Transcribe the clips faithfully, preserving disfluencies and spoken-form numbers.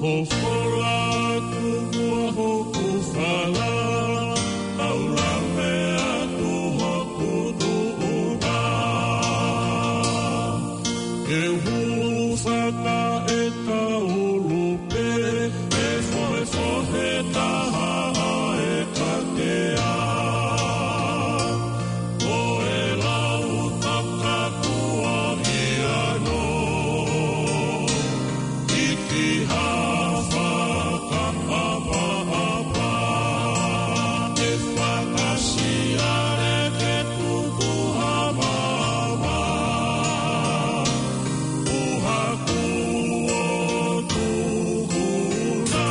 Fofola atu hoku fala, taulame atu hoku tuʻunga. Ke hūfanga e kaulu pē, ke fohefohe taha e katea. Ko e lau takakuahiano, ʻi ki ha fakaʻapaʻapa, ke fakasiale ke tutuha mama, ʻuha kuo tuʻuna.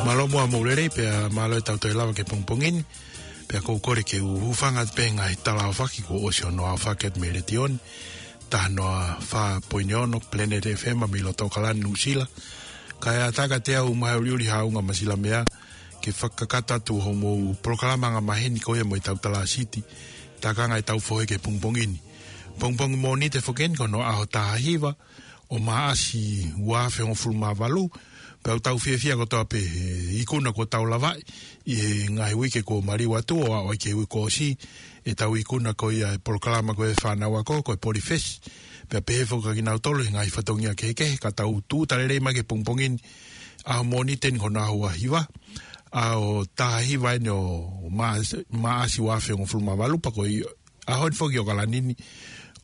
Mālō muʻa mo e lelei pea mālō e tau toe lava ki he pongipongi ni. Pea ʻoku ou kole ke u hūfanga pē he ngaahi tala ʻaofaki kuo ʻosi hono ʻaofaki atu mei he letiō ni. Taha noa fā poini ono Planet F M mei loto ʻAokalani, Nuʻusila. Kae ʻatā kiate au Maheuli Haʻunga Masilamea ke fakakakato atu hoʻomou polokalama angamaheni ko ia mo e Tau Tala Siti, takanga e tau fohe ki he pongipongi ni. Pongipongi Mōnite foki eni ko hono ʻaho taha hiva ʻo Maʻasi ua afe hongofulu mā valu, pea ʻoku tau fiefia kotoa pē he ikuna kuo tau lavaʻi ʻi he ngaahi uike kuo maliu atu ʻo aʻu ai ki he uike kuo ʻosi, e tau ikuna ko ia e polokalama ko e fānau ako, ko e Polifesi. Pea pehē foki kia kinautolu he ngaahi fatongia kehekehe, ka tau tūʻuta lelei mai ki he pongipongi ni, ʻaho Mōnite eni ko hono ʻaho ua hiva, ʻaho taha hiva eni ʻo Maʻasi, Maʻasi ua afe hongofulu mā valu, pea ko e ʻaho ni foki ʻi ʻAokalani ni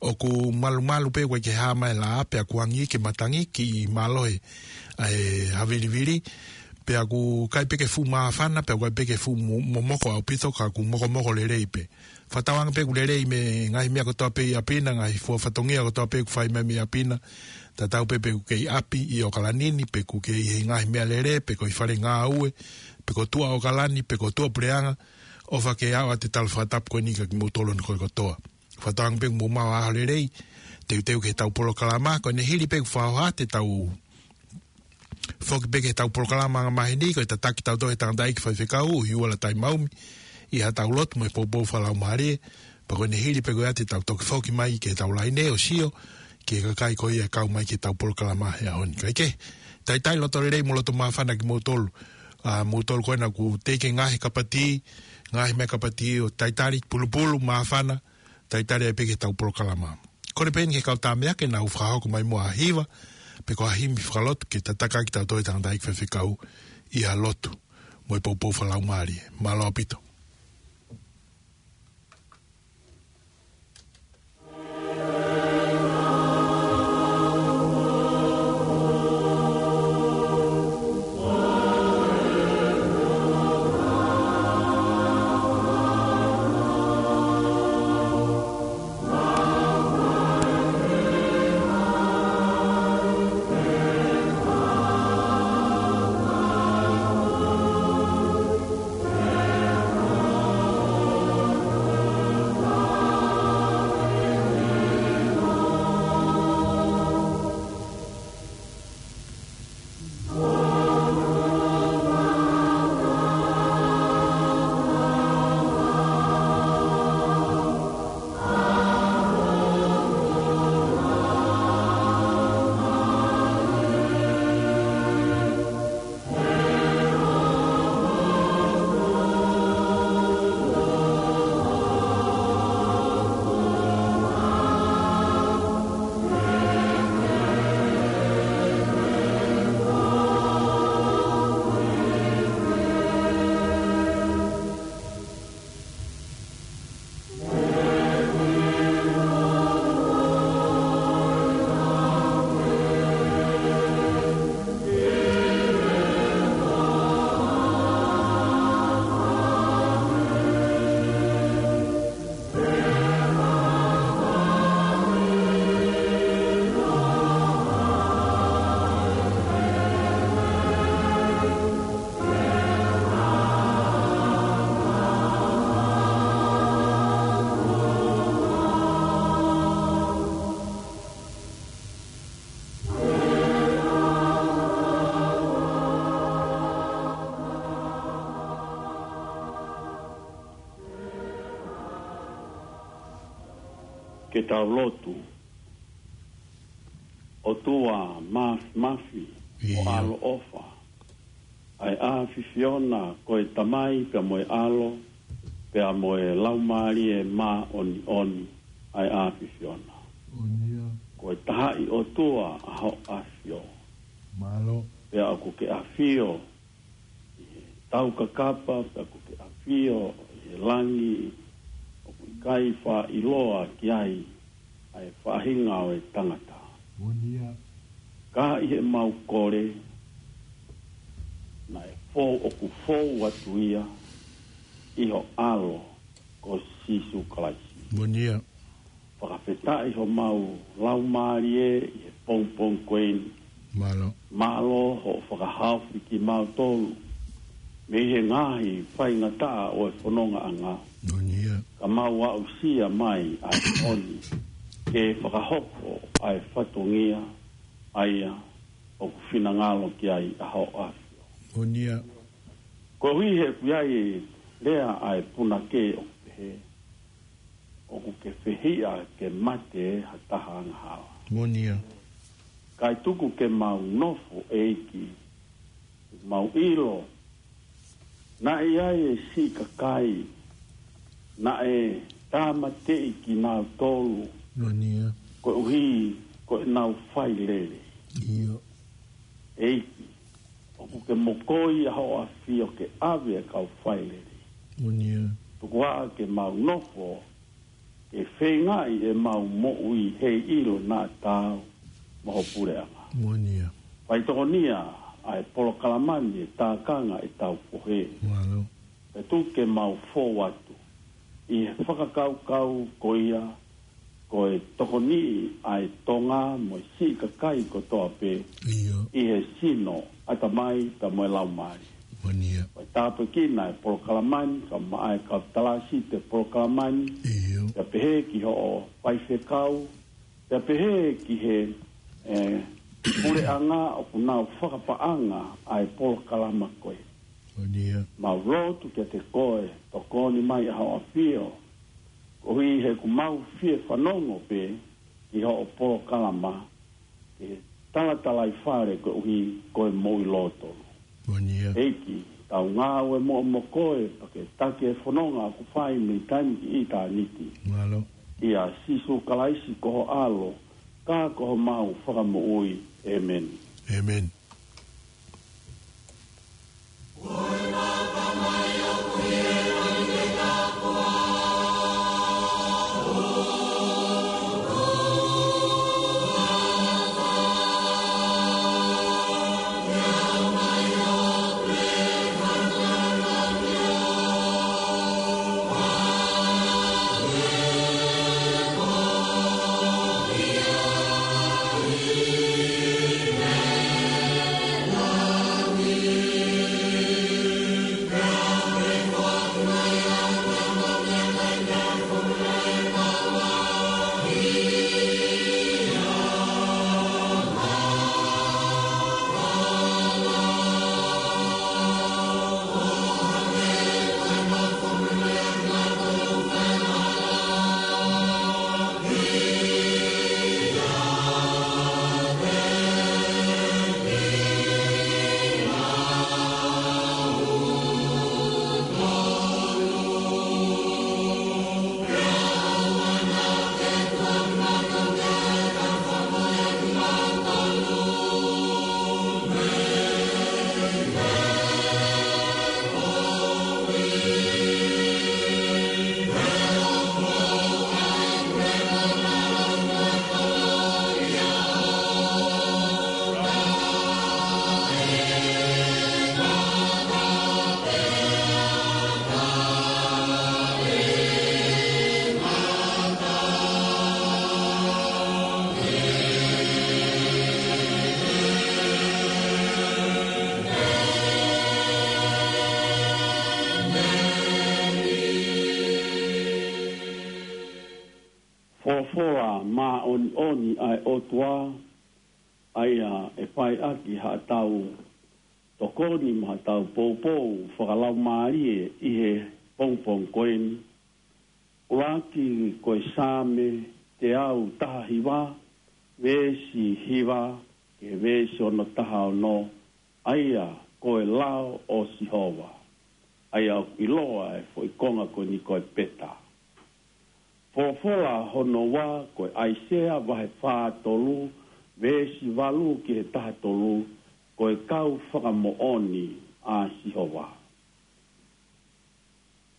ʻoku malumalu pē, ʻoku ʻikai ke hā mai e laʻā, pea kuo angi ke matangi, kiʻi mālohi ʻa e havilivili, pea ʻoku ʻikai pē ke fuʻu māfana, pea ʻoku ʻikai pē ke fuʻu mo-, momoko ʻaupito, ka ʻoku mokomoko lelei pē. Fakatauange pē ʻoku lelei mei he ngaahi meʻa kotoa pē ʻi ʻapi na, ngaahi fua fatongia kotoa pē ʻoku fai mai mei ʻapi na, tatau pē pe ʻoku kei ʻi ʻapi ʻi ʻAokalani ni, pe ʻoku kei ʻi he ngaahi meʻalele, pe ko e fale ngāue, pe ko tuʻa ʻAokalani, pe ko tuʻa puleʻanga, ʻofa ke ʻoatu e tala fakatapu ko eni kia kimoutolu hono koe kotoa. Fakatauange pē ʻoku mou maʻu ha ʻaho lelei, teuteu ki he tau polokalama, ko ʻene hili pē ʻoku fakahoha atu e tau foki pē ki he tau polokalama angamaheni, ko e tataki tautolu ʻe he tangataʻeiki faifekau, ʻUhiuala Taimaumi, ʻi ha tau lotu mo e poupou fakalaumālie, pea ko ʻene hili pē ko ia te tau toki foki mai ki he tau laine ʻo sio ki he kakai ko ia ʻe kau mai ki he tau polokalama he ʻaho ni. Kae kehe, talitali loto lelei mo loto māfana kimoutolu ʻa moutolu ko ena ʻoku teʻeki ngaahi kapatī, ngaahi meʻa kapatī ʻo talitali, pulupulu, māfana, talitali ai pē ki heʻetau polokalama. Kole pē eni ki he kau tāmeʻa ke nau fakahoko mai muʻa ha hiva, pe ko ha himi fakalotu ke tataki kitautolu ʻe he tangataʻeiki faifekau ʻi ha lotu mo e poupou fakalaumālie. Mālō ʻaupito. Ke tau lotu. ʻOtua māfimafi, ʻio, ʻaloʻofa, ʻa e ʻAfiona, ko e Tamai pea mo e ʻAlo, pea mo e Laumālie Māʻoniʻoni, ʻa e ʻAfiona. ʻIo. Ko e Tahaʻi ʻOtua ʻa hoʻo ʻAfio. Mālō. Pea ʻoku ke ʻafio ʻi he taukakapa, pea ʻoku ke ʻafio ʻi he langi, ʻoku ʻikai faʻa ʻiloa ki ai ʻa e faʻahinga ʻo e tangata. Moʻoni ia. Ka ʻi heʻemau kole, naʻe fou, ʻoku fou atu ia ʻi ho ʻAlo ko Sīsū Kalaisi. Moʻoni ia. Fakafetaʻi homau laumālie ʻi he pongipongi ko eni. Mālō. Mālō hoʻo fakahaofi kimautolu mei he ngaahi faingataʻa ʻo e fonongaʻanga. Moʻoni ia. Ka mau aʻusia mai ʻa e moʻoni ke fakahoko ʻa e fatongia ʻa ia ʻoku finangalo ki ai ʻa hoʻo ʻAfio. Moʻoni ia. Koeʻuhi he ʻoku ʻi ai e lea ʻa e punake ʻoku pehē, ʻoku ke fehiʻa ke mate ha taha angahala. Moʻoni ia. Kae tuku ke mau nofo, ʻEiki, mau ʻilo naʻe ʻi ai e siʻi kakai naʻe tāmateʻi kinautolu. Moʻoni ia. Koeʻuhi ko ʻenau fai lelei. ʻIo. ʻEiki, ʻoku ke mokoi ʻa hoʻo ʻAfio ke ʻave ʻa e kau fai lelei. Moʻoni ia. Tuku ā ke mau nofo ke feingaʻi ʻemau moʻui heiʻilo naʻa tau mo ho puleʻanga. Moʻoni ia. Faitokonia ʻa e polokalama ni ʻi he tākanga ʻetau pohe. Mālō. Pea tuku ke mau fou atu ʻi he fakakaukau ko ia, ko e tokoniʻi ʻa e Tonga mo e siʻi kakai kotoa pē. ʻIo. ʻI he sino, ʻatamai pea mo e laumālie. Moʻoni ia. Ko e tāpuekina e polokalama ni, kae ʻumaʻā e kau talāsiti e polokalama ni. ʻIo. Pea pehē ki hoʻo faifekau, pea pehē ki he, e, puleʻanga ʻoku nau fakapaʻanga ʻa e polokalama ko ē. Moʻoni ia. Mau lotu kiate koe, tokoni mai ʻa hoʻo ʻAfio, koeʻuhi he ʻoku mau fie fanongo pē ki hoʻo polokalama, ki he talatalaifale koeʻuhi ko e moʻui lōtolu. Moʻoni ia. ʻEiki, Tau ngāue muʻa mo koe, pea ke taki e fononga ʻoku fai mei taimi ki ʻitāniti. Mālō. ʻIa Sīsū Kalaisi ko ho ʻAlo, ka ko homau Fakamoʻui. ʻĒmeni. ʻĒmeni. Folofola māʻoniʻoni ʻa e ʻOtua, ʻa ia ʻe fai ʻaki haʻatau tokoni mo haʻatau poupou fakalaumālie ʻi he pongipongi ko eni. ʻUluaki ko e Saame teau taha hiva, veesi hiva ki he veesi ono taha ono, ʻa ia ko e lao ʻo Sihova. ʻA ia ʻoku ʻiloa e foʻi konga ko eni ko e peta. Folofola hono ua ko e ʻAisea vahe fā tolu, veesi valu ki he taha tolu, ko e kau fakamoʻoni ʻa Sihova.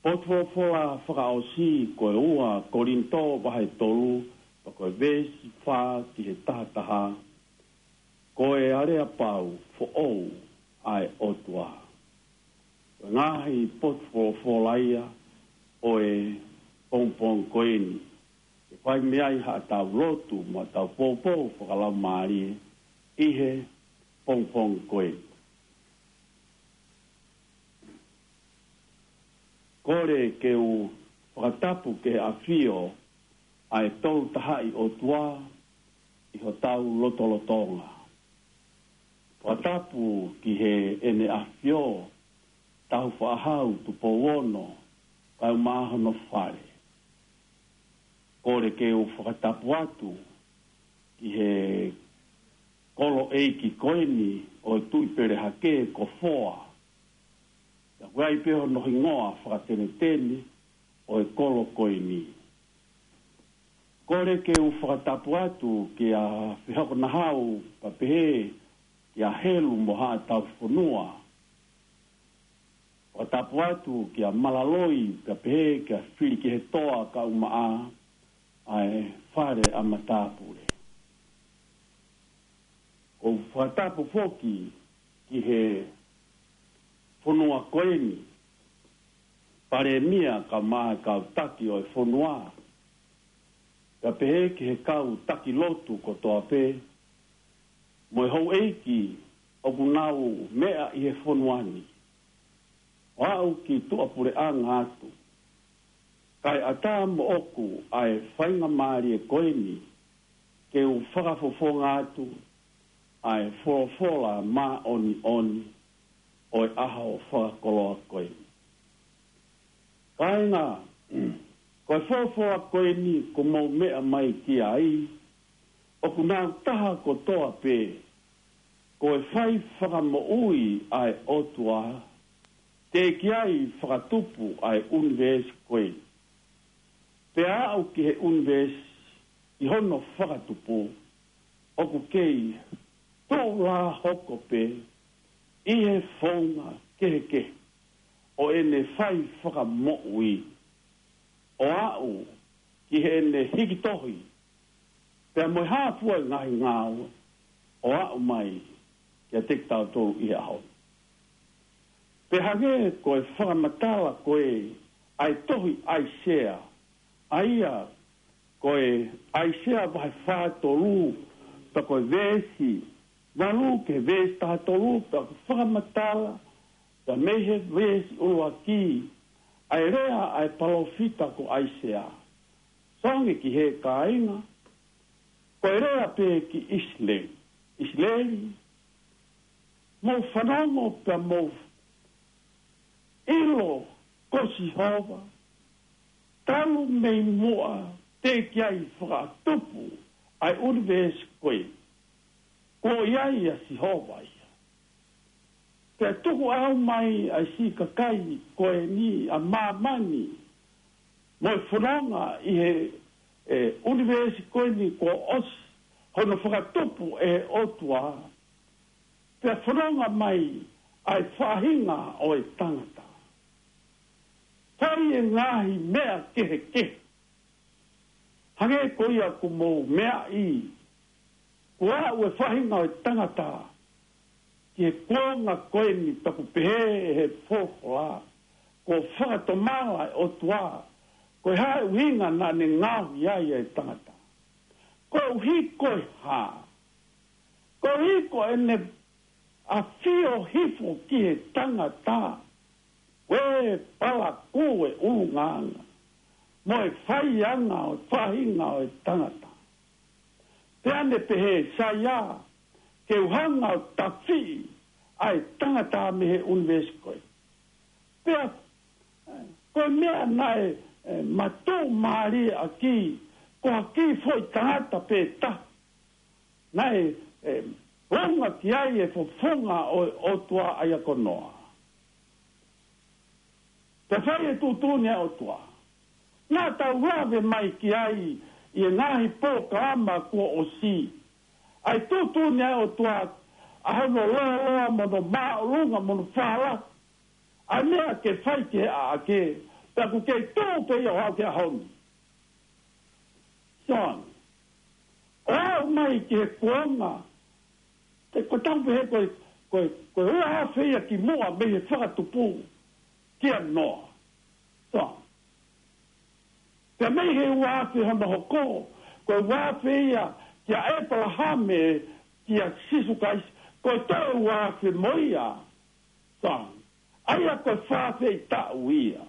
Potu folofola fakaʻosi ko e ua Kolinitō vahe tolu, pea ko e veesi fā ki he taha taha, ko e aleapau foʻou ʻa e ʻOtua. Ko e ngaahi potu folofola ia ʻo e pongipongi ko eni, ke fai mei ai haʻatau lotu mo haʻatau poupou fakalaumālie ʻi he pongipongi ko eni. Kole ke u fakatapu ki he ʻafio ʻa e Tolu Tahaʻi ʻOtua ʻi hotau lotolotonga. Fakatapu ki heʻene ʻafio Taufaʻahau Tupou Ono, kae ʻumaʻā hono fale. Kole ke u fakatapu atu ki he kolo ʻeiki ko eni ʻo e Tuʻi Pele Hake ko Foa. Pea ʻoku ʻi ai pē hono hingoa fakatenetene ʻo e kolo ko eni. Kole ke u fakatapu atu kia Fehokonahau pea pehē kia Helu mo haʻatau fonua. Fakatapu atu kia Malaloi pea pehē kia Filikihetoa kae ʻumaʻā ʻa e fale ʻa matāpule. ʻOku ou fakatapu foki ki he fonua ko eni, Palēmia kae ʻumaʻā e kau taki ʻo e fonua, pea pehē ki he kau taki lotu kotoa pē, mo e houʻeiki ʻoku nau meʻa ʻi he fonua ni, ʻo aʻu ki tuʻapuleʻanga atu. Kae ʻatā moʻoku ʻa e faingamālie ko eni ke u fakafofonga atu ʻa e folofola māʻoniʻoni ʻo e ʻaho fakakoloa ko eni. Kāinga, ko e folofola ko eni kuo mou meʻa mai ki ai, ʻoku nau taha kotoa pē, ko e fai fakamoʻui ʻa e ʻOtua, teʻeki ai fakatupu ʻa e ʻunivēsi ko ē. Pea aʻu ki he ʻunivēsi ʻi hono fakatupu, ʻoku kei tuʻulā hoko pē ʻi he founga kehekehe ʻo ʻene fai fakamoʻui, ʻo aʻu ki heʻene hiki tohi, pea mo e hā fua e ngaahi ngāue ʻo aʻu mai kiate kitautolu ʻi he ʻaho ni. Pea hangē ko e fakamatala ko ē ʻa e tohi ʻAisea, ʻa ia ko e ʻAisea vahe fā tolu, pea ko e veesi valu ki he veesi taha tolu, pea ko e fakamatala, pea mei he veesi ʻuluaki, ʻa e lea ʻa e palōfita ko ʻAisea. Soange ki he kāinga, ko e lea pē ki ʻIsileli. ʻIsileli, mou fanongo pea mou ʻilo ko Sihova, talu mei muʻa teʻeki ai fakatupu ʻa e ʻunivēsi ko ē, ko ia ia Sihova ia. Pea tuku ʻau mai ʻa e siʻi kakai ko eni ʻa māmani mo e fononga ʻi he, e, ʻunivēsi ko eni kuo ʻosi hono fakatupu ʻe he ʻOtua. Pea fononga mai ʻa e faʻahinga ʻo e tangata. Fai e ngaahi meʻa kehekehe. Hangē ko ia ʻoku mou meaʻi, kuo aʻu e faʻahinga ʻo e tangata ki he kuonga ko eni, pea ʻoku pehē ʻe he folofola, kuo fakatomala e ʻOtua. Ko e hā e ʻuhinga naʻa ne ngaohi ai e tangata? Koeʻuhi ko e hā? Koeʻuhi ko ʻene ʻafio hifo ki he tangata, ʻoku palakū e ʻulungaanga mo e faianga ʻo e faʻahinga ʻo e tangata. Pea ne pehē, Saia, ke u hanga ʻo tafiʻi ʻa e tangata mei he ʻunivēsi ko ē. Pea, e, ko e meʻa naʻe, e, matuʻumālie ʻaki, ko ha kiʻi foʻi tangata pē taha naʻe, e, lounga ki ai e fofonga ʻo, ʻOtua, ʻa ia ko Noa. Pea fai e tuʻutuʻuni ʻa e ʻOtua. Naʻa tau lave mai ki ai ʻi he ngaahi polokalama kuo ʻosi. ʻA e tuʻutuʻuni ʻa e ʻOtua, ʻa hono lōloa mo hono māʻolunga mo hono fālahi. ʻA e meʻa ke fai ki he ʻaʻake, pea ʻoku kei tuʻu pē ia ʻo aʻu ki he ʻaho ni. Soange. ʻO aʻu mai ki he kuonga, te ko tau pehē ko e, ko e, ko e ua afe ia ki muʻa mei he fakatupu kia Noa. Soange. Pea mei he ua afe hono hoko, ko e ua afe ia kia ʻEpalahame, kia Sīsū Kalaisi, ko e toe ua afe mo ia. Soange. ʻA ia ko e fā afe taʻu ia.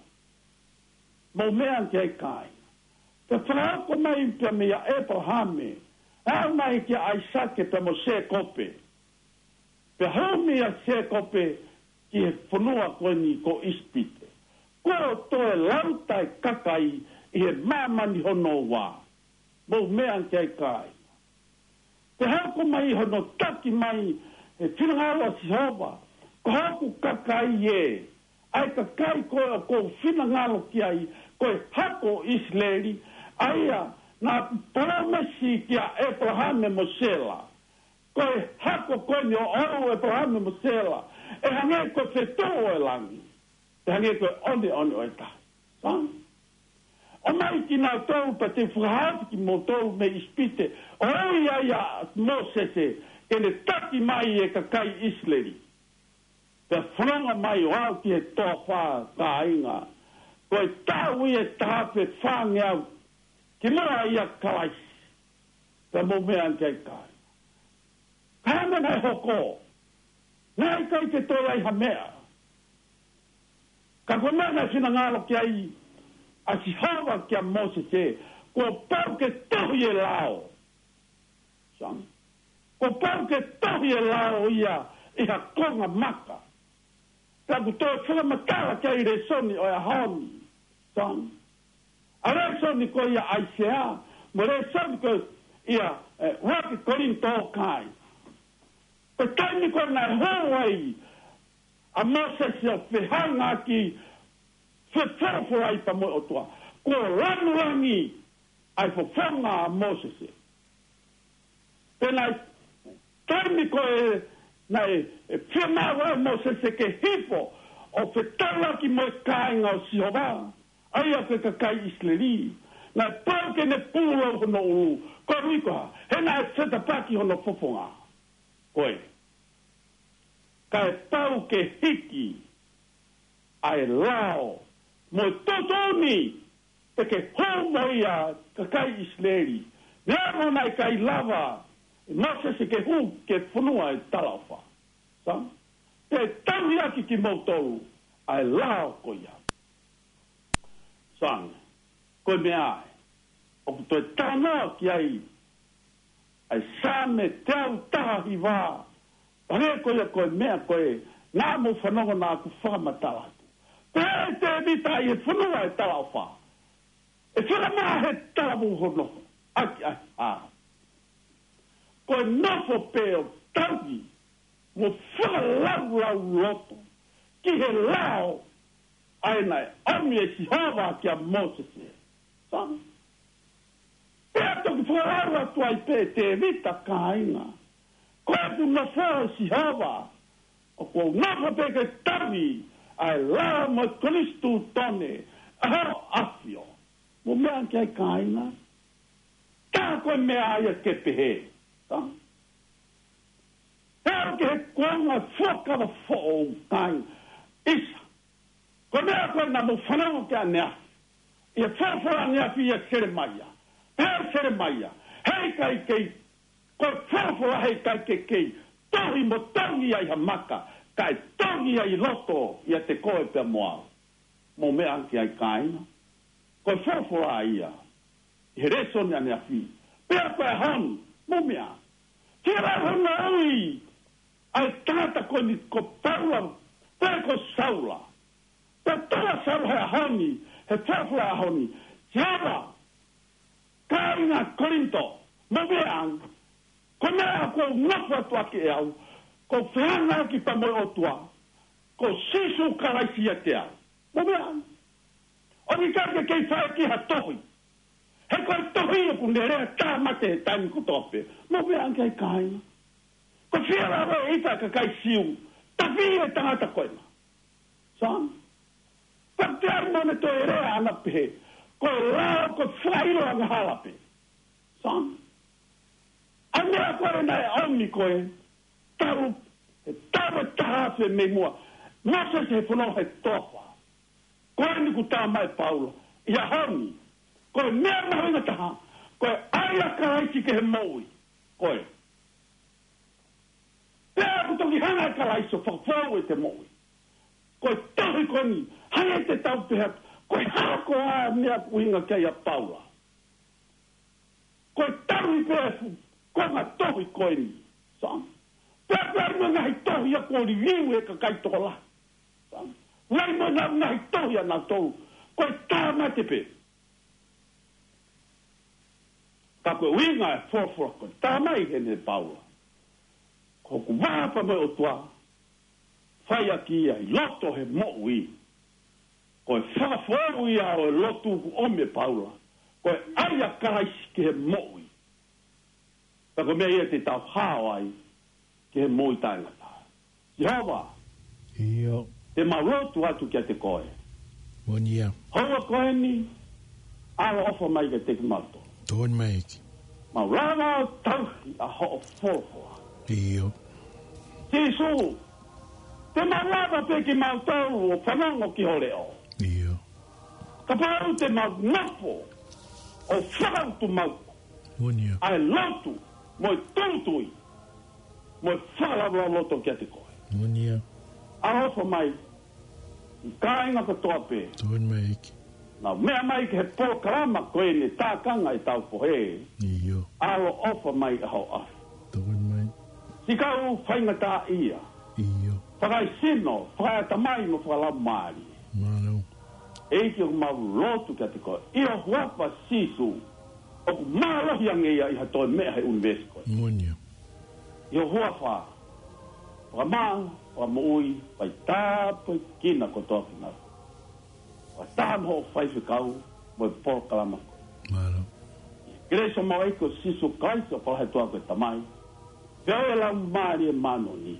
Mou meʻa ki ai kāinga. Pea fakahoko mai pea meia ʻEpalahame, aʻu mai kia ʻAisake pea mo Sēkope. Pea hūmi ʻa Sēkope ki he fonua ko eni ko ʻIsipite. Kuo toe lauta e kakai ʻi he māmani hono ua. Mou meʻa ki ai kāinga. Pea hoko mai hono taki mai e finangalo ʻa Sihova, ko hoku kakai ē, ʻa e kakai ko ē ʻoku ou finangalo ki ai, ko e hako ʻo ʻIsileli, ʻa ia naʻa palōmesi kia ʻEpalahame mo Sela. Ko e hako ko eni ʻoʻou, ʻEpalahame mo Sela, ʻe hangē ko e fetuʻu ʻo e langi, ʻe hangē ko e ʻoneʻone ʻo e tahi. Soange. ʻOmai kinautolu pea te u fakahaofi kimoutolu mei ʻIsipite, ʻo ui ai ʻa Mōsese ke ne taki mai e kakai ʻIsileli. Pea fononga mai ʻo aʻu ki he toafa, kāinga, ko e taʻu ia ʻe taha afe fāngeau kimuʻa ʻia Kalaisi. Pea mou meʻa ki ai kāinga. Ka hanga naʻe hoko, naʻe ʻikai ke toe ʻi ai ha meʻa. Ka ko e meʻa naʻe finangalo ki ai ʻa Sihova kia Mōsese, kuo pau ke tohi e lao. Soange. Kuo pau ke tohi e lao ia ʻi ha konga maka. Pea ʻoku toe fakamatala ki ai e lēsoni ʻo e ʻaho ni. Soange. ʻA e lēsoni ko ia ʻAisea, mo e lēsoni ko ia, e, ua Kolinitō, kāinga. Ko e taimi ko ē naʻe hū ai ʻa Mōsese ʻo fehangahangai fefolofolai pea mo e ʻOtua. Kuo langilangi ʻa e fofonga ʻa Mōsese. Pea naʻe taimi ko ē naʻe, ʻe fiemaʻu ai ʻe Mōsese ke hifo ʻo fetaulaki mo e kāinga ʻo Sihova, ʻa ia ko e kakai ʻIsileli. Naʻe pau ke ne pūlou hono ʻulu, koeʻuhi ko e hā? He naʻe fetapaki hono fofonga. Ko e, kae pau ke hiki ʻa e lao mo e tuʻutuʻuni, pea ke hū mo ia ki he kakai ʻIsileli. Neongo naʻe ʻikai lava ʻe Mōsese ke hū ki he fonua ʻo e talaʻofa. Sai? Te u tauhi ʻaki kimoutolu ʻa e lao ko ia. Sai? Ko e meʻa ē ʻoku toe talanoa ki ai ʻa e Saame teau taha hiva. Pea ko ia ko e meʻa ko ē naʻa mou fanongo naʻa ku fakamatala atu. Pea ʻe Tēvita ʻi he fonua ʻo e talaʻofa, ʻe fakamaʻa he talavou hono ʻahiʻahi. Ko e nofo pē ʻo tauhi mo fakalaulauloto ki he lao ʻa ia naʻe ʻomi ʻe Sihova kia Mōsese. Sai? Pea toki fakalaulauloto ai pē ʻe Tēvita, kāinga. Ko ʻeku nofo ʻa Sihova, ʻoku ou nofo pē ke tauhi ʻa e lao mo e konisitūtone ʻa hoʻo ʻAfio. Mou meʻa ki ai, kāinga. Tā ko e meʻa ia ke pehē. Sai? He ʻoku ʻi he kuonga Fuakava Foʻou, kāinga. ʻIsa. Ko e meʻa ko ē naʻa mou fanongo ki ai ʻaneafi ʻi he folofola ʻaneafi ʻia Selemaia. Pehē ʻe Selemaia, heʻikai ke, ko e folofola heʻikai ke kei tohi mo tongi ai ha maka, kae tongi ai loto ʻiate koe pea mo au. Mou meʻa ki ai, kāinga. Ko e folofola ia ʻi he lēsoni ʻaneafi. Pea ko e ʻaho ni, mou meʻa, fie lau hono ui ʻa e tangata ko eni ko Paula, pe ko Saula. Pea tala Saula he ʻaho ni, he folofola ʻaho ni, Sihova, kāinga Kolinitō, mou meʻa ange, ko e meʻa ʻoku ou nofo atu ʻaki ʻe au, ko e fehangahangai pea mo e ʻOtua, ko Sīsū Kalaisi ʻiate au. Mou meʻa ange. ʻOku ʻikai ke kei fai ki ha tohi. He ko e tohi ʻoku ne lea tāmate he taimi kotoa pē. Mou meʻa ange ki ai, kāinga. Ko e fie lava ʻe ʻIta kakai Siu, tafi e tangata ko ena. Sai? Pea te ai mo ne toe lea ʻana pehē, ko e lao ko e fakaʻilo angahala pē. Sai? ʻA e meʻa ko ē naʻe ʻomi ko ē, talu, he talu ʻe taha afe mei muʻa, Mōsese he fonua he toafa. Ko eni kuo tā mai ʻe Paula ʻi he ʻaho ni, ko e meʻa mahuʻinga taha, ko e ʻai ʻa Kalaisi ki he moʻui. Ko e, pea kuo toki hanga ʻe Kalaisi ʻo fakafoʻou ʻete moʻui. Ko e tohi ko eni, hangē te tau pehē atu, ko e hā koā e meʻa ʻoku ʻuhinga ki ai ʻa Paula? Ko e tauhi pē fu, ko e ngaahi tohi ko eni. Sai? Pea pea mo e ngaahi tohi ia kuo liliu ʻe he kakai tokolahi. Sai? Nai mo e ngaahi tohi ʻanautolu, ko e tāmate pē. Ka ko e ʻuhinga e folofola ko ē, tā mai heni ʻe Paula, ko hoku vā pea mo e ʻOtua, fai ʻaki ia ʻi loto he moʻui. Ko e fakafoʻou ia ʻo e lotu kuo ʻomi ʻe Paula. Ko e ʻai ʻa Kalaisi ki he moʻui. Pea ko e meʻa ia te tau hao ai ki he moʻui taʻengata. Sihova. ʻIo. Te mau lotu atu kiate koe. Moʻoni ia. Houa ko eni, ʻaloʻofa mai kiate kimautolu. Tokoni mai ʻEiki. Mau lava ʻo tauhi ʻa hoʻo folofola. ʻIo. Sīsū, te mau lava pē kimautolu ʻo fanongo ki ho leʻo. ʻIo. Kapau te mau nofo ʻo fakautuutu mai. Moʻoni ia. ʻA e lotu, mo e tūtui, mo e fakalaulauloto kiate koe. Moʻoni ia. ʻAloʻofa mai, ʻi kāinga kotoa pē. Tokoni mai ʻEiki. Nau meʻa mai ki he polokalama ko eni, tākanga ʻetau fohe. ʻIo. ʻAloʻofa mai ʻa hoʻo ʻAfio. Tokoni mai. Siʻi kau faingataʻaʻia. ʻIo. Fakaesino, fakaeʻatamai mo fakalaumālie. Mālō. ʻEiki ʻoku mau lotu kiate koe. ʻI ho huafa Sīsū. ʻOku mālohi ange ia ʻi ha toe meʻa he ʻunivēsi ko ē. Moʻoni ia. ʻI ho huafa. Fakamālō. ʻo e moʻui, fai tāpuekina kotoa kinautolu. Fakataha mo hoʻo faifekau, mo e polokalama. Mālō. Kelesi ʻa e ʻEiki ko Sīsū Kalaisi ʻoku ʻi he ʻOtua ko e Tamai. Feohi ʻa e Laumālie Māʻoniʻoni.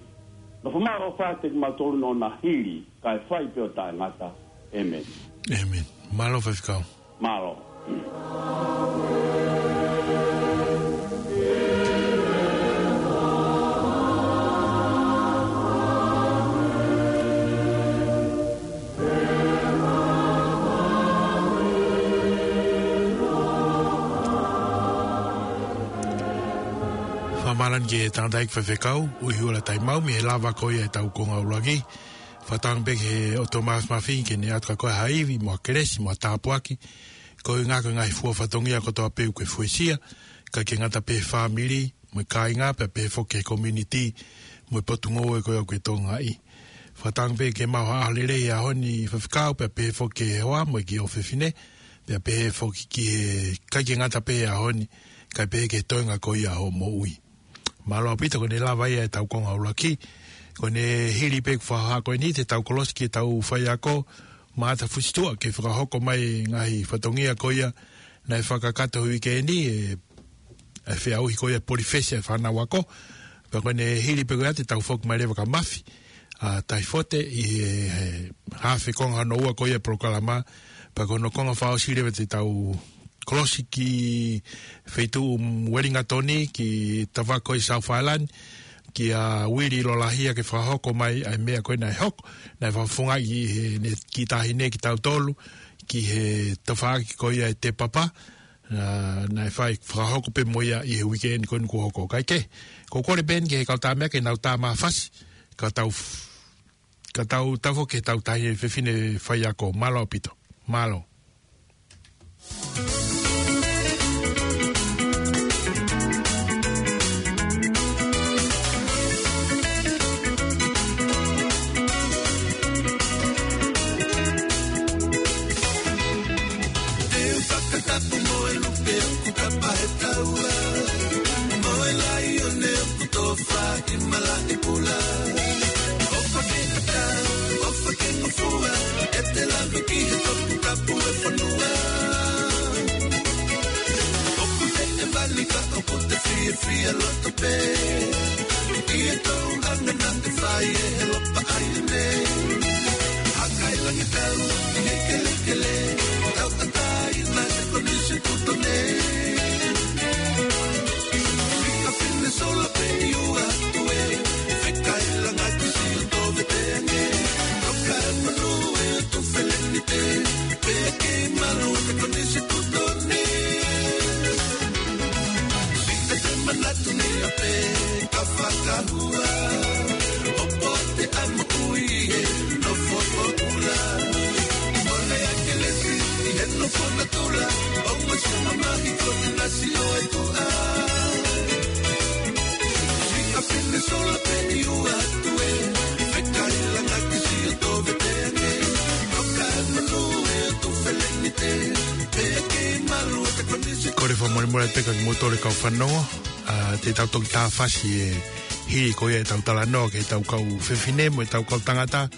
Nofo mai ʻo fai kiate kimautolu ʻo na hili, kae fai pē ʻo taʻengata. ʻĒmeni. ʻĒmeni. Mālō faifekau. Mālō. Fakamālō atu ki he tangataʻeiki faifekau, Uihuela Taimau, mei he lava ko ia ʻetau konga ʻuluaki. Fakatauange pē ki he ʻOtua Māfimafi ke ne ʻatu kia koe ha ivi mo ha kelesi mo ha tāpuaki. Ko e ngaahi, ko e ngaahi fua fatongia kotoa pē ʻoku ke fuesia, ʻikai ke ngata pē he fāmili, mo e kāinga, pea pehē foki ki he community, mo e potungāue ko ia ʻoku ke tokangaʻi. Fakatauange pē ke maʻu ha ʻaho lelei he ʻaho ni faifekau, pea pehē foki ki he hoa mo e kiʻi ʻofefine, pea pehē foki ki he, ʻikai ke ngata pē he ʻaho ni, kae pehē ki he toenga ko ia hoʻo moʻui. Mālō ʻaupito, ko ʻene lava ia ʻetau konga ʻuluaki. Ko ʻene hili pē ʻeku fakahā ko eni, te tau kolosi ki heʻetau faiako, Maʻata Fusituʻa, ke fakahoko mai e ngaahi fatongia ko ia naʻe fakakakato he uike ni, ʻe, ʻe feʻauhi ko ia e polifesi ʻa e fānau ako. Pea ko ʻene hili pē ko ia te tau foki mai leva kia Mafi, ʻa, Taifote ʻi he, he haafe konga hono ua ko ia e polokalama. Pea ko hono konga fakaʻosi leva te tau kolosi ki he feituʻu Uelingatoni, ki he tafaʻaki ko ia South Island, kia Uili Lolahia ke fakahoko mai ʻa e meʻa ko ia naʻe hoko, naʻe fakafofongaʻi ʻe heʻene kiʻi taʻahine kitautolu, ki he tafaʻaki ko ia ʻe Te Papa, ʻa, naʻe fai fakahoko pē mo ia ʻi he uike ni ko eni kuo hoko. Kae kehe, ʻoku ou kole pē eni ki he kau tāmea ke nau tā mafasi, ka tau f-, ka tau tafo ki heʻetau taʻahine fefine faiako. Mālō ʻaupito. Mālō. Te u fakatapu mo e lupe ʻoku kapa he taua, mo e laione ʻoku tofa ʻi malaʻe pula. ʻOfa ke ʻatā, ʻofa ke ngofua, ʻete lave ki he toputapu ʻo e fonua. ʻOku te ʻe mali ka ʻoku te fiefia loto pē ʻi he tōʻonga naʻe fai ʻe he lopa ʻaia nei. Haka e langi tau ʻi he kelekele, tauʻatāina e Konisitūtone. Fika fine sola pē ʻi ua atu ē, feka e langa ki Siʻoto Veteange. Toka e manu e ʻOtu Felenite, pea kei malu e Konisitūtone. Siʻi te manatu ni a pē ka fakahua, ʻo poate ʻa moʻui he nofo ʻo ula. Mole ʻa Kelesi ʻi he nofo natula, ʻo mo sio mamahi ko te nasi ʻo e tuʻa. Fika fine sola pē ʻi ua atu ē, feka e langa ki Siʻoto Veteange. Toka e manu e ʻOtu Felenite, pea kei malu e Konisitūtone. Kole fakamolemole atu pē kia kimoutolu kau fanongo, ʻa, te tau toki tā fasi e hili ko ia ʻetau talanoa ki heʻetau kau fefine mo ʻetau kau tangata.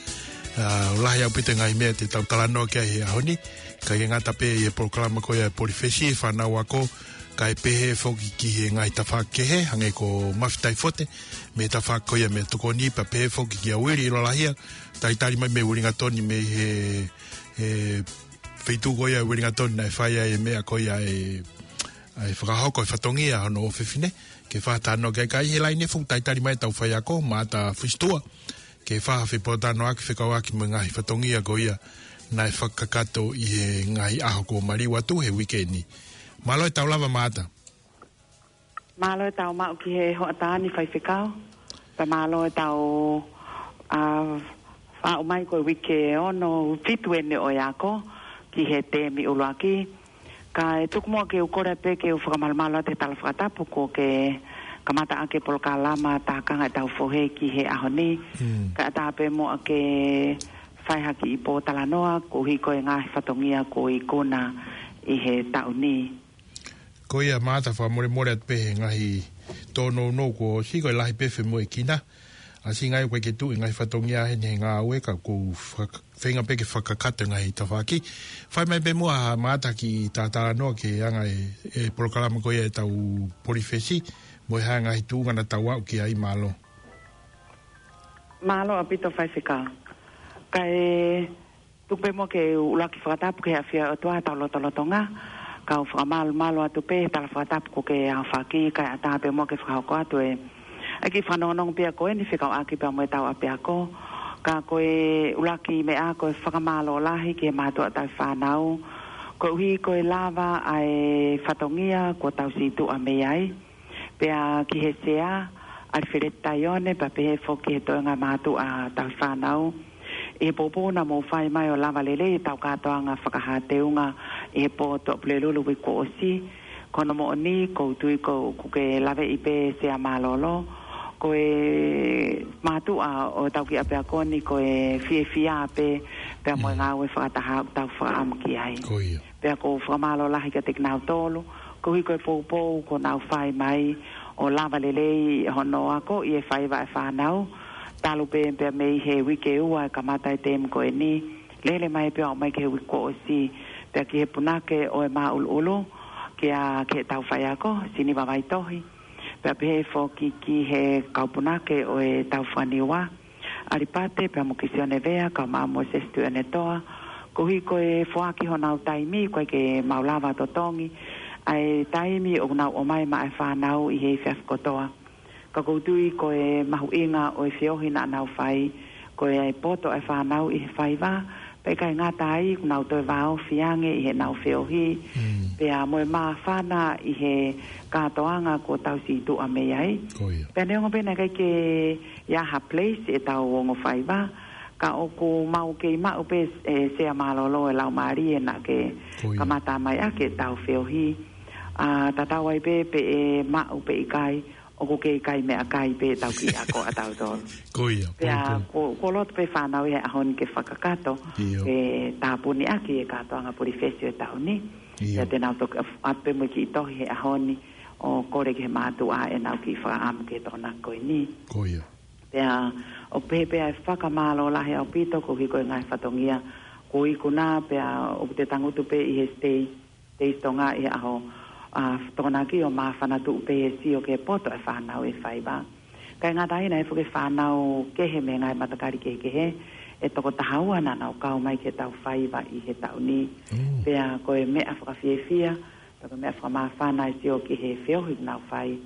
ʻA, ʻoku lahi ʻaupito e ngaahi meʻa te tau talanoa ki ai he ʻaho ni. ʻIkai ke ngata pē ʻi he polokalama ko ia e polifesi, fānau ako, kae pehē foki ki he ngaahi tafaʻaki kehe, hangē ko Mafi Taifote, mei he tafaʻaki ko ia mei Tokoni, pea pehē foki kia Uili Lolahia, talitali mai mei Uelingatoni mei he, he feituʻu ko ia Uelingatoni naʻe fai ai e meʻa ko ia e, ʻa e fakahoko e fatongia hono ʻofefine, ke fakatalanoa ki ai. Ka ʻi he laine foki talitali mai ʻetau faiako, Maʻata Fusituʻa, ke fakafepōtalanoaʻaki fekauʻaki mo e ngaahi fatongia ko ia naʻe fakakakato ʻi he ngaahi ʻaho kuo maliu atu he uike ni. Mālō e tau lava Maʻata. Mālō e tau maʻu ki he hoʻatā ni faifekau. Pea mālō e tau, ʻa, faʻu mai ko e uike ono fitu eni ʻo e ako ki he temi ʻuluaki. Kae tuku muʻa ke u kole pē ke u fakamalumalu atu he tala fakatapu kuo ke kamata ʻaki e polokalama Tākanga ʻetau Fohe ki he ʻaho ni. Mm. Kae ʻatā pē muʻa ke fai ha kiʻi pōtalanoa koeʻuhi ko e ngaahi fatongia kuo ikuna ʻi he taʻu ni. Ko ia Maʻata, fakamolemole atu pē he ngaahi tōnounou kuo ʻosi, ko e lahi pē femoʻuekina. ʻAsi ngai ʻoku ʻikai ke tuʻu e ngaahi fatongia heni he ngāue ka ʻoku ou faka-, feinga pē ke fakakakato e ngaahi tafaʻaki. Fai mai pē muʻa ha mata ki tātānoa ki he anga e, e polokalama ko ia ʻetau polifesi, mo e hā e ngaahi tuʻunga naʻa tau aʻu ki ai, mālō. Mālō ʻaupito Faifekau. Kae tuku pē muʻa ke u ʻuluaki fakatapu ki he ʻafio ʻa e ʻOtua ʻi hotau lotolotonga. Kau fakamālō, mālō atu pē he tala fakatapu kuo ke aofaki, kae ʻatā pē muʻa ke fakahoko atu e, ʻa e kiʻi fanongonongo pē ia ko eni fekauʻaki pea mo ʻetau ʻapiako. Ka ko e ʻuluaki meʻa ko e fakamālō lahi ki he mātuʻa tauhi fānau. Koeʻuhi ko e lava ʻa e fatongia kuo tau situʻa mei ai. Pea ki he Sea, ʻAlifeleti Taione, pea pehē foki ki he toenga mātuʻa tauhi fānau. ʻI he poupou naʻa mou fai mai ʻo lava lelei ʻetau kātoanga fakahā teunga ʻi he pō Tuʻapulelulu uike kuo ʻosi. Ko hono moʻoni, ʻoku ou tui ʻoku ke laveʻi pē Sea mālōlō. Ko e mātuʻa ʻo ʻetau kiʻi ʻapiako ni, ko e fiefia pē, pea mo e Mm. ngāue fakataha ʻoku tau fakaʻamu ki ai. Ko ia. Pea ʻoku ou fakamālō lahi kiate kinautolu, koeʻuhi ko e poupou kuo nau fai mai ʻo lava lelei hono akoʻi e faiva ʻa e fānau, talu pē pea mei he uike ua e kamata e tēmu ko eni, lele mai pea ʻo mai ki he uike kuo ʻosi, pea ki he punake ʻo e māʻuluʻulu, kia, ki heʻetau faiako, Siniva Vaitohi, pea pehē foki ki he kau punake ʻo ʻetau fanga Niua, ʻAlipate, pea mo Kisione Vea, kae ʻumaʻā Mōsese Tuʻiʻonetoa, koeʻuhi ko e foaki honau taimi, ʻoku ʻikai ke mau lava totongi ʻa e taimi ʻoku nau ʻomai maʻa e fānau ʻi he efiafi kotoa. Ka ʻoku ou tui ko e mahuʻinga ʻo e feohi naʻa nau fai, ko e ʻai poto ʻa e fānau ʻi he faiva, pea ʻikai ngata ai, ʻoku nau toe vāofi ange ʻi heʻenau feohi, Mm. pea mo e māfana ʻi he kātoanga kuo tau situʻa mei ai. Ko ia. Pea neongo pē naʻe ʻikai ke ʻi ai ha place ʻetau ongo faiva, ka ʻoku mau kei maʻu pē, e, Sea mālōlō e laumālie naʻa ke Ko ia. kamata mai ʻaki ʻetau feohi. ʻA, tatau ai pē pe ʻe maʻu pe ʻikai, ʻoku kei kai meʻakai pē ʻetau kiʻi ako ʻatautolu. Ko ia, Pea poupou. ko, ʻoku ou loto pē fānau ʻi he ʻaho ni ke fakakakato, ʻIo. ke tāpuni ʻaki e kātoanga polifesi ʻo e taʻu ni. ʻIo. Pea te nau toki ʻoatu pē mo e kiʻi tohi he ʻaho ni, ʻo kole ki he mātuʻa ʻenau kiʻi fakaʻamu ki he Tokonaki ko eni. Ko ia. Pea ʻoku pehē pē ʻa e fakamālō lahi ʻaupito koeʻuhi ko e ngaahi fatongia kuo ikuna, pea ʻoku te tangutu pē ʻi he States, States Tonga ʻi he ʻaho, ʻa, Tokonaki ʻo māfana tuʻu pē he sio ki he poto ʻa e fānau ʻi he faiva. ʻIkai ngata ai, naʻe ʻi ai foki e fānau kehe mei he ngaahi matakali kehekehe, ʻe toko taha ua naʻa nau kau mai ki heʻetau faiva ʻi he taʻu ni. Mm. Pea ko e meʻa fakafiefia, pea ko e meʻa fakamāfana e sio ki he feohi ʻoku nau fai,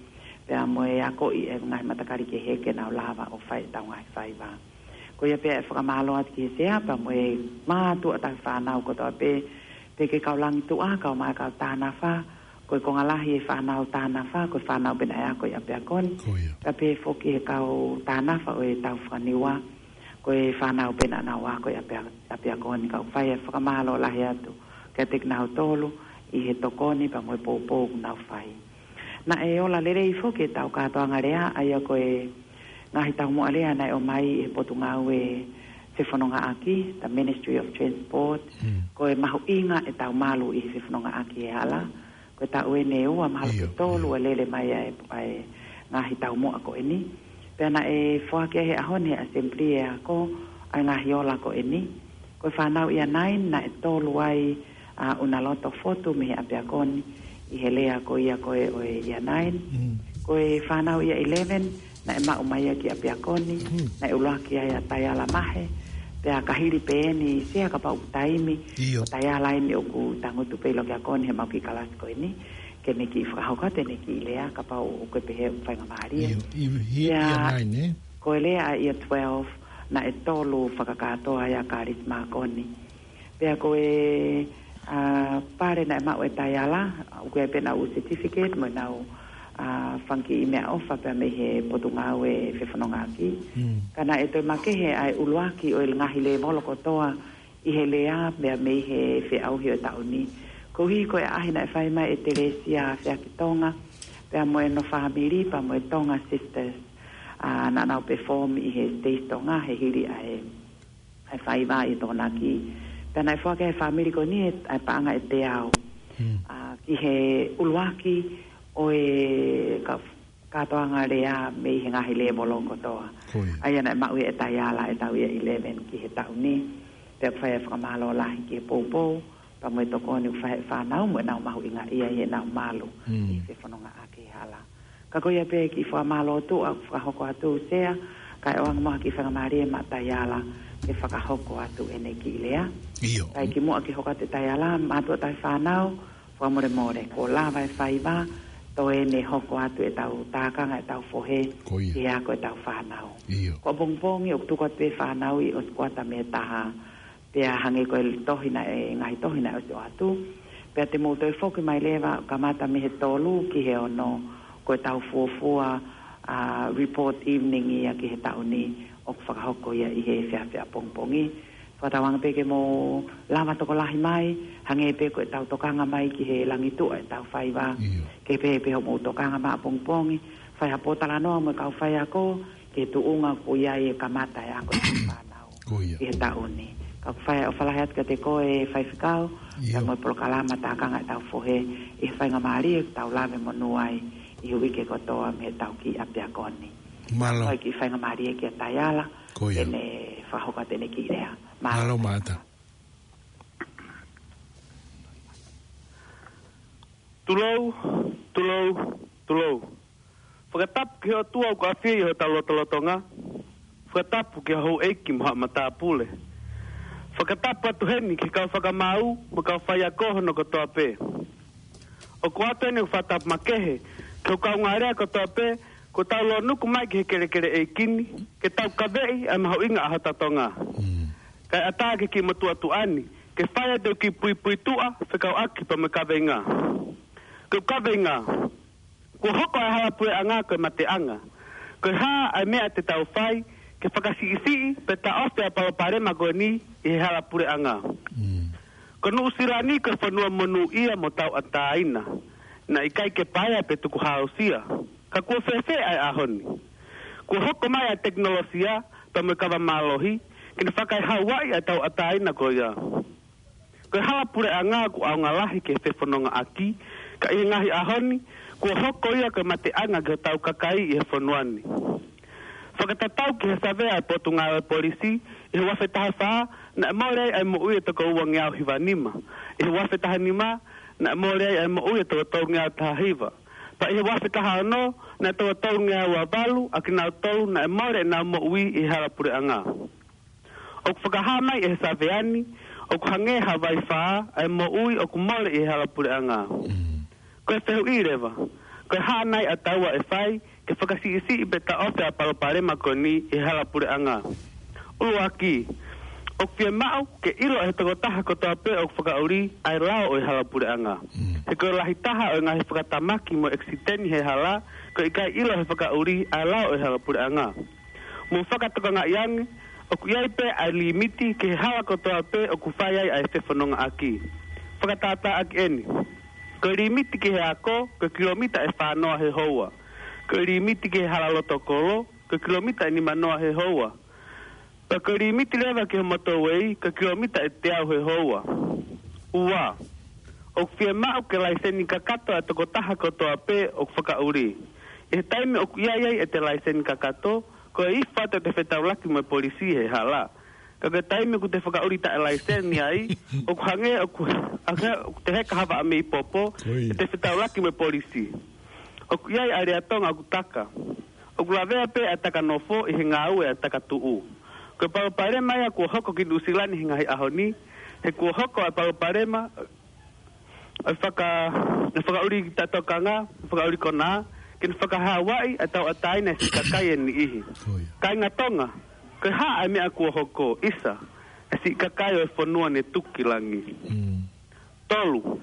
pea mo e akoʻi e ngaahi matakali kehe ke nau lava ʻo fai ʻetau ngaahi faiva. Ko ia pē ʻa e fakamālō atu ki he Sea, pea mo e mātuʻa tauhi fānau kotoa pē, pea ki he kau Langituʻa, kae ʻumaʻā e kau Tānafa, ko e konga lahi e fānau Tānafa, ko e fānau pē naʻe ako ʻi ʻapiako ni. Ko ia. Pea pehē foki ki he kau Tānafa ʻo ʻetau fanga Niua, ko e fānau pē naʻa nau ako ʻi ʻapia-, ʻapiako ni, ka ʻoku fai e fakamālō lahi atu kiate kinautolu ʻi he tokoni pea mo e poupou ʻoku nau fai. Naʻe ola lelei foki ʻetau kātoanga lea, ʻa ia ko e ngaahi taumuʻa lea naʻe ʻomai ʻe he Potungāue Fefonongaʻaki, the Ministry of Transport, Mm. ko e mahuʻinga ʻetau malu ʻi he fefonongaʻaki he hala. Ko e taʻu eni ʻe ua mahalo ʻIo, ke tolu ʻio. ʻa e lele mai ʻa e, ʻa e ngaahi taumuʻa ko eni. Pea naʻe foaki ai he ʻaho ni he Assembly ʻe ako ʻa e ngaahi ola ko eni. Ko e fānau Year nine naʻe tolu ai ʻa ʻUnaloto Fotu mei he ʻapiako ni ʻi he lea ko ia ko ē ʻo e Year nine. Mm. Ko e fānau Year eleven naʻe maʻu mai ia ki ʻapiako ni, Mm. naʻe ʻuluaki ai ʻa Taiala Mahe, pea ka hili pē eni Sea kapau ʻoku taimi, ʻIo. ʻo Taiala eni ʻoku tangutu pē ʻi loki ako ni he mau kiʻi kalasi ko eni, ke ne kiʻi fakahoko atu ʻene kiʻi lea kapau ʻoku ke pehē ʻoku faingamālie. ʻIo, ʻi, ʻi, Pea Year nine, ē? ko e lea ʻa Year twelve, naʻe tolu fakakātoa ai ʻa Kalisi Makoni. Pea ko e, ʻa, pale naʻe maʻu ʻe Taiala, ʻoku ʻi ai pē ʻenau certificate mo ʻenau, ʻa, fanga kiʻi meʻaʻofa pea mei he Potungāue Fefonongaʻaki. Mm. Ka naʻe toe makehe ʻa e ʻuluaki ʻo e ngaahi lēvolo kotoa ʻi he lea pea mei he feʻauhi ʻo e taʻu ni. Koeʻuhi ko e ʻaʻahi naʻe fai mai ʻe Telesia Feakitonga, pea mo ʻene fāmili, pea mo e Tonga Sisters, ʻa, naʻa nau perform ʻi he States Tonga, he hili ʻa e ʻa e faiva ʻi Tokonaki. Pea naʻe foaki ʻe he fāmili ko eni ʻa e paʻanga ʻe teau. Hmm. ʻA, ki he ʻuluaki ʻo e ka-, kātoanga lea mei he ngaahi lēvolo kotoa. Ko ia. ʻA ia naʻe maʻu ʻe Taiala ʻetau Year eleven ki he taʻu ni. Pea ʻoku fai ʻa e fakamālō lahi ki he poupou, pea mo e tokoni ʻoku fai ʻe he fānau mo ʻenau mahuʻingaʻia ʻi heʻenau malu Mm. ʻi he fefonongaʻaki he hala. Ka ko ia pē kiʻi fakamālō tuʻa ʻoku fakahoko atu Sea, kae ʻoange muʻa ha kiʻi faingamālie maʻa Taiala ke fakahoko atu ʻene kiʻi lea. ʻIo. Kae kimuʻa ke hoko atu ʻe Taiala, mātuʻa tauhi fānau, fakamolemole, kuo lava e faiva, toe ne hoko atu ʻetau tākanga ʻetau fohe Ko ia. ki he ako ʻetau fānau. ʻIo. Ko ʻapongipongi ʻoku tuku atu pē fānau ʻi ʻosi kuata mei he taha, pea hangē ko e tohi naʻe, ngaahi tohi naʻe ʻosi ʻoatu. Pea te mou toe foki mai leva, kamata mei he tolu ki he ono, ko ʻetau fuofua, ʻa, report evening ia ki he taʻu ni, ʻoku fakahoko ia ʻi he efiafi ʻapongipongi. Fakatauange pē ke mou lava tokolahi mai, hangē pē ko ʻetau tokanga mai ki he langituʻa ʻetau faiva. ʻIo. Ke pehē pē hoʻomou tokanga mai ʻapongipongi, fai ha pōtalanoa mo e kau faiako, ki he tuʻunga ʻoku ʻi ai e kamata e ako ʻetau fānau Ko ia. ʻi he taʻu ni. Ka ʻoku fai ʻofa lahi atu kiate koe Faifekau, ʻIo. pea mo e polokalama tākanga ʻetau fohe, ʻi he faingamālie ʻoku tau lave monū ai ʻi he uike kotoa mei heʻetau kiʻi ʻapiako ni. Mālō. Ko e kiʻi faingamālie kia Taiala, Ko ia. ʻene fakahoko atu ʻene kiʻi lea. Mālō. Mālō Maʻata. Tulou, tulou, tulou. Fakatapu ki he ʻOtua ʻoku ʻafio ʻi hotau lotolotonga. Fakatapu ki he houʻeiki mo haʻa matāpule. Fakatapu atu heni ki he kau fakamaau mo e kau faiako hono kotoa pē. ʻOku ʻoatu eni ʻeku fakatapu makehe ki he kau ngāue kotoa pē kuo tau lōnuku mai ki he kelekele ʻeiki ni, ke tau kaveʻi ʻa e mahuʻinga ʻa hota Tonga. Mm. Kae ʻatā ki he kiʻi motuʻa tuʻa ni, ke fai atu e kiʻi puipuituʻa fekauʻaki pea mo e kaveinga. Ko e kaveinga, kuo hoko ʻa e hala puleʻanga ko e mateʻanga. Ko e hā ʻa e meʻa te tau fai ke fakasiʻisiʻi pe taʻofi ʻa e palopalema ko eni ʻi he hala puleʻanga. Mm. Ko Nuʻusila ni ko e fonua monūʻia mo tauʻatāina. Naʻe ʻikai ke paea pe tukuhāusia. Ka kuo fēfē ʻa e ʻaho ni? Kuo hoko mai ʻa e tekinolosia pea mo e kava mālohi ke ne fakaehauaʻi ʻa e tauʻatāina ko ia. Ko e hala puleʻanga ʻoku ʻaonga lahi ki he fefonongaʻaki, ka ʻi he ngaahi ʻaho ni, kuo hoko ia ko e mateʻanga ki hotau kakai ʻi he fonua ni. Fakatatau ki he savea ʻa e Potungāue Polisi, ʻi he ua afe taha fā, naʻe mole ai ʻa e moʻui ʻa e toko uangeau hiva nima. ʻI he ua afe taha nima, naʻe mole ai ʻa e moʻui ʻa e toko tolungeau taha hiva. Pea ʻi he ua afe taha ono, naʻe toko tolungeau ua valu ʻa kinautolu naʻe mole ʻenau moʻui ʻi he hala puleʻanga. ʻOku fakahā mai ʻe he savea ni, ʻoku hangē ha vaifā ʻa e moʻui ʻoku mole ʻi he hala puleʻanga. Mm. Ko e fehuʻi leva, ko e hā nai ʻa taua ʻe fai ke fakasiʻisiʻi pe taʻofi ʻa e palopalema ko eni ʻi he hala puleʻanga? ʻUluaki, ʻoku fiemaʻu ke ʻilo ʻe he tokotaha kotoa pē ʻoku fakaʻuli ʻa e lao ʻo e hala puleʻanga. Mm. He ko e lahi taha ʻo e ngaahi fakatamaki mo e ʻekisiteni he hala, ko e ʻikai ʻilo ʻe he fakaʻuli ʻa e lao ʻo e hala puleʻanga. Mou fakatokangaʻi ange, ʻoku ʻi ai pē ʻa e limiti ki he hala kotoa pē ʻoku fai ai ʻa e fefonongaʻaki. Fakatātāʻaki eni. Ko e limiti ki he ako, ko e kilomita ʻe fā noa he houa. Ko e limiti ki he hala loto kolo, ko e kilomita ʻe nima noa he houa. Pea ko e limiti leva ki he motorway, ko e kilomita ʻe teau he houa. Ua, ʻoku fiemaʻu ke laiseni kakato ʻa e tokotaha kotoa pē ʻoku fakaʻuli. ʻI he taimi ʻoku ʻi ai ai ʻete laiseni kakato, ko e ʻi fē ʻete fetaulaki mo e polisi he hala. Ka ko e taimi ʻoku te fakaʻuli taʻe laiseni ai, ʻoku hangē ʻoku, hangē ʻoku te heka ha vaʻa mei popo, Oi. ʻete fetaulaki mo e polisi. ʻOku ʻi ai ʻa e lea Tonga ʻoku taka. ʻOku lavea pē ʻa e taka nofo ʻi he ngāue ʻa e taka tuʻu. Ko e palopalema ia kuo hoko ki Nuʻusila ni he ngaahi ʻaho ni, he kuo hoko ʻa e palopalema ʻa e faka-, ʻa e fakaʻuli taʻetokanga, fakaʻuli konā, ke ne fakahauaʻi ʻa e tauʻatāina ʻa e siʻi kakai ʻe niʻihi. Ko ia. Kāinga Tonga, ko e hā ʻa e meʻa kuo hoko, ʻisa, ʻa e siʻi kakai ʻo e fonua ne tuku ki langi. Mm. Tolu,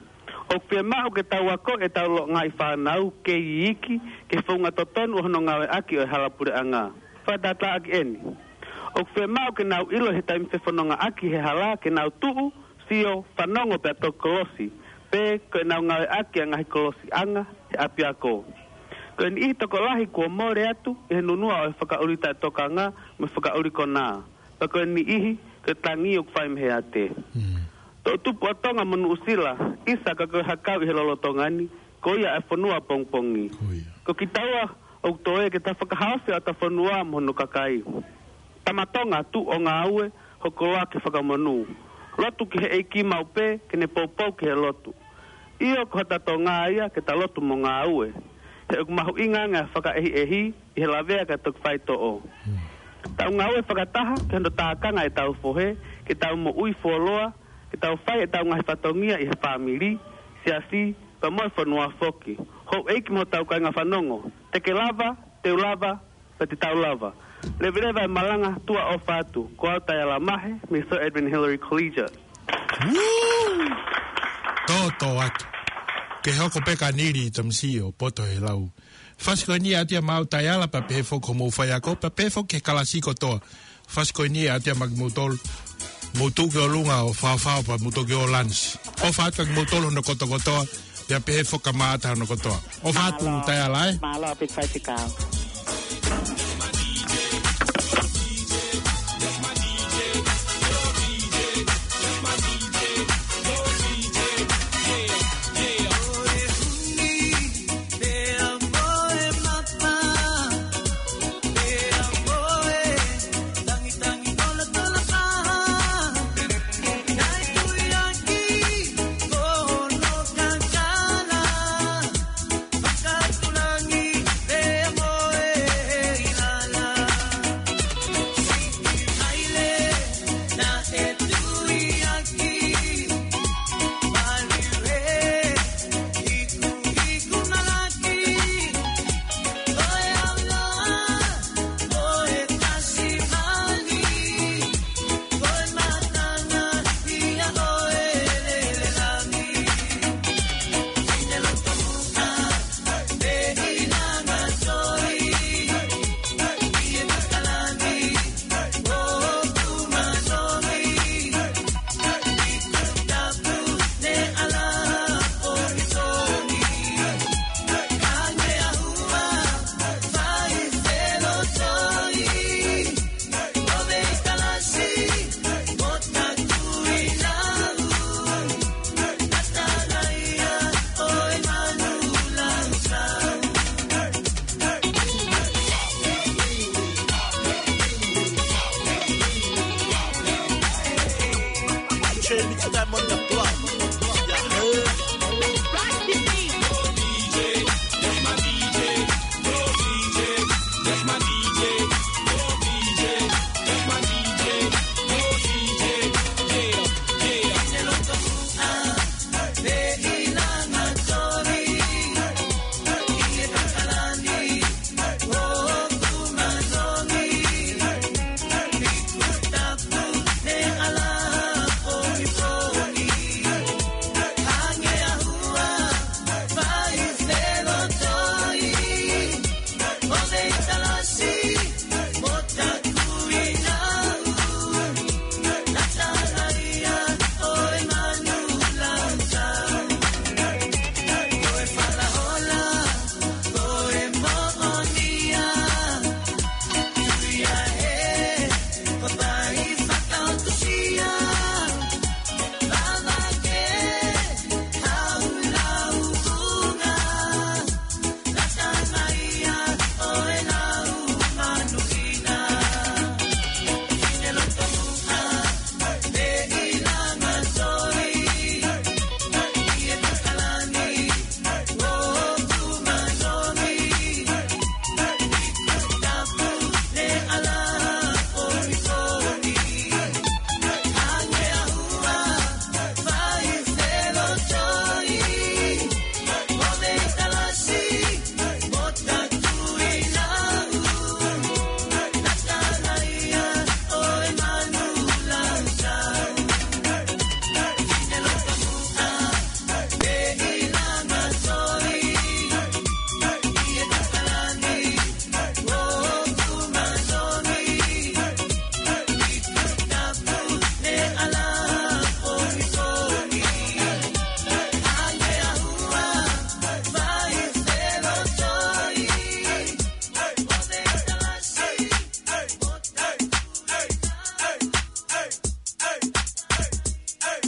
ʻoku fiemaʻu ke tau akoʻi ʻetau ngaahi fānau kei iiki ki he founga totonu ʻo hono ngāueʻaki ʻo e hala puleʻanga. Fakatātāʻaki eni. ʻOku fiemaʻu ke nau ʻilo he taimi fefonongaʻaki he hala ke nau tuʻu, sio, fanongo pea toki kolosi, pe ko ʻenau ngāueʻaki ʻa e ngaahi kolosiʻanga he ʻapiako. Ko e niʻihi tokolahi kuo mole atu ʻi he nunuʻa ʻo e fakaʻuli taʻetokanga mo e fakaʻuli konā. Pea ko e niʻihi, ko e tangi ʻoku fai mei he ate. Mm. Toʻutupu ʻa Tonga mo Nuʻusila, ʻisa ka ko e hakau ʻi he lolotonga ni, ko ia ʻa e fonua pongipongi. Ko ia. Ko kitaua, ʻoku toe ke ta fakahaofi ʻa ʻeta fonua mo hono kakai. Tama Tonga, tuʻu ʻo ngāue, hoko loa ke fakamonū. Lotu ki he ʻEiki maʻu pē, ke ne poupou ki he lotu. ʻIo, ko hota Tonga ia, ke ta lotu mo ngāue. He ʻoku mahuʻinga ange ʻa e fakaʻehiʻehi, ʻi he lavea kae toki faitoʻo. Tau ngāue fakataha, ki hono tākanga ʻetau fohe, ke tau moʻui fuoloa, ke tau fai ʻetau ngaahi fatongia ʻi he fāmili, siasi, pea mo e fonua foki. Houʻeiki mo hotau kāinga fanongo, te ke lava, te u lava, pea te tau lava. Leveleva e malanga, tuʻa ʻofa atu, ko au Taiala Mahe, mei Sir Edmund Hillary Collegiate. Tōtō atu. Ke hoko pē ka Nili Tamasiʻi ʻo poto he lau. Fasi ko eni ʻa Tia Mau Taiala pea pehē foki homou faiako, pea pehē foki ki he kalasi kotoa. Fasi ko eni ʻa Tia Mau kimoutolu. Mou tuʻu ki ʻolunga ʻo faofao pea mou toki ō lanisi. ʻOfa atu kia kimoutolu hono kotokotoa, pea pehē foki kia Mata hono kotoa. ʻOfa atu Taiala ē. Mālō ʻaupito faifekau.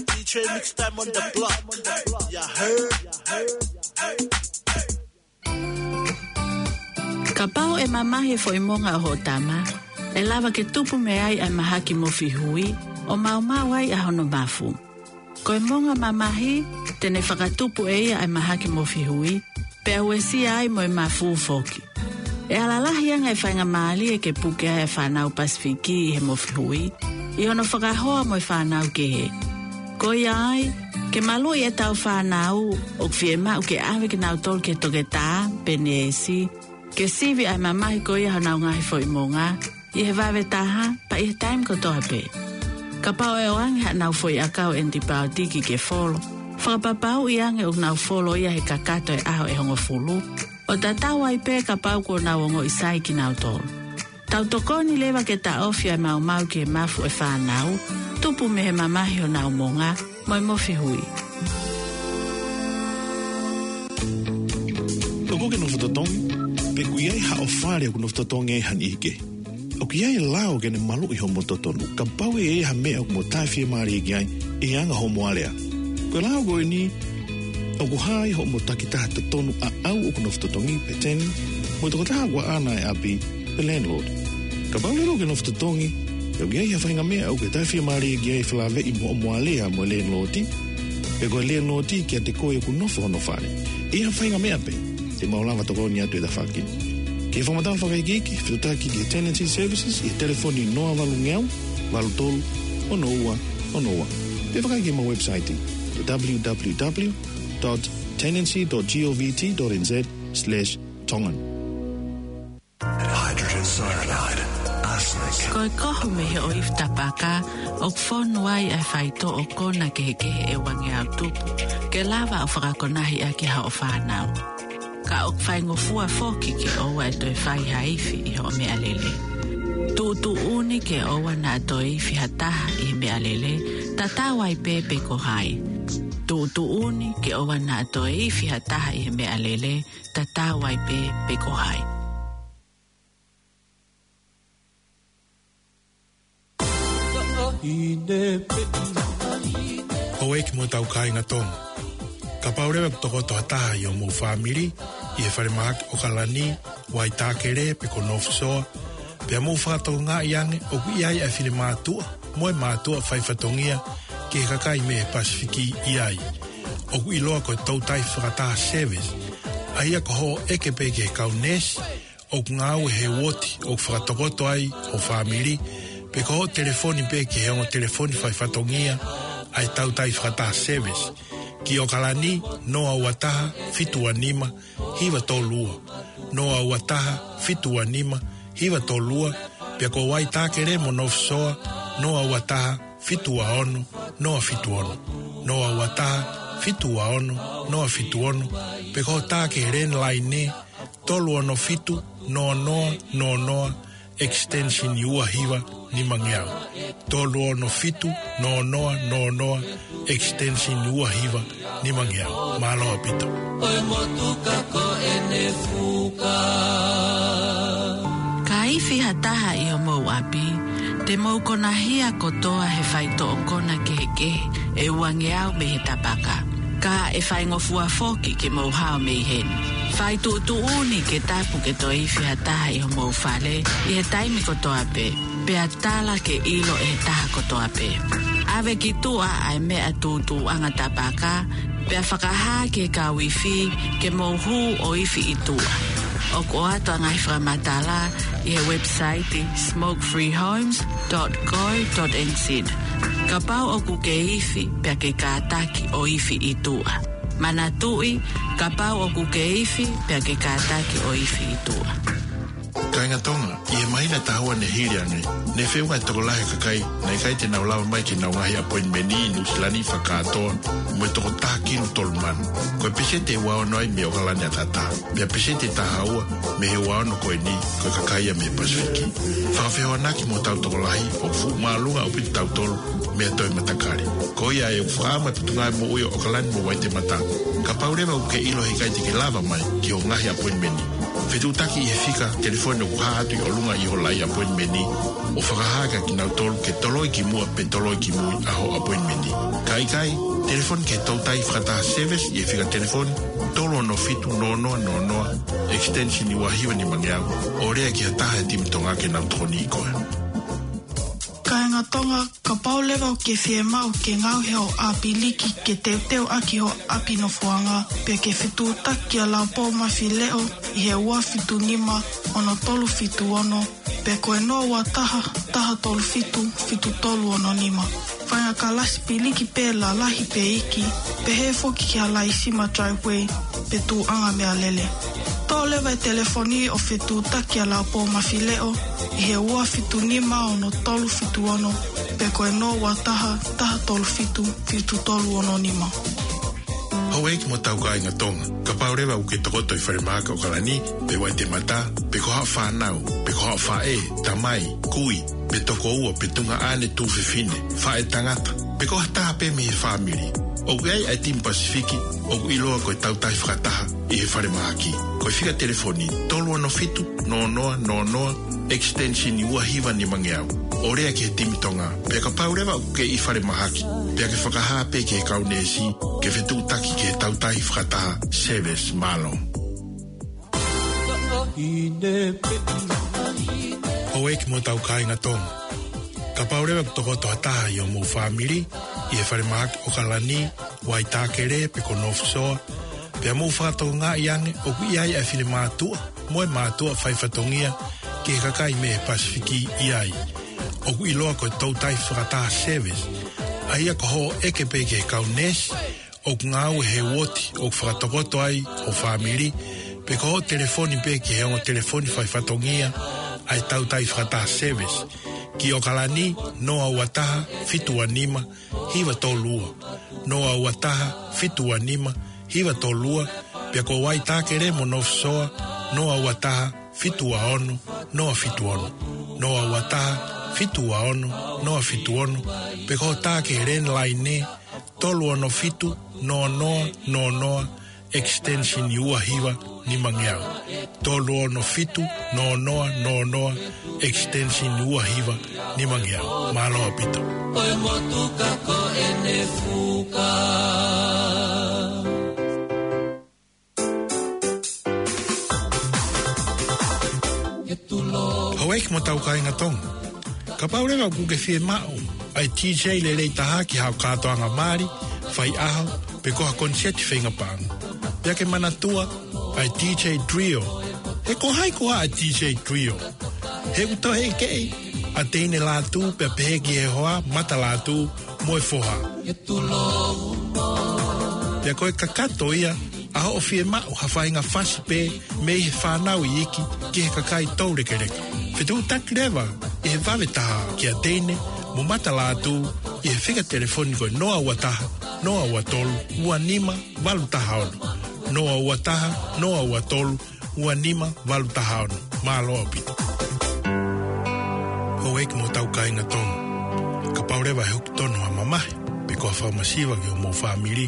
D J Mix Time on the block. You heard? Kapau ʻe mamahi e foʻi monga ʻo hoʻo tama, ʻe lava ke tupu mei ai ʻa e mahaki mofihui, ʻo maumau ai ʻa hono mafu. Ko e monga mamahi, te ne fakatupu ʻe ia ʻa e mahaki mofihui, pea uesia ai mo e mafu foki. ʻE ala lahi ange e faingamālie ke puke ai e fānau Pasifiki ʻi he mofihui, ʻi hono fakahoa mo e fānau kehe. Ko ia ai, ke maluʻi ʻetau fānau, ʻoku fiemaʻu ke ʻave kinautolu ki he toketā, pe neesi, ke sivi ʻa e mamahi ko ia honau ngaahi foʻi monga, ʻi he vave taha, pea ʻi he taimi kotoa pē. Kapau ʻe ʻoange haʻanau foʻi ʻakau ʻenipaotiki ke folo, fakapapauʻi ange ʻoku nau folo ia he kakato e ʻaho ʻe hongofulu, ʻo tatau ai pē kapau kuo nau ongoʻi sai kinautolu. Tau tokoni leva ke taʻofi ʻa e maumau ki he mafu e fānau, tupu mei he mamahi honau monga, mo e mofihui. ʻOku ke nofo totongi, pe ʻoku ʻi ai haʻo fale ʻoku nofo totongi ai ha niʻihi kehe? ʻOku ʻi ai e lao ke ne maluʻi hoʻomo totonu, kapau ʻe ʻi ai ha meʻa ʻoku mo taʻefiemālie ki ai, ʻi he anga hoʻomo alea. Ko e lao ko eni, ʻoku hā ai hoʻomo takitaha totonu ʻaʻau ʻoku nofo totongi pe tenant, mo e tokotaha ʻoku ʻaʻana e ʻapi, pe landlord. Kapau leva ʻoku ke nofo totongi, ʻoku ʻi ai ha faʻahinga meʻa ʻoku ke taʻefiemālie ki ai, felāveʻi mo hoʻomo alea mo e landlord, pe ko e landlord kiate koe ʻoku nofo hono fale. ʻI ha faʻahinga meʻa pē, te mau lava tokoni atu ʻi he tafaʻaki ni. Ke fakamatala fakaikiiki, fetuʻutaki ki he Tenancy Services ʻi he telefoni noa valu ngeau, valu tolu, ono ua, ono ua. Pe vakai ki heʻemau website, w w w dot tenancy dot govt dot n z slash tongan. Hydrogen cyanide, arsenic. Ko e kohu mei he ʻoifi tapaka, ʻoku fonu ai ʻa e faitoʻo kona kehekehe ʻe uangeau tupu, ke lava ʻo fakakonahi ʻaki haʻo fānau. Ka ʻoku faingofua foki ke ʻoua ʻe toe fai ha ifi ʻi hoʻo meʻalele. Tuʻutuʻuni ke ʻoua naʻa toe ifi ha taha ʻi he meʻalele, tatau ai pē pe ko hai. Tuʻutuʻuni ke ʻoua naʻa toe ifi ha taha ʻi he meʻalele, tatau ai pē pe ko hai. Houʻeiki mo hotau kāinga Tonga. Kapau leva ʻoku tokoto ha taha ʻi hoʻomou fāmili, ʻi he falemahaki ʻOkalani, Waitākele pe ko North Shore, pea mou fakatokangaʻi ange ʻoku ʻi ai ʻa e finemātuʻa mo e mātuʻa faifatongia ki he kakai mei he Pasifiki ʻi ai. ʻOku ʻiloa ko e toutai fakataha service, ʻa ia ko hoʻo ʻeke pē ki he kau neesi ʻoku ngāue he uooti ʻoku fakatokoto ai ho fāmili, pe ko hoʻo telefoni pē ki he ongo telefoni faifatongia ʻa e toutai fakataha service, ki ʻOkalani, noa ua taha, fitu ua nima, hiva tolu ua, noa ua taha, fitu ua nima, hiva tolu ua, pea ko Waitākele mo North Shore, noa ua taha, fitu ua ono, noa fitu ono, noa ua taha, fitu ua ono, noa fitu ono, pe ko hoʻo tā ki he landline, tolu ono fitu, noa noa, noa noa, extension ua hiva nima ngeau. Tolu ono fitu, noa noa, noa noa, extension ua hiva nima ngeau. Mālō ʻaupito. Ko e motuka ko ʻene fuka. Ka ifi ha taha ʻi homou ʻapi, te mou konahia kotoa he faitoʻo kona kehekehe ʻe uangeau mei he tapaka. Ka ʻe faingofua foki ke mou hao mei heni. Fai tuʻutuʻuni ke tapu ke toe ifi ha taha ʻi homou fale ʻi he taimi kotoa pē, pea tala ke ʻilo ʻe he taha kotoa pē. ʻAve ki tuʻa ʻa e meʻa tūtūʻanga tapaka, pea fakahā ki he kau ifi ke mou hū ʻo ifi ʻi tuʻa. ʻOku ʻoatu ʻa e ngaahi fakamatala ʻi he website smoke free homes dot co dot n z. Kapau ʻoku ke ifi pea ke kātaki ʻo ifi ʻi tuʻa. Manatuʻi, kapau ʻoku ke ifi pea ke kātaki ʻo ifi ʻi tuʻa. Kāinga Tonga, ʻi he māhina ʻe taha ua ne hili ange, ne feʻunga e tokolahi e kakai naʻe ʻikai te nau lava mai ki heʻenau ngaahi appointment ʻi Nuʻusila ni fakakātoa mo e toko taha kilu tolu mano. Ko e peseti ʻe ua ono ai mei ʻOkalani ʻataʻatā, pea peseti ʻe taha ua mei he ua ono ko eni, ko e kakai ia mei he Pasifiki. Fakafehoanaki mo hotau tokolahi, ʻoku fuʻu māʻolunga ʻaupito kitautolu mei ha toe matakali. Ko ia ʻoku fakaʻamu e Potungāue Moʻui ʻo ʻOkalani mo Waitematā. Kapau leva ʻoku ke ʻilo he ʻikai te ke lava mai ki hoʻo ngaahi appointment, fetuʻutaki ʻi he fika telefoni ʻoku hā atu ʻi ʻolunga ʻi ho laʻi appointment, ʻo fakahā kia kinautolu ke toloi ki muʻa pe toloi ki mui ʻa hoʻo appointment. Ka ʻikai, Telefoni ki he Toutai Fakataha Service ʻi he fika telefoni tolu ono fitu noa noa noa noa, extension ua hiva nimangeau, ʻo lea ki ha taha he timi Tonga ke nau tokoniʻi koe. Kāinga Tonga, kapau leva ʻoku ke fiemaʻu ke ngaohi hoʻo ʻapi liki ke teuteu ʻaki hoʻo ʻapi nofoʻanga, pea ke fetuʻutaki kia Laupō Mafileʻo ʻi he ua fitu nima ono tolu fitu ono, pe ko e noa ua taha, taha tolu fitu, fitu tolu ono nima. Faʻahinga kalasi piliki pē lalahi pe iiki, pehē foki ki ha laisima driveway pe tuʻuʻanga meʻalele. Toʻo leva e telefoni ʻo fetuʻutaki kia Laupō Mafileʻo ʻi he ua fitu nima ono tolu fitu ono, pe ko e noa ua taha, taha tolu fitu, fitu tolu ono nima. Houʻeiki mo hotau kāinga Tonga, kapau leva ʻoku ke tokoto ʻi falemahaki ʻAokalani, pe Waitemata, pe ko haʻo fānau, pe ko haʻo faʻē, tamai, kui, pe tokoua, pe tuongaʻane tuofefine, faʻētangata, pe ko ha taha pē mei he fāmili, ʻoku ʻi ai ʻa e timi Pasifiki ʻoku ʻiloa ko e Toutai Fakataha ʻi he falemahaki. Ko e fika telefoni tolu ono fitu noa noa noa noa, extension ua hiva nimangeau, ʻo lea ki he timi Tonga. Pea kapau leva ʻoku ke ʻi falemahaki, pea ke fakahā pē ki he kau neesi ke fetuʻutaki ki he Toutai Fakataha Service. Mālō. Houʻeiki mo hotau kāinga Tonga, kapau leva ʻoku tokoto ha taha ʻi hoʻomou fāmili ʻi he falemahaki ʻAokalani, Waitākele, pe ko North Shore, pea mou fakatokangaʻi ange ʻoku ʻi ai ʻa e finemātuʻa mo e mātuʻa faifatongia ki he kakai mei he Pasifiki ʻi ai, ʻoku ʻiloa ko e Toutai Fakataha Service, ʻa ia ko hoʻo ʻeke pē ki he kau neesi ʻoku ngāue he uooti ʻoku fakatokoto ai ho fāmili, pe ko hoʻo telefoni pē ki he ongo telefoni faifatongia ʻa e Toutai Fakataha Service, ki ʻAokalani, noa ua taha, fitu ua nima, hiva tolu ua, noa ua taha, fitu ua nima, hiva tolu ua, pea ko Waitākele mo North Shore, noa ua taha, fitu ua ono, noa fitu ono, noa ua taha, fitu ua ono, noa fitu ono, pe ko hoʻo tā ki he landline, tolu ono fitu noa noa noa noa, extension ua hiva nimangeau. Tolu ono fitu noa noa noa noa, extension ua hiva nimangeau. Mālō ʻaupito. Ko e motuka ko ʻene fuka. Houʻeiki mo hotau kāinga Tonga, kapau leva ʻoku ke fiemaʻu ʻa e DJ lelei taha ki haʻo kātoanga mali, faiʻaho, pe ko ha koniseti feinga paʻanga, pea ke manatua ʻa e DJ Trio. He ko hai koā ʻa e DJ Trio? He ʻoku toe ʻeke ʻa Teine Lātū pea pehē ki he hoa, Mata Lātū mo e foha. Pea ko e kakato ia ʻa hoʻo fiemaʻu ha faʻahinga fasi pē mei he fānau iiki ki he kakai toulekeleka. Fetuʻutaki leva ʻi he vave taha kia Teine mo Mata Lātū ʻi he fika telefoni ko e noa ua taha, noa ua tolu, ua nima, valu taha ono. Noa ua taha, noa ua tolu, ua nima, valu taha ono. Mālō ʻaupito. Houʻeiki mo hotau kāinga Tonga, kapau leva ʻe hoko tonu ha mamahi pe ko ha fakamasiva ki homou fāmili,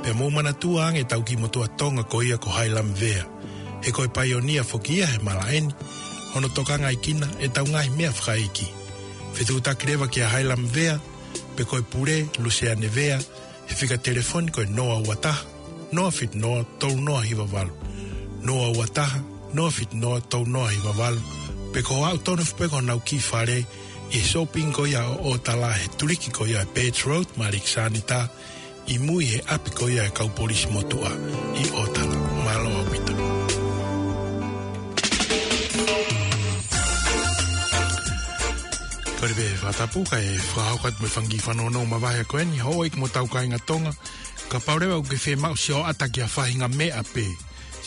pea mou manatua ange ʻetau kiʻi motuʻa Tonga ko ia ko Hailami Vea. He ko e paionia foki ia he malaʻe ni, hono tokangaʻi kinautolu ʻe heʻetau ngaahi meʻa fakaʻeiki. Fetuʻutaki leva kia Hailami Vea, pe ko e pule, Luseane Vea, he fika telefoni ko e noa ua taha, noa fitu noa, tolu noa hiva valu. Noa ua taha, noa fitu noa, tolu noa hiva valu. Pe ko hoʻo aʻu tonu foki pē ki honau kiʻi fale ʻi he shopping ko ia ʻo ʻOtala, he tuliki ko ia ʻa e Birch Road mo Alexander, ʻi mui he ʻapi ko ia ʻa e kau polisi motuʻa ʻi ʻOtala. Mālō ʻaupito. Kole pē fakatapu kae fakahoko atu mo e fanga kiʻi fanongo mavahe ko eni, houʻeiki mo hotau kāinga Tonga. Kapau leva ʻoku ke fiemaʻu sioʻata ki ha faʻahinga meʻa pē,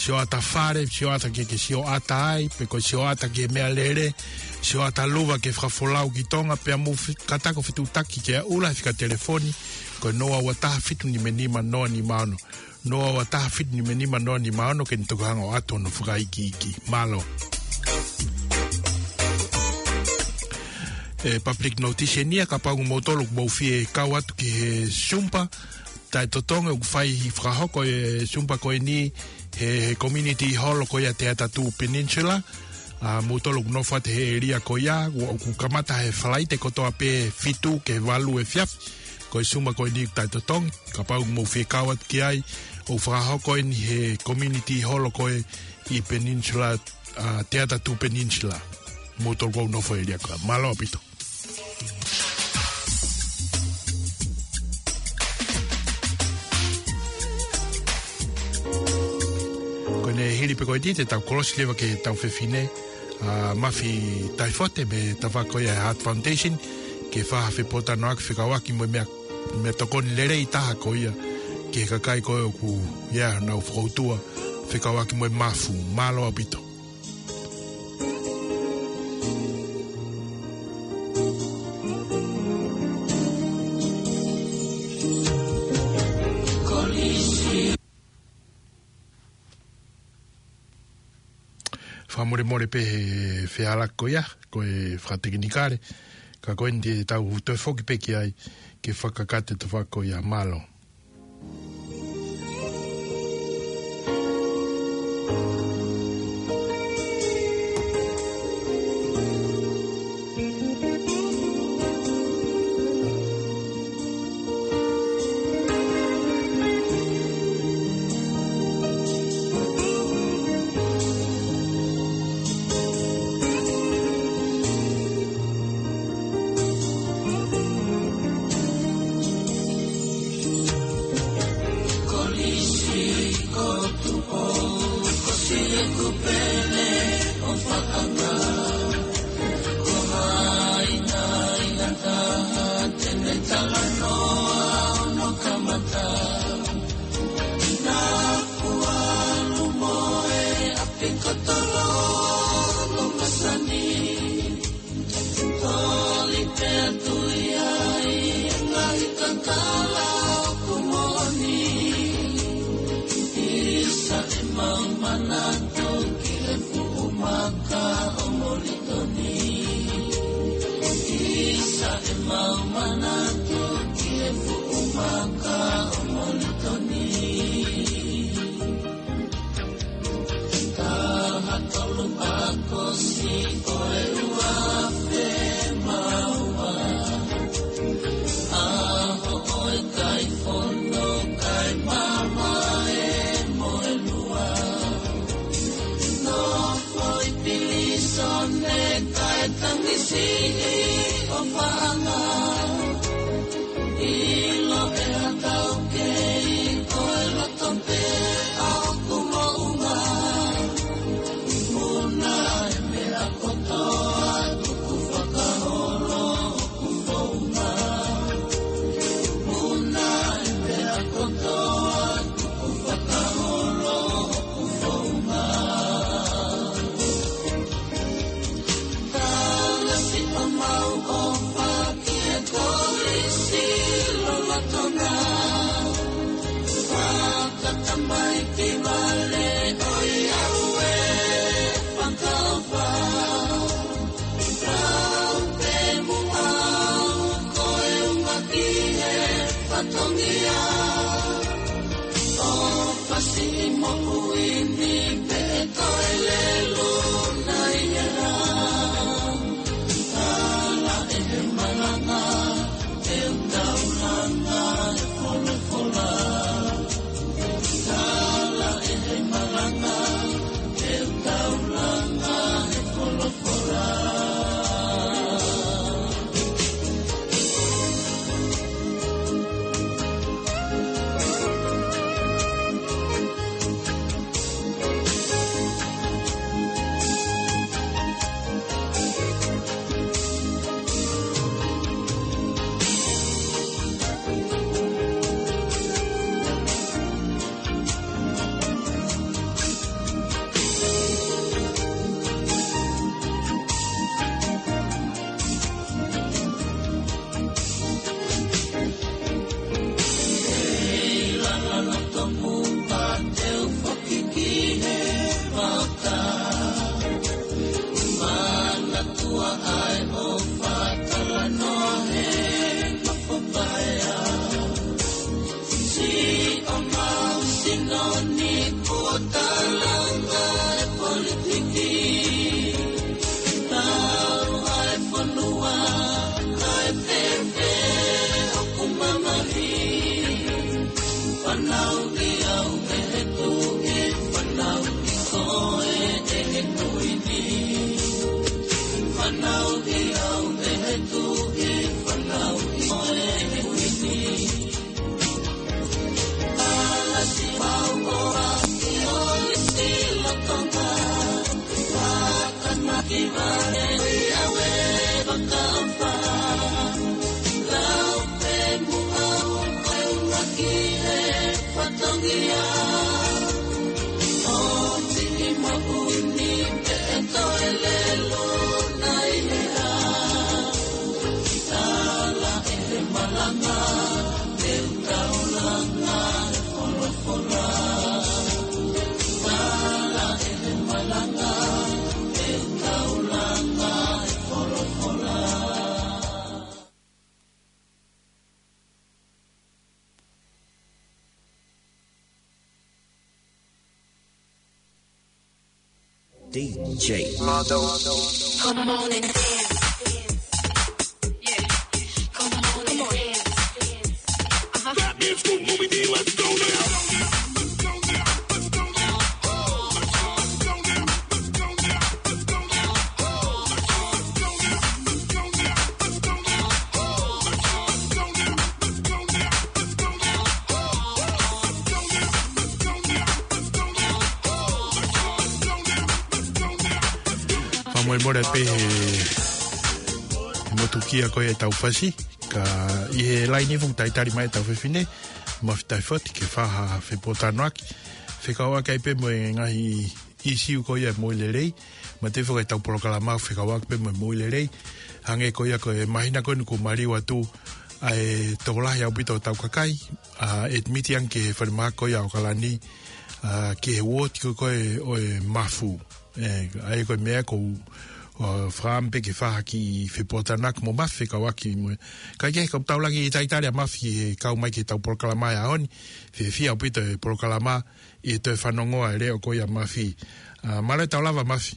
sioʻata fale, sioʻata ke ke sioʻata ai, pe ko e sioʻata ki he meʻalele, sioʻata luva ke fakafolau ki Tonga, pea mou fe-, kātaki ʻo fetuʻutaki kia Ula he fika telefoni ko e noa ua taha fitu nima nima noa nima ono. Noa ua taha fitu nima nima noa nima ono, ke ne toki hanga ʻo ʻoatu hono fakaikiiki. Mālō. ʻE, public notice eni ia, kapau ʻoku mou tolu ʻoku mou fie kau atu ki he Zumba taʻetotongi ʻoku fai, fakahoko e Zumba ko eni he, he community hall ko ia Te Atatū Peninsula. ʻA, mou tolu ʻoku nofo atu he area ko ia, ʻoku kamata he Falaite kotoa pē fitu ki he valu efiafi. Ko e Suma ko eni ʻoku taʻetotongi, kapau ʻoku mou fie kau atu ki ai, ʻoku fakahoko eni he community hall ko ē ʻi Peninsula, ʻa, Teata Tuʻu Peninsula. Mou tolu ʻoku nofo ʻi he ʻēlia ko ē. Mālō ʻaupito. Ko ʻene hili pē ko eni te tau kolosi leva ki heʻetau fefine, ʻa, Mafi Taifote mei he tafaʻaki ko ia ʻa e Heart Foundation, ke fai ha fepōtalanoaʻaki fekauʻaki mo e meʻa, meʻatokoni lelei taha ko ia ki he kakai ko ē ʻoku, ia, nau fokoutua fekauʻaki mo e mafu. Mālō ʻaupito. Fakamolemole pē he fehālaaki ko ia, ko e fakatekinikale, ka ko eni te tau toe foki pē ki ai, ke fakakakato e tafaʻaki ko ia. Mālō. Toli pē atu ia ʻi he ngaahi kakala ʻoku moʻoni. ʻIsa ʻemau manatu ki he fuʻu maka ʻo Molitoni. ʻIsa ʻemau manatu ki he fuʻu maka ʻo Molitoni. Taha tolu ʻAokosi ko e ua afe mā ua. ʻAho ʻo e kai fono kai mamae mo e lua. Nofo ʻi pilīsone kae tangi siʻi ʻofaʻanga. ʻIlo ʻe ha taukei ko e loto pē ʻoku moʻunga. Muna e meʻa kotoa tuku fakaholo hoku founga. Muna e meʻa kotoa tuku fakaholo hoku founga. Tala siʻomau ʻofa ki he kolisi lolotonga. Fakatamaiki vale ʻo e ʻauē fakaʻofa. Tau pē muʻa ko e ʻuhinga ki he fatongia. ʻO fasi moʻui ni pē toe lelu nai e rā. Tala ʻe he malanga, te u taulanga he folofola. Tala ʻe he malanga, te u taulanga he folofola. D J. Come on and dance. Yeah. Come on and dance. Uh-huh. That means move, move, let's go now. Fakamolemole pē he, he motukia ko ē ʻetau fasi, ka ʻi he laine ʻoku talitali mai ʻetau fefine, Mafi Taifoti, ke fai ha fepōtalanoaʻaki fekauʻaki ai pē mo e ngaahi ʻīsiu ko ia e moʻui lelei, mo e tefo ʻetau polokalama fekauʻaki pē mo e moʻui lelei. Hangē ko ia ko e māhina ko eni kuo maliu atu ʻa e tokolahi ʻaupito ʻetau kakai, ʻa e admit ange ki he falemahaki ko ia ʻAokalani, ʻa, ki he uooti ko ē ʻo e Mafu. ʻE, ʻa ia ko e meʻa ʻoku ou, ʻa, fakaʻamu pē ke fai ha kiʻi fepōtalanoaʻaki mo Mafi fekauʻaki mo e. Kae kehe, ka u tau laki talitali ʻa Mafi he kau mai ki heʻetau polokalama he ʻaho ni, fiefia ʻaupito e polokalama, ʻi he toe fanongo ʻa e leʻo ko ia ʻa Mafi. ʻA, mālō e tau lava Mafi.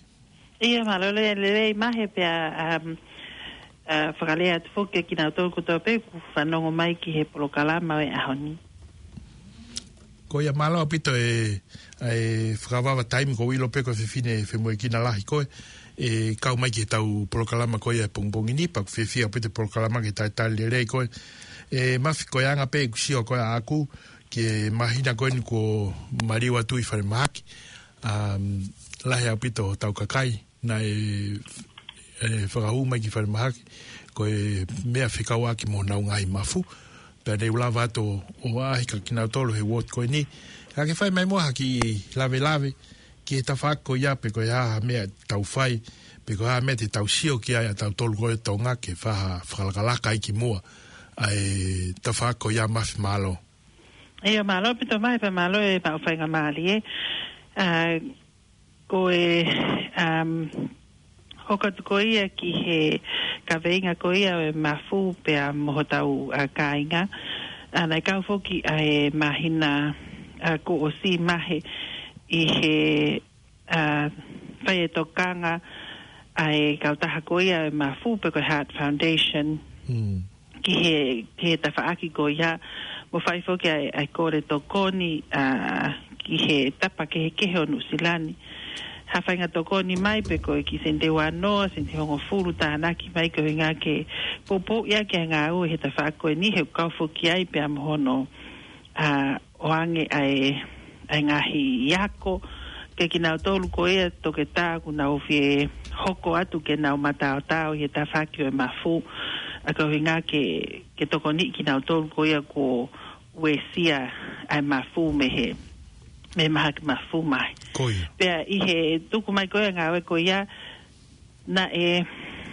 ʻIo, mālō e lelei, lelei Mafi pea, um, ʻa, fakalea atu foki kiate kinautolu kotoa pē ʻoku fanongo mai ki he polokalama ʻo e ʻaho ni. Ko ia mālō ʻaupito e, e fakavavevave taimi, ʻoku ou ʻilo pē ko e fefine femoʻuekina lahi koe, ʻe kau mai ki heʻetau polokalama ko ia he pongipongi ni, pea ʻoku fiefia ʻaupito e polokalama ke talitali lelei koe. ʻE Mafi, ko e anga pē ʻeku sio ko ē ʻaʻaku, ki he māhina ko eni kuo maliu atu ʻi falemahaki, um, lahi ʻaupito hotau kakai naʻe, ʻe, fakahū mai ki falemahaki, ko e meʻa fekauʻaki mo honau ngaahi mafu. Pea ne u lava atu ʻo ʻaʻahi kia kinautolu he uooti ko eni. Ka ke fai mai muʻa ha kiʻi lavelave ki he tafaʻaki ko ia, pe ko e hā ha meʻa te tau fai, pe ko e hā ha meʻa te tau sio ki ai ʻa tautolu ko ē Tonga ke fai ha fakalakalaka ai ki muʻa ʻa e tafaʻaki ko ia, Mafi, mālō. ʻIo, mālō ʻaupito Mafi, pea mālō e maʻu faingamālie. ʻA, ko e, um, hoko atu ko ia ki he kaveinga ko ia ʻo e mafu pea mo hotau, ʻa, kāinga. ʻA, naʻe kau foki ʻa e māhina, ʻa, kuo ʻosi Mafi ʻi he, ʻa, fai e tokanga ʻa e kautaha ko ia ʻo e mafu pe ko e Heart Foundation. Mm. Ki he, ki he tafaʻaki ko ia, mo fai foki ʻa e, ʻa e kole tokoni, ʻa, ki he tapa kehekehe ʻo Nuʻusila ni. Ha faʻahinga tokoni mai pe ko e kiʻi sēniti ʻe ua noa, sēniti ʻe hongofulu tānaki mai koeʻuhinga ke poupouʻi ʻaki ʻa e ngāue he tafaʻaki ko eni, he ʻoku kau foki ai pea mo hono, ʻa, ʻoange ʻa e, ʻa e ngaahi ako kia kinautolu ko ia toketā ʻoku nau fie hoko atu ke nau mataotao ʻi he tafaʻaki ʻo e mafu, ʻa, koeʻuhinga ke, ke tokoniʻi kinautolu ko ia kuo uesia ʻa e mafu mei he, mei he mahaki mafu, Mafi. Ko ia. Pea ʻi he tuku mai ko ia e ngāue ko ia, naʻe,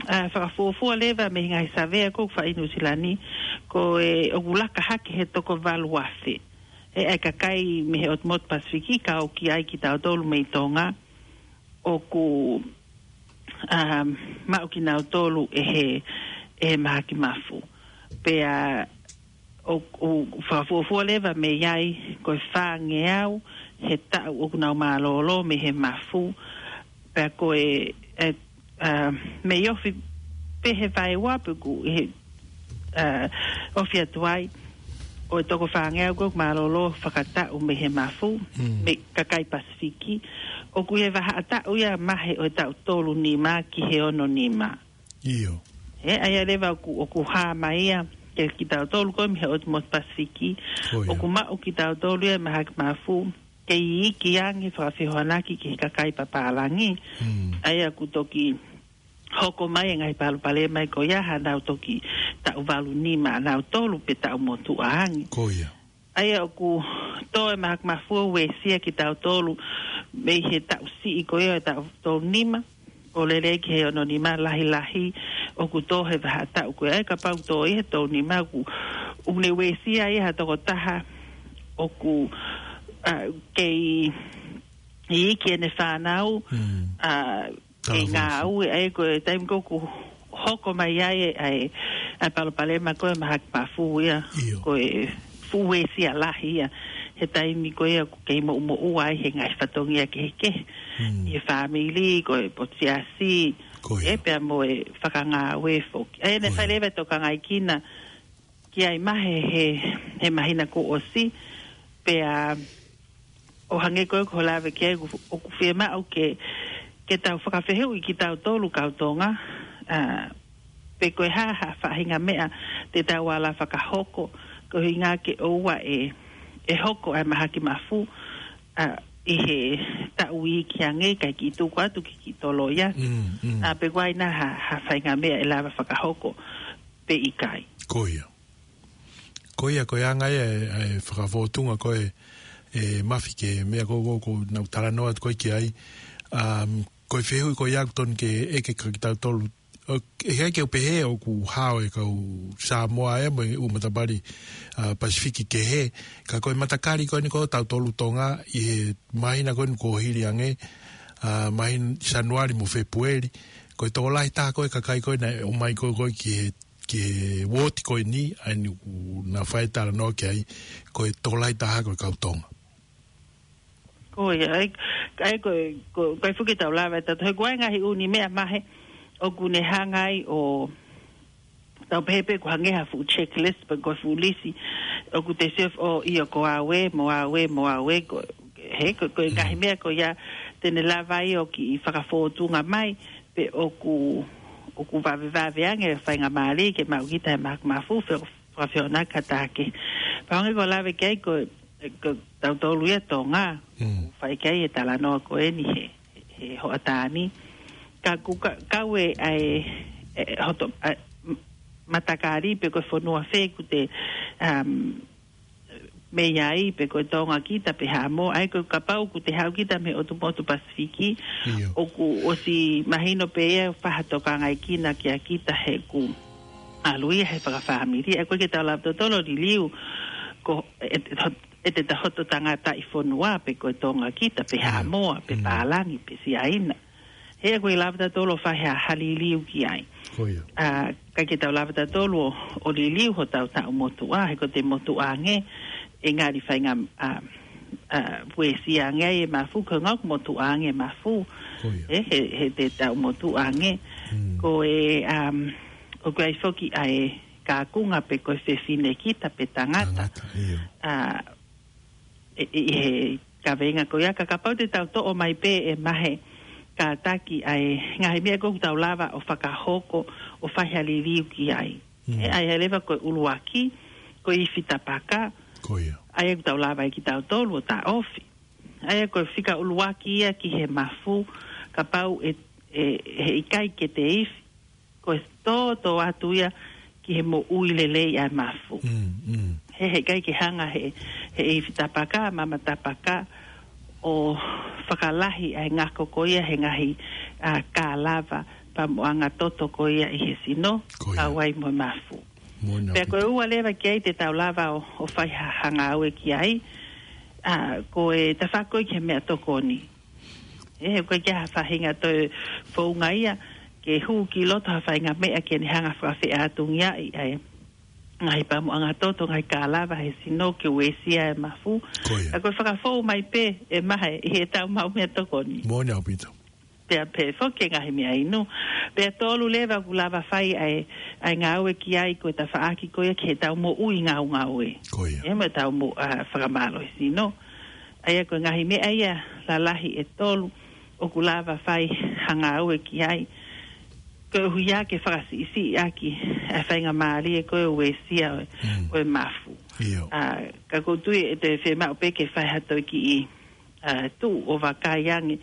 ʻa, fakafuofua leva mei he ngaahi savea ʻoku fai ʻi Nuʻusila ni, ko e ʻoku laka hake he toko valu afe ʻa e kakai mei he ʻotu motu Pasifiki, kau ki ai kitautolu mei Tonga, ʻoku, um, maʻu kinautolu ʻe he, ʻe he mahaki mafu. Pea ʻoku, ʻoku fakafuofua leva mei ai ko e fāngeau he taʻu ʻoku nau mālōlō mei he mafu. Pea ko e, e, ʻa, mei ofi pē he vaeua pe ʻoku ʻi he, ʻa, ofi atu ai. ʻo e toko fāngeau ko ē ʻoku mālōlō fakataʻu mei he mafu, Mm. mei he kakai Pasifiki, ʻoku ʻi he vahaʻa taʻu ia mahe ʻo e taʻu tolu nima ki he ono nima. ʻIo. He, ʻa ia leva ʻoku, ʻoku hā mai ia, ke kitautolu ko ē mei he ʻotu motu Pasifiki, Ko ia. ʻoku maʻu kitautolu ia mahaki mafu, ke iiki ange fakafehoanaki ki he kakai papālangi. Mm. ʻA ia ʻoku toki hoko mai e ngaahi palopalema ko ia, hanau toki taʻu valu nima ʻanautolu pe taʻu motuʻa ange. Ko ia. ʻA ia ʻoku tō e mahaki mafu ʻo uesia kitautolu mei he taʻu siʻi ko ia ʻo e taʻu tolu nima, ʻo lele ki he ono nima lahilahi ʻoku tō he vahaʻa taʻu ko ia. ʻA ia kapau tō ia he tolu nima ʻoku, ʻoku ne uesia ia ha tokotaha ʻoku, ʻa, kei iiki ʻene fānau, Mm. ʻa, Tala kei ngāue, ʻa ia ko e taimi ko ē ʻoku hoko mai ai e, ʻa e, ʻa e palopalema ko ē mahaki mafu ia, ʻIo. ko e fuʻu uesia lahi ia, he taimi ko ia ʻoku kei moʻumoʻua ai he ngaahi fatongia kehekehe, Mm. ʻi he fāmili, ko e potu siasi, Ko ia. ʻe pea mo e fakangāue foki. ʻA ia ne Ko ia. fai leva e tokangaekina ki ai mahe he, he māhina kuo ʻosi, pea ʻo hangē ko ē ko e lave ki ai ʻoku, ʻoku fiemaʻu ke, ke tau fakafehuʻi kitautolu kau Tonga, ʻa, pe ko e hā ha faʻahinga meʻa te tau ala fakahoko, ko e ʻuhinga ke ʻoua ʻe, ʻe hoko ʻa e mahaki mafu, ʻa, ʻi he taʻu iiki ange kae kiʻi tuku atu ke kiʻi tolo ia. Mm, mm. ʻA, pe ko e hā nai ha, ha faʻahinga meʻa ʻe lava fakahoko pe ʻikai. Ko ia. Ko ia, ko e anga ia e, e fakafōtunga ko ē, e Mafi, ki he meʻa ko ē, ko ē ʻoku nau talanoa atu ko ē ki ai. Um, ko e fehuʻi ko ia ʻoku totonu ke ʻeke kia kitautolu. ʻO, ʻe ʻikai ke u pehē ʻoku hao e kau Samoa ē mo e ʻū matapali, ʻa, Pasifiki kehe. Ka ko e matakali ko eni ko ē ʻo tautolu Tonga ʻi he māhina ko eni kuo hili ange, ʻa, māhina Sānuali mo Fēpueli. Ko e tokolahi taha ko ē e kakai ko ē naʻe ʻomai ko ē ko ē ki he ki he uooti ko eni, ʻa eni ʻoku nau fai talanoa ki ai, ko e tokolahi taha ko e kau Tonga. Ko ia, ʻa ia, ʻa ia ko, ko, ko e fuʻu ke tau lava ʻe tautolu, he ko e ngaahi ʻū meʻa mahe, ʻoku ne hanga ai ʻo tau pehē pē ʻoku hangē ha fuʻu checklist, pe ko e fuʻu lisi, ʻoku te sio, ʻo ʻio ko au ē, mo au ē, mo au ē, ko, he, ko, ko e ngaahi Mm. meʻa ko ia, te ne lava ai ʻo kiʻi fakafōtunga mai, pe ʻoku, ʻoku vavevave ange e faingamālie ke maʻu kita he mahaki mafu, fe-, fakafehoanaki ki ha taha kehe. Pea hangē ko e lave ki ai ko, ko tautolu ia Tonga, Mm. fai ki ai e talanoa ko eni he, he hoʻatā ni. Ka ʻoku ka-, kau e, ʻa e, e, hoto, ʻa e, m-, matakali pe ko e fonua fē ʻoku te, um, mei ai, pe ko e Tonga kita pe Haʻamoa, ʻa ia ko e kapau ʻoku te haʻu kita mei he ʻotu motu Pasifiki, ʻIo. ʻoku ʻosi mahino pē ia ʻoku fai ha tokangaekina kia kita he ʻoku ʻalu ia he fakafāmili, ʻa ia ko e ke tau lava tautolu ʻo liliu, ko e, e, e, ʻe te ta hoto tangataʻi fonua pe ko e Tonga kita pe ʻIo. Haʻamoa, pe Mm. Pālangi, pe Siaina. He ʻoku ʻikai lava tautolu ʻo fai ha, ha liliu ki ai. Ko ia. ʻA, ʻikai ke tau lava tautolu ʻo, ʻo liliu hotau taʻu motuʻa, he ko e motuʻa ange, ʻe ngali fainga, ʻa, ʻa, uesia ange ai e mafu, ko e ngaahi motuʻa ange e mafu. Ko ia. ʻE, he, he te taʻu motuʻa ange. Mm. Ko e, um, ʻoku ʻi ai foki ʻa e kakunga pe ko e fefine kita pe tangata. Tangata, ʻio. ʻA, ʻi, ʻi he kaveinga ko ia, ka kapau te tau toʻo mai pē e mahe kātaki ʻa e ngaahi meʻa ko ē ʻoku tau lava ʻo fakahoko ʻo fai ha liliu ki ai. Mm. ʻE, ʻa ia leva ko e ʻuluaki, ko e ifi tapaka, Ko ia. ʻa ia ʻoku tau lava ai kitautolu ʻo taʻofi. ʻA ia ko e fika ʻuluaki ia ki he mafu, kapau ʻe, ʻe, he ʻikai ke te ifi, ko e tōtō atu ia ki he moʻui lelei ʻa e mafu. Mm, mm. He, he ʻikai ke hanga he, he ifi tapaka, mama tapaka, ʻo fakalahi ʻa e ngako ko ia he ngaahi, ʻa, kālava, pamuʻanga toto ko ia ʻi he sino, Ko ia. kau ai mo e mafu. Moʻoni ʻaupito. Pea ko e ua leva ki ai te tau lava ʻo, ʻo fai ha, ha ngāue ki ai, ʻa, ko e tafaʻaki ki he meʻatokoni. ʻE, he ʻoku ʻikai ke ʻi ai ha faʻahinga toe founga ia, ke hū ki loto ha faʻahinga meʻa ke ne hanga fakafeʻātungiaʻi ʻa e ngaahi pamuʻanga toto, ngaahi kālava he sino ke uesia e mafu. Ko ia. ʻA ia ko e fakafou mai pē e mahe ʻi he tau maʻu meʻatokoni. Moʻoni ʻaupito. pea pehē foki e ngaahi meʻainu. Pea tolu leva ʻoku lava fai ʻa e, ʻa e ngāue ki ai ko e tafaʻaki ko ia ki heʻetau moʻui ngaungaue. Ko ia. ʻE mo ʻetau mo-, ʻa, fakamālohisino. ʻA ia ko e ngaahi meʻa ia lalahi ʻe tolu ʻoku lava fai ha ngāue ki ai. Koeʻuhi ia ke fakasiʻisiʻi ʻaki ʻa e faingamālie ko ē ʻo e uesia ʻo e, Mm. ʻo e mafu. ʻIo. ʻA, ka ʻoku ou tui ʻe toe fiemaʻu pē ke fai ha toe kiʻi, ʻa, tuʻu ʻo vakai ange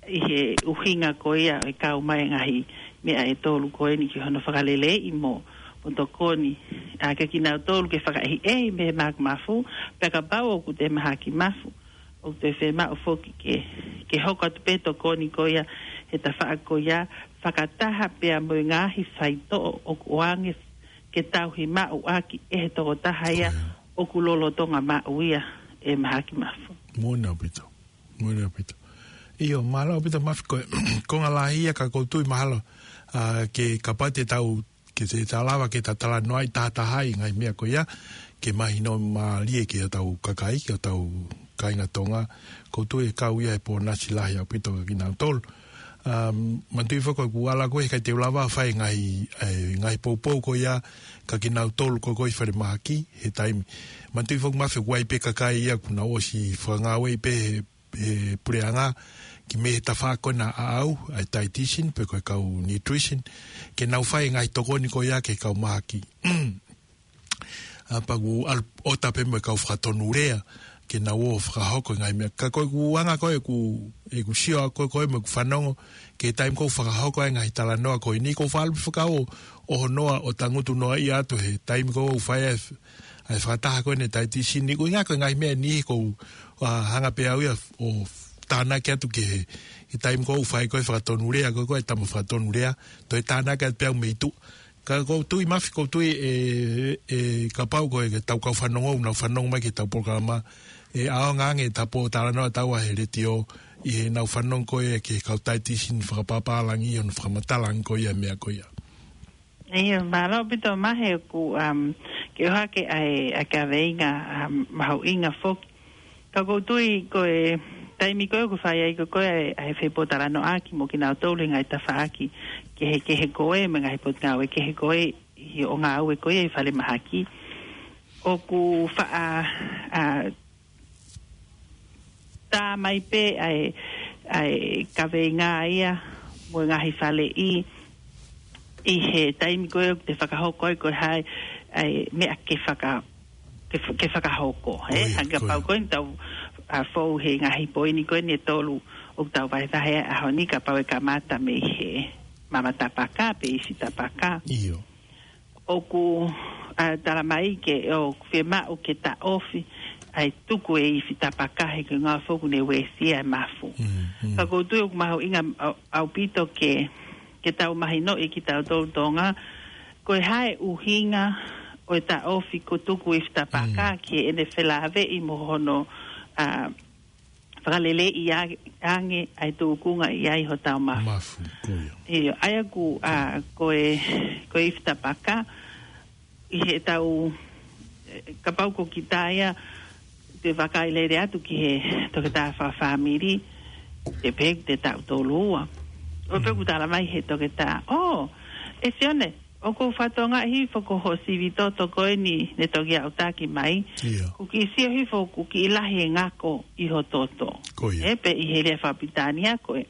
ʻi he ʻuhinga ko ia ʻo e kau mai e ngaahi meʻa ʻe tolu ko eni ki hono fakaleleiʻi mo, mo tokoni ʻa kinautolu ke fakaʻehiʻehi mei he mahaki mafu, pea kapau ʻoku te mahaki mafu, ʻoku te fiemaʻu foki ke, ke hoko atu pē tokoni ko ia he tafaʻaki ko ia, fakataha pea mo e ngaahi faitoʻo ʻoku ʻoange ke tauhi maʻu ʻaki ʻe he tokotaha ia Ko ia. ʻoku lolotonga maʻu ia e mahaki mafu. Moʻoni ʻaupito. Moʻoni ʻaupito. ʻIo, mālō ʻaupito Mafi ko e konga lahi ia ka ʻoku ou tui mahalo, ʻa, ke kapau te tau, ke te tau lava ke ta talanoaʻi tahatahaʻi ngaahi meʻa ko ia, ke mahino mālie ki hotau kakai, ki hotau kāinga Tonga, ʻoku ou tui ʻe kau ia he pōnasi lahi ʻaupito kia kinautolu. Um, manatuʻi foki ʻoku ala ko ē he ʻikai te u lava fai ngaahi, e, ngaahi poupou ko ia kia kinautolu ko ē ʻi falemahaki he taimi. Manatuʻi foki Mafi ʻoku ʻi ai pē kakai ia ʻoku nau ʻosi fakangāueʻi pē he, he puleʻanga, ki mei he tafaʻaki ko ena ʻaʻau, ʻa e dietitian, pe ko e kau nutrition, ke nau fai ngaahi tokoni ko ia ki he kau mahaki. ʻA, pea ʻoku ʻalu ʻo tape mo e kau fakatonulea, ke nau ō fakahoko e ngaahi meʻa. Ka ko ʻeku anga ko ē ʻeku, ʻeku sio ko ē ko ē mo ʻeku fanongo, ki he taimi ʻoku fakahoko ai e ngaahi talanoa ko eni, ʻoku ou faʻa ʻalu pē fakaʻohonoa ʻo tangutu noaʻia atu he taimi ʻoku ou fai ai, ʻa e fakataha ko eni dietitian ni, ʻuhinga ko e ngaahi meʻa ni ʻoku ou, ʻa, hanga pē au ia ʻo tānaki atu ki he, he taimi ʻoku ou fai ko ē fakatonulea, ko ē ko ē tama fakatonulea, toe tānaki atu pē au mei tuʻa. Ka ʻoku ou tui Mafi, ʻoku ou tui ʻe, ʻe kapau ko e ke tau kau fanongo, nau fanongo mai ki heʻetau polokalama, ʻe ʻaonga ange ʻeta pōtalanoa ʻataua he letiō, ʻi heʻenau fanongo ko ē ki he kau dietitian fakapapālangi ʻi hono fakamatalaʻi ko ia e meʻa ko ia. ʻIo, mālō ʻaupito Mafi ʻoku, um, ke ʻohake ʻa e, ʻa e kaveinga, um, mahuʻinga foki. Ka ʻoku ou tui ko e taimi ko ē ʻoku fai ai ko ē ko ē ʻa e, ʻa e fepōtalanoaʻaki mo kinautolu he ngaahi tafaʻaki kehekehe ko ē, mo e ngaahi potungāue kehe ko ē ʻi hoʻo ngāue ko ia ʻi falemahaki. ʻOku faʻa, ʻa, tā mai pē ʻa e, ʻa e kaveinga ia mo e ngaahi faleʻi ʻi he taimi ko ē ʻoku te fakahoko ai ko e hā e, ʻa e meʻa ke faka-, ke f-, ke fakahoko, ē? Ko ia, Hangē ko ia. Kapau ko eni tau, ʻa, fou he ngaahi poini ko eni ʻe tolu ʻoku tau vahevahe ai he ʻaho ni, kapau ʻe kamata mei he mama tapaka pe ifi tapaka. ʻIo. ʻOku, ʻa, tala mai ke, ʻoku fiemaʻu ke taʻofi ʻa e tuku e ifi tapaka he ko e ʻuhinga foki ʻoku ne uesia e mafu. Mm, mm. Ka ʻoku ou tui ʻoku mahuʻinga ʻau-, ʻaupito ke, ke tau mahinoʻi kitautolu Tonga, ko e hā e ʻuhinga ʻo e taʻofi ko e tuku ifi tapaka Mm. ki heʻene felāveʻi mo hono, ʻa, fakaleleiʻi a-, ange ʻa e tūkunga ʻi ai hotau mafu. Mafu, ko ia. ʻIo, ʻa ia ʻoku, ʻa, ko e, ko e ifi tapaka, ʻi heʻetau, ʻe, kapau ko kita ia, te vakai lele atu ki he toketā fakafāmili, te pehē te taʻu tolu ua. ʻO pē Mm. ʻoku tala mai he toketā, ʻō, ʻe Sione, ʻoku ou fakatokangaʻi hifo ko hoʻo sivi toto ko eni ne toki aʻutaki mai. ʻIo. ʻOku kiʻi sio hifo, ʻoku kiʻi lahi e ngako ʻi ho toto. Ko ia. Ē, pe ʻi he lea fakapilitānia ko e,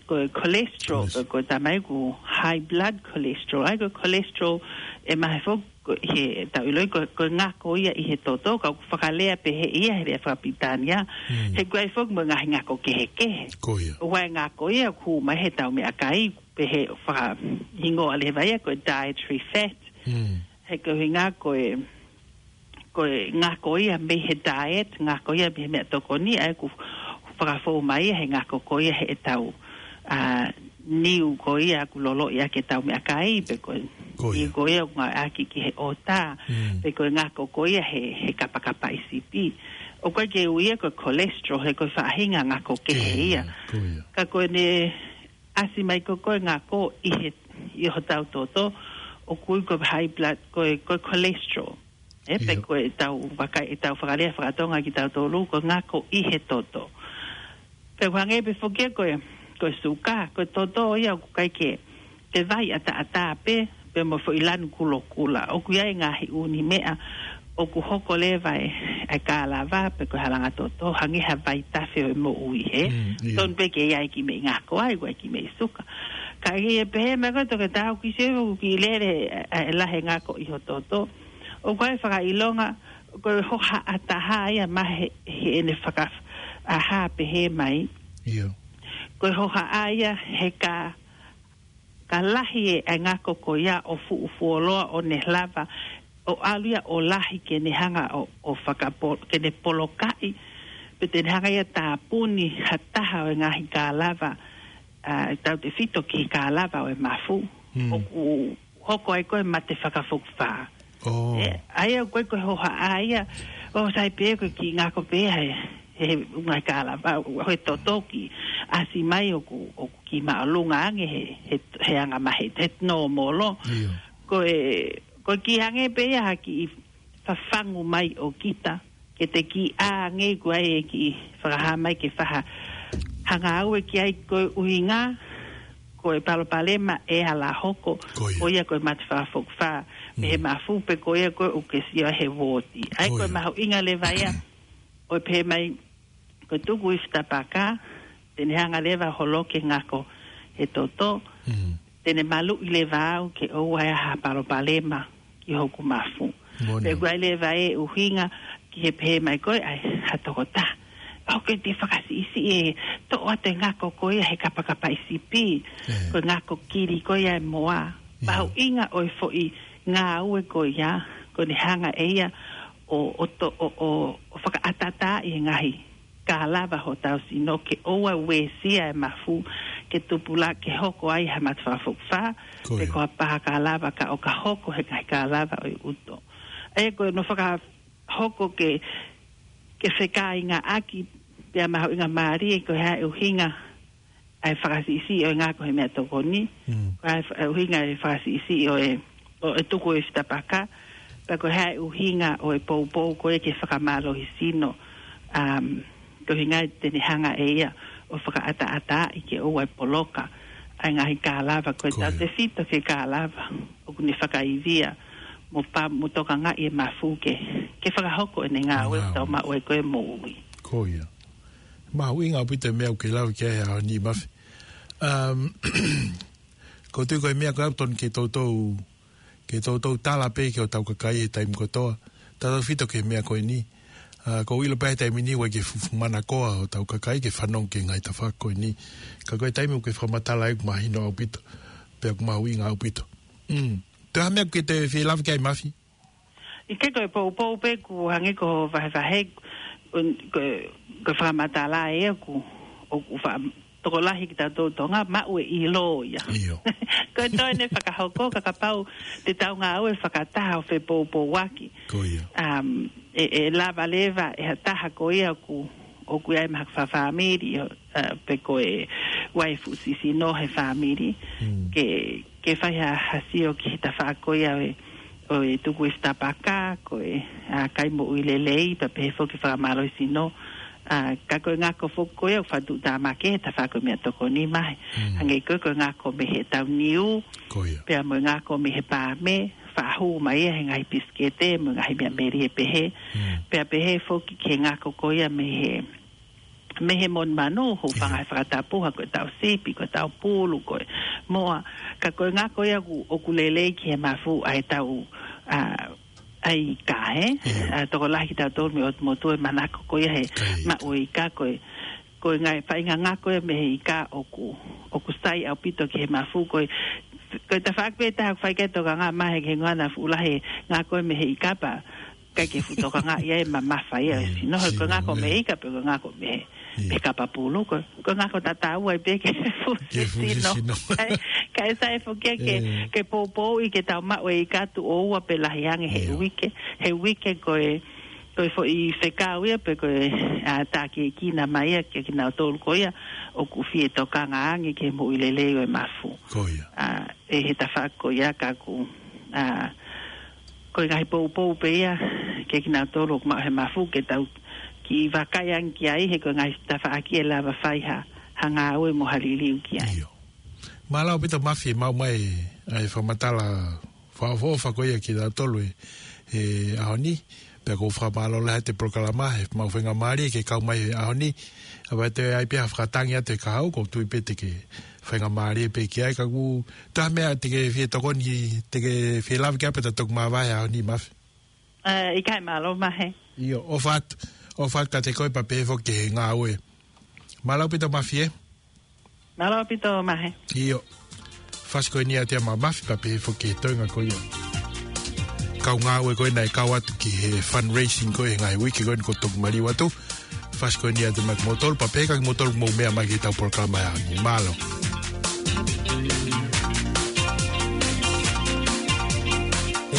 ko e cholesterol, Cholesterol. ko e, ko e tala mai ʻoku high blood cholesterol. ʻA ia ko e cholesterol ʻe mahino foki ko e, he tau ʻiloʻi ko e, ko e ngako ia ʻi he toto, ka ʻoku fakalea pehē ia he lea fakapilitānia. Mm. He ʻoku ʻi ai foki mo e ngaahi ngako kehekehe. Ko ia. ʻOku ʻi ai e ngako ia ʻoku hū mai he tau meʻakai, pehē fakahingoa leva ia ko e dietary fat. Mm. He ko e ʻuhinga ko e, ko e ngako ia mei he diet, ngako ia mei he meʻatokoni, ʻa ia ʻoku fakafou mai ia he ngako ko ia heʻetau, ʻa, niu ko ia ʻoku loloʻi ʻaki ʻetau meʻakai, pe ko e Ko ia. niu ko ia ʻoku ngāueʻaki ki he ʻota, Mm. pe ko e ngako ko ia he, he kapakapaʻi sipi. ʻOku ʻikai ke ui ia ko e cholesterol, he ko e faʻahinga ngako kehe Kehe ia. ia, ko ia. Ka ko ʻene ʻasi mai ko ē ko e ngako ʻi he, ʻi hotau toto, ʻoku ui ko e high blood, ko e, ko e cholesterol. Ē, pe ʻIo. ko ʻetau vakai, ʻetau fakalea fakatonga kitautolu, ko e ngako ʻi he toto. Pea ʻoku hangē pē foki ia ko e, ko e suka, ko e toto ia ʻoku ʻikai ke, ke vai ʻataʻatā pē, pea mo e foʻi lanu kulokula. ʻOku ʻi ai e ngaahi ʻū meʻa ʻoku hoko leva e, e kālava, pe ko e halanga toto, hangē ha vaitafe ʻo e moʻui, hē? Mm, ʻio. Tonu pē ke ʻi ai e kiʻi meʻi ngako ai, ko e kiʻi meʻi suka. Ka ʻi he pehē mai ko e toketā, ʻoku ʻi ai, ʻoku kiʻi lele e, e lahi e ngako ʻi ho toto. ʻOku ʻi ai e fakaʻilonga, ko e hohaʻa taha ia mai he, heʻene faka-, ʻa e pehē mai. ʻIo. Ko e hohaʻa ia he ka, ka lahi e, e ngako ko ia ʻo fuʻu fuoloa ʻo ne lava, ʻo ʻalu ia ʻo lahi ke ne hanga ʻo, ʻo fakapo-, ke ne polokaʻi, pe te ne hanga ia ʻo tāpuni ha taha ʻo e ngaahi kālava, ʻa, tautefito ki he kālava ʻo e mafu. Mm. ʻOku hoko ai ko e mate fakafokifā. Oh. ʻE, ʻa ia ko e, ko e hohaʻa ia, ʻo sai pē ko e kiʻi ngako pē he, he ngaahi kālava, ʻo e toto ki ʻasi mai ʻoku, ʻoku kiʻi māʻolunga ange he, he, he anga maheni, he nōmolo. ʻIo. Ko e, ko e kiʻi hangē pē ia ha kiʻi fafangu mai ʻo kita, ke te kiʻi ʻā ange ko ē ʻe kiʻi fakahā mai ke fai ha ngāue ki ai, ko e ʻuhinga, ko e palopalema ʻe ala hoko, Ko ia. ko ia ko e mate fakafokifā, mei he Mm. mafu pe ko ia ko ē ʻoku ke sio he uooti. ʻA ia Ko ko e ia. mahuʻinga leva ia, ʻo e pehē mai, ko e tuku ifi tapaka, te ne hanga leva ʻo holoki e ngako he toto, Mm. te ne maluʻi leva au ke ʻoua ʻe ʻi ai ha palopalema ki hoku mafu. Moʻoni. Pea ʻoku ʻi ai leva e ʻuhinga ki he pehē mai ko ē ʻa e ha toketā, ʻoku ke te fakasiʻisiʻi e toʻo atu e ngako ko ia he kapakapaʻi sipi, ʻE. ko e ngako kili ko ia e moa. ʻIo. Mahuʻinga ʻo e foʻi ngāue ko ia, ko ʻene hanga ʻe ia ʻo, ʻo to-, ʻo, ʻo, ʻo fakaʻataʻataaʻi e ngaahi kālava hotau sino ke ʻoua ʻe uesia e mafu, ke tupulaki, ke hoko ai ha mate fakafokifā, Ko pe ia. ko ha pā kālava ka ʻo ka hoko he ngaahi kālava ʻo e ʻuto. ʻA ia ko hono fakahoko ke, ke fekāingaʻaki, pea mahuʻinga mālie ko e hā e ʻuhinga ʻa e fakasiʻisiʻi ʻo e ngako he meʻatokoni. Mm. Ko e hā e fa-, ʻuhinga e fakasiʻisiʻi ʻo e, ʻo e tuku ifi tapaka. Pea ko e hā e ʻuhinga ʻo e poupou ko ē ke fakamālohisino. Um, ko e ʻuhinga te ne hanga ʻe ia ʻo fakaʻataʻataaʻi ke ʻoua ʻe poloka ʻa e ngaahi kālava ko ē Ko ia. tautefito ki he kālava ʻoku ne fakaivia mo pa-, mo tokangaʻi e mafu ke, ke fakahoko ʻene ngāue Ngāue. tau maʻu ai ko ē moʻui. Ko ia. Mahuʻinga ʻaupito e meʻa ʻoku ke lave ki ai he ʻaho ni, Mafi. Um, ʻoku ou tui ko e meʻa ko ē ʻoku totonu ke toutou, ke toutou tala pē ki hotau kakai he taimi kotoa. Tautefito ki he meʻa ko eni. ʻA, ʻoku ou ʻilo pē he taimi ni ʻoku ʻi ai e fuʻu, fuʻu manakoa hotau kakai ke fanongo ki he ngaahi tafaʻaki ko eni. Ka ko e taimi ʻoku ke fakamatala ai ʻoku mahino ʻaupito. Pea ʻoku mahuʻinga ʻaupito. Mm. Toe ha meʻa ʻoku ke toe fie lave ki ai, Mafi? ʻIkai, ko e poupou pē ʻoku hangē ko e vahevahe, ko, ko e fakamatala ē ʻoku, ʻoku fa-, tokolahi kitautolu Tonga, maʻu e ʻilo ia. ʻIo. Ko e toe ne fakahoko, ka kapau te tau ngāue fakataha ʻo fepoupouaki. Ko ia. Um, ʻe, ʻe lava leva ʻe ha taha ko ia ʻoku, ʻoku ʻi ai mahalo ha fāmili, ʻo, uh, pe ko e uaifi sisino he fāmili, Mm. ke, ke fai ha, ha sio ki he tafaʻaki ko ia ʻo e, ʻo e tuku ifi tapaka, ko e, ʻa, kai moʻui lelei, pea pehē foki fakamālohisino, ʻa, ka ko e ngako foki ko ia ʻoku fakatuʻutāmaki he tafaʻaki ko e meʻatokoni mai. Mm. Hangē ko ē ko e ngako mei he tauniu, Ko ia. pea mo e ngako mei he paame, faʻu mai ia he ngaahi pisikete, mo e ngaahi meʻa melie pehē. Mm. Pea pehē foki ki he ngako ko ia mei he mei he monumanu, hūfanga ʻIo. he fakatapu, ha ko e tau sipi, ko e tau pulu, ko e moa, ka ko e ngako ia ʻoku, ʻoku lelei ki he mafu ʻa e tau, ʻa, ʻa e ika, ē? ʻIo. ʻA, tokolahi kitautolu mei ʻOtumotu ʻe manako ko ia he Kai. maʻu e ika, ko e, ko e ngaahi faʻahinga ngako ia mei he ika ʻoku, ʻoku sai ʻaupito ki he mafu, ko e, ko e tafaʻaki pē taha ʻoku fai ki ai e tokanga mai he ke ngana fuʻu lahi e ngako ia mei he ika pea ʻikai ke fuʻu tokangaʻi ai e mamafa ia ʻo e Mm, sino, he ko e sino, ngako mei he ē. ika pe ko e ngako mei he, Mm. mei he kapa pulu, ko e, ko e ngako tatau ai pē ki he fuʻu Ki he fuʻu sino. sino. Kae, kae sai foki ia ke, Ē. ke poupouʻi ke tau maʻu e ika tuʻo ua pe lahi ange he ʻIo. uike, he uike ko e, ko e foʻi fekau ia pe ko e, ʻa, tākiekina mai ia kia kinautolu ko ia ʻoku fie tokanga ange ki he moʻui lelei ʻo e mafu. Ko ia. ʻA, ʻi he tafaʻaki ko ia ka ʻoku, ʻa, ko e ngaahi poupou pē ia kia kinautolu ʻoku maʻu he mafu ke tau kiʻi vakai ange ki ai he ko e ngaahi tafaʻaki ʻe lava fai ha, ha ngāue mo ha liliu ki ai. ʻIo. Mālō ʻaupito Mafi, maʻu mai ʻa e fakamatala fakaʻofoʻofa ko ia kiate kitautolu he ʻaho ni. Pea ʻoku fakamālō lahi atu he polokalama, he maʻu faingamālie ke kau mai he ʻaho ni. ʻA ia ʻe ʻi ai pē ha fakatangi atu he kahaʻu, ʻoku ou tui pē te ke faingamālie pē ki ai, ka ʻoku ʻi ai ha meʻa te ke fie tokoni, te ke fie lave ki ai pea ta toki māvae he ʻaho ni Mafi? ʻE, ʻikai, mālō Mahe. ʻIo, ʻofa atu, ʻofa atu kiate koe pea pehē foki ki he ngāue. Mālō ʻaupito Mafi ē. Mālō ʻaupito Mahe. ʻIo. Fasi ko eni ʻa Tia Mafi pea pehē foki ki he toenga ko ia. Kau ngāue ko ē naʻe kau atu ki he fundraising ko ē he ngaahi uike ko eni kuo toki maliu atu. Fasi ko eni ʻa Tia Mafi mo Tolu pea pehē kiate kimoutolu ʻoku mou meʻa mai ki heʻetau polokalama he ʻaho ni. Mālō.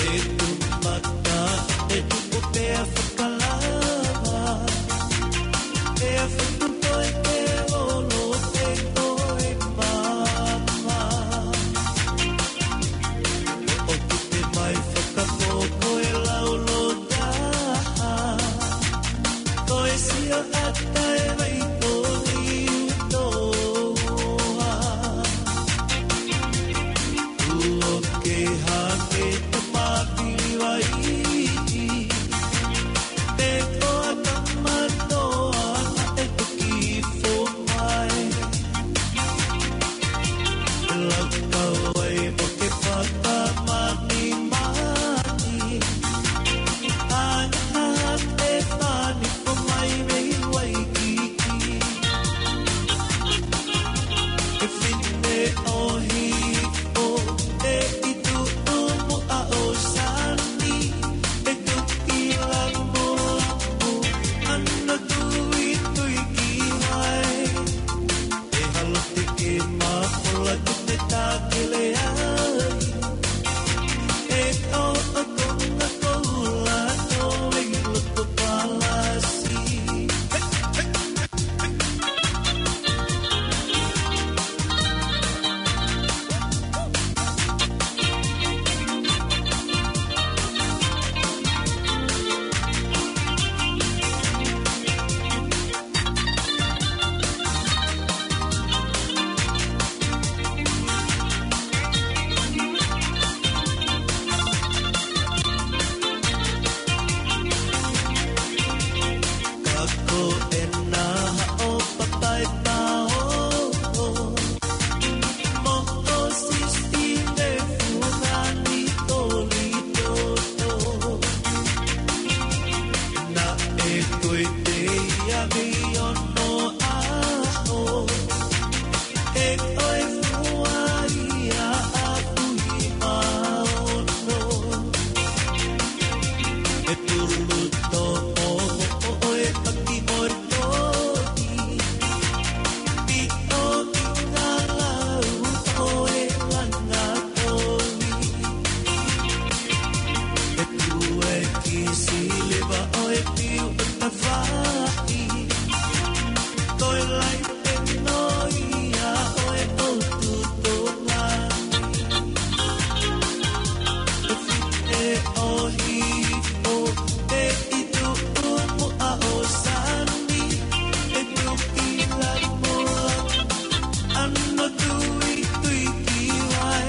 E tuʻu mata, e tuʻu pea fakalava. E fakuto e te olo te toe mama. O te te mai fakapoko e laulo taha. Toe sio ata e vai toni utoa. Tuo ke hake te mapili vai. Te toa tamatoa e toki fomae. Lau kau ai mo ke pata mani mani. Ana te fani ko mai mei Waikiki. E fine ʻohi ʻo e itu umu a o sani. E tuki la mo la mo ana tui tui ki vai. E halo te ke mafola te te takele ai. E o o konga koula no e loto palasi. Kako e naha o papai pao. Mo o sisi ne fungani toli toto. Naʻe ko e te ia mei ono aho. E ʻoe fua ia a Puhi Maono. E tulu tō o ʻoe paki mo e tō i. Pi o i ngā lau ʻoe langa tōi. E tue ki siliva ʻoe piu o tafai. Toe lai e noia ʻoe o tutonga. E fite ʻohi ʻo e itu umu a o sani. E tuki la mo la ano tui tui ki vai.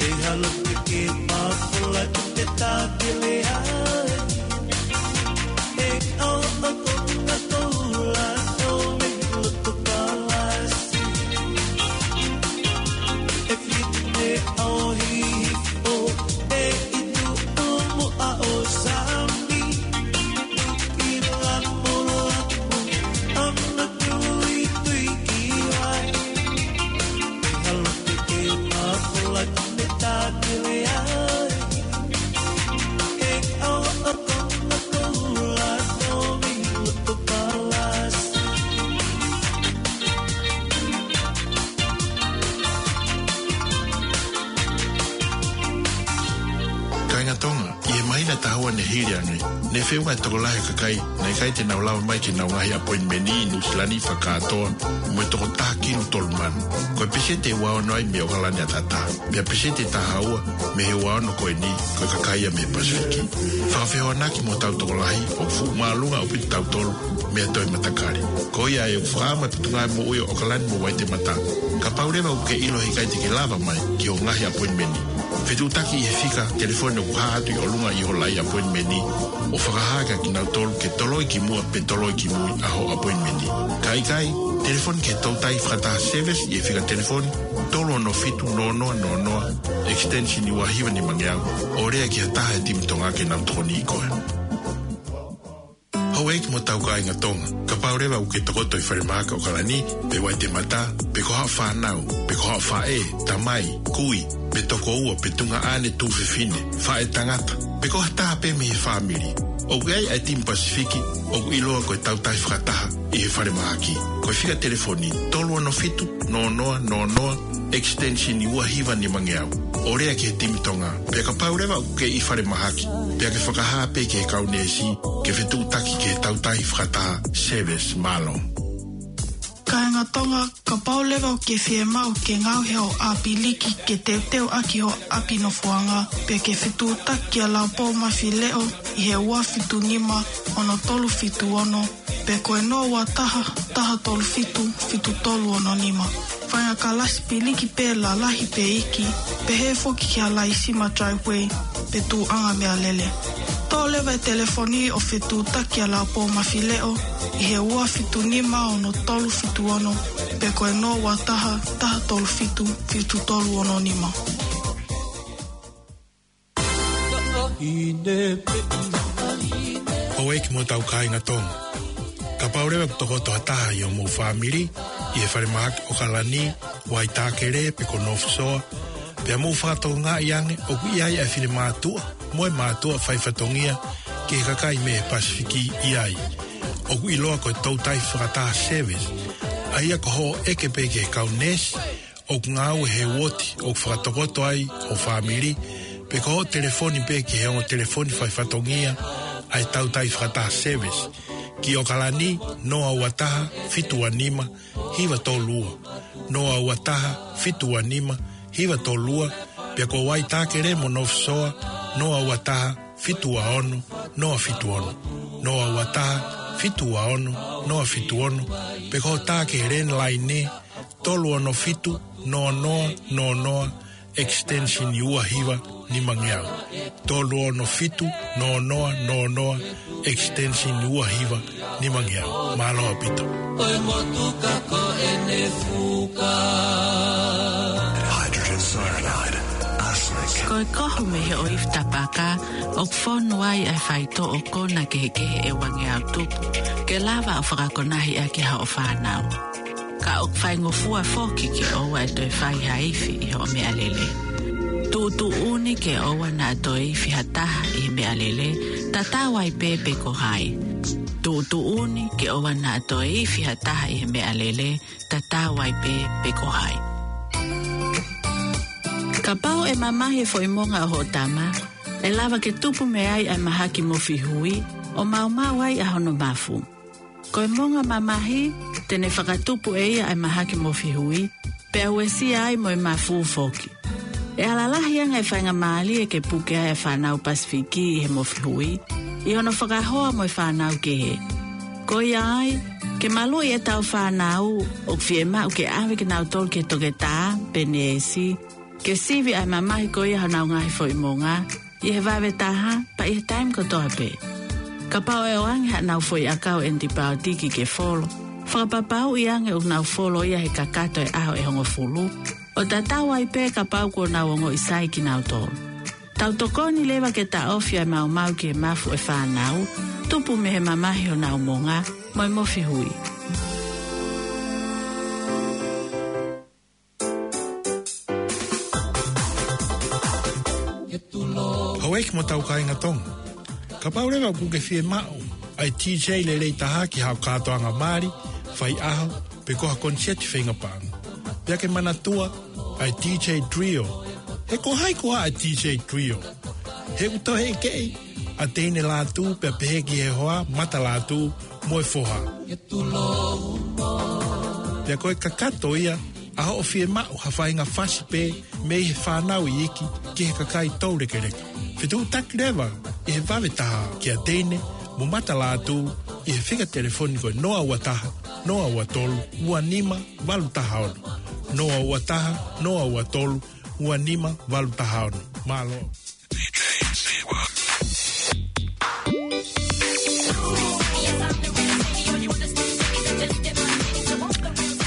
E halo ke ke mafola te te takele ai. E o o konga koula no me loto palasi. E fite ʻohi ʻo e itu umu a o sani. Ki la mo la mo ano tui tui ki vai. E halo ke ke mafola te te takele ai. E o o konga koula no me loto palasi. Kāinga Tonga, ʻi he māhina taha ua ne hili ange, ne feʻunga e tokolahi ʻo e kakai naʻe ʻikai te nau lava mai ki heʻenau ngaahi appointment ʻi Nuʻusila ni fakakātoa mo e toko taha kilu tolu mano. Ko e peseti ua ono ai mei he ʻokalani ʻataʻatā. Pea peseti taha ua mei he ua ono ko eni, ko e kakai ia mei he Pasifiki. Fakafehoanaki mo hotau tokolahi, ʻoku fuʻu māʻolunga ʻaupito kitautolu. meʻa toe matakali. Ko ia ʻe fakaʻamu e Potungāue Moʻui ʻo ʻOkalani mo Waitemata. Kapau leva ʻoku ke ʻilo he ʻikai te ke lava mai ki hoʻo ngaahi appointment, fetuʻutaki ʻi he fika telefoni ʻoku hā atu ʻi ʻolunga ʻi hoʻo laʻi appointment, ʻo fakahā kia kinautolu ke toloi ki muʻa pe toloi ki mui ʻa hoʻo appointment. Ka ʻikai, telefoni ki he Toutai Fakataha Service ʻi he fika telefoni tolu ono fitu noa noa noa noa, extension ua hiva nimangeau, ʻo lea ki ha taha he timi Tonga ke nau tokoniʻi koe. Houʻeiki mo hotau kāinga Tonga, kapau leva ʻoku ke tokoto ʻi falemahaki ʻOkalani, pe Waitemata, pe ko haʻo fānau, pe ko haʻo faʻē, tamai, kui, pe tokoua, pe tuongaʻane tuofefine, faʻētangata, pe ko ha taha pē mei he fāmili, ʻoku ʻi ai ʻa e timi Pasifiki ʻoku ʻiloa ko e Toutai Fakataha ʻi he falemahaki. Ko e fika telefoni tolu ono fitu noa noa noa noa, extension ua hiva nimangeau, ʻo lea ki he timi Tonga. Pea kapau leva ʻoku ke ʻi falemahaki, pea ke fakahā pē ki he kau neesi ke fetuʻutaki ki he Toutai Fakataha Service. Mālō. Kāinga Tonga, kapau leva ʻoku ke fiemaʻu ke ngaohi hoʻo ʻapiliki ke teuteu ʻaki hoʻo ʻapi nofoʻanga, pea ke fetuʻutaki kia Laupou Mafileʻo ʻi he ua fitu nima ono tolu fitu ono, pe ko e noa ua taha, taha tolu fitu, fitu tolu ono nima. Faʻahinga kalasi piliki pē lalahi pe iiki, pehē foki ki ha laisima driveway pe tuʻuʻanga meʻalele. Toʻo leva e telefoni ʻo fetuʻutaki kia Laupou Mafileʻo ʻi he ua fitu nima ono tolu fitu ono, pe ko e noa ua taha, taha tolu fitu, fitu tolu ono nima. Houʻeiki mo hotau kāinga Tonga, kapau leva ʻoku tokoto ha taha ʻi hoʻomou fāmili ʻi he falemahaki ʻOkalani, Waitākele pe ko North Shore, pea mou fakatokangaʻi ange ʻoku ʻi ai ʻa e finemātuʻa mo e mātuʻa faifatongia ki he kakai mei he Pasifiki ʻi ai, ʻoku ʻiloa ko e Toutai Fakataha Service, ʻa ia ko hoʻo ʻeke pē ki he kau neesi ʻoku ngāue he uooti ʻoku fakatokoto ai hoʻo fāmili, pe ko hoʻo telefoni pē ki he ongo telefoni faifatongia ʻa e Toutai Fakataha Service, ki ʻOkalani, noa ua taha, fitu ua nima, hiva tolu ua, noa ua taha, fitu ua nima, hiva tolu ua, pea ko Waitākele mo North Shore, noa ua taha, fitu ua ono, noa fitu ono, noa ua taha, fitu ua ono, noa fitu ono, pe ko hoʻo tā ki he landline, tolu ono fitu noa noa noa noa, extension ua hiva nimangeau. Tolu ono fitu noa noa noa noa, extension ua hiva nimangeau. Mālō ʻaupito. Ko e motuka ko ʻene fuka. Hydrogen cyanide, arsenic. Ko e kohu mei he ʻoifi tapaka, ʻoku fonu ai ʻa e faitoʻo kona kehekehe ʻe uangeau tupu, ke lava ʻo fakakonahi ʻaki haʻo fānau. Ka ʻoku faingofua foki ke ʻoua ʻe toe fai ha ifi ʻi hoʻo meʻalele. Tuʻutuʻuni ke ʻoua naʻa toe ifi ha taha ʻi he meʻalele, tatau ai pē pe ko hai. Tuʻutuʻuni ke ʻoua naʻa toe ifi ha taha ʻi he meʻalele, tatau ai pē pe ko hai. Kapau ʻe mamahi e foʻi monga ʻo hoʻo tama, ʻe lava ke tupu mei ai ʻa e mahaki mofihui, ʻo maumau ai ʻa hono mafu. Ko e monga mamahi, te ne fakatupu ʻe ia ʻa e mahaki mofihui, pea uesia ai mo e mafu foki. ʻE ala lahi ange e faingamālie ke puke ai ʻa e fānau Pasifiki ʻi he mofihui, ʻi hono fakahoa mo e fānau kehe. Ko ia ai, ke maluʻi ʻetau fānau, ʻoku fiemaʻu ke ʻave kinautolu ki he toketā pe neesi, ke sivi ʻa e mamahi ko ia honau ngaahi foʻi monga, ʻi he vave taha, pea ʻi he taimi kotoa pē. Kapau ʻe ʻoange haʻanau foʻi ʻakau ʻenipaotiki ke folo, fakapapauʻi ange ʻoku nau folo ia he kakato e ʻaho ʻe hongofulu, ʻo tatau ai pē kapau kuo nau ongoʻi sai kinautolu. Tau tokoni leva ke taʻofi ʻa e maumau ki he mafu ʻo e fānau, tupu mei he mamahi honau monga, mo e mofihui. Houʻeiki mo hotau kāinga Tonga, kapau leva ʻoku ke fiemaʻu ʻa e DJ lelei taha ki haʻo kātoanga mali, faiʻaho, pe ko ha koniseti feinga paʻanga, pea ke manatua ʻa e DJ Trio. He ko hai koā ʻa e DJ Trio? He ʻoku toe ʻekeʻi ʻa Teine Lātū pea pehē ki he hoa, Mata Lātū, mo e foha. Pea ko e kakato ia ʻa hoʻo fiemaʻu ha faʻahinga fasi pē mei he fānau iiki ki he kakai toulekeleka. Fetuʻutaki leva ʻi he vave taha kia Teine mo Mata Lātū ʻI he fika telefoni ko e noa ua taha, noa ua tolu, ua nima, valu taha ono. Noa ua taha, noa ua tolu, ua nima, valu taha ono. Mālō.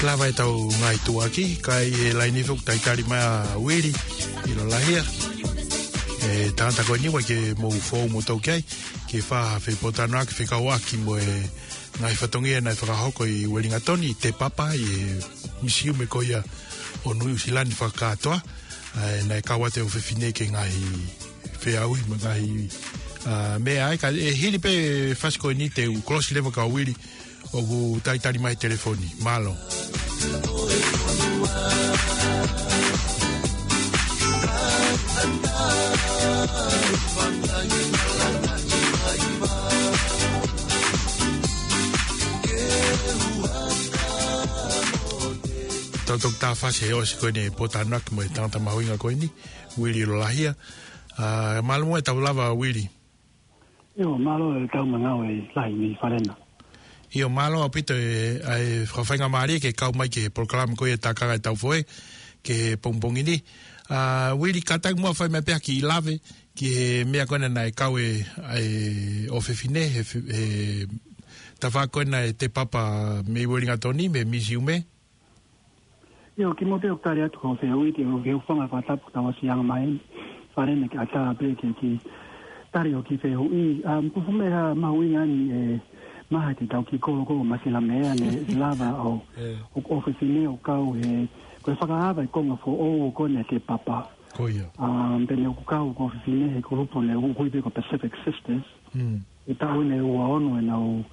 Lava ʻetau ngaahi tuʻuaki, kae ʻi he laini foki talitali mai ʻa Uili ʻIlolahia. ʻE tangata ko eni ʻoku ʻikai ke mou foʻou mo tau ki ai, ke fai ha fepōtalanoaʻaki fekauʻaki mo e ngaahi fatongia naʻe fakahoko ʻi Uelingatoni, ʻi Te Papa, ʻi he misiume ko ia ʻo Nuʻu Sila ni fakakātoa, ʻa ē naʻe kau atu e ʻofefine ki he ngaahi feʻauhi mo e ngaahi, ʻa, meʻa ai, ka ʻe hili pē fasi ko eni te u kolosi leva kia Uili, ʻoku talitali mai he telefoni. Mālō. Tau toki tā fasi he ʻosi ko eni e pōtalanoaʻaki mo e tangata mahuʻinga ko eni, Uili ʻIlolahia. ʻA, mālō muʻa ʻetau lava, Uili. ʻIo, mālō e tau mangau e lahi ni Falena. ʻIo, mālō ʻaupito e, ʻa e fakafaingamālie ke kau mai ki he polokalama ko ia Tākanga ʻEtau Foʻē, ki he pongipongi ni. ʻA, Uili, kātaki muʻa fai mai pē ha kiʻi lave ki he meʻa ko ena naʻe kau e, ʻa e ʻofefine, he fe-, he tafaʻaki ko ena ʻe Te Papa mei Uelingatoni, mei he misiume. ʻIo, kimuʻa pē ʻoku tali atu hoʻo fehuʻi, ʻoku ou fanga fakatapu tau ʻosi anga mai, Falena, ke ʻatā pē ke, ke tali hoʻo kiʻi fehuʻi. ʻA, ʻoku fuʻu meʻa mahuʻinga eni e maha te tau kiʻi kolo ko Masilamea ne lava ʻo, ʻo, ʻofefine ʻo kau he, ko e fakaava e konga foʻou ko ena ʻe Te Papa. Ko ia. ʻA, pea ne ʻoku kau ko e ʻofefine he kulupu ne ui pē ko Pacific Sisters. ʻI he taʻu eni ʻe ua ono ʻenau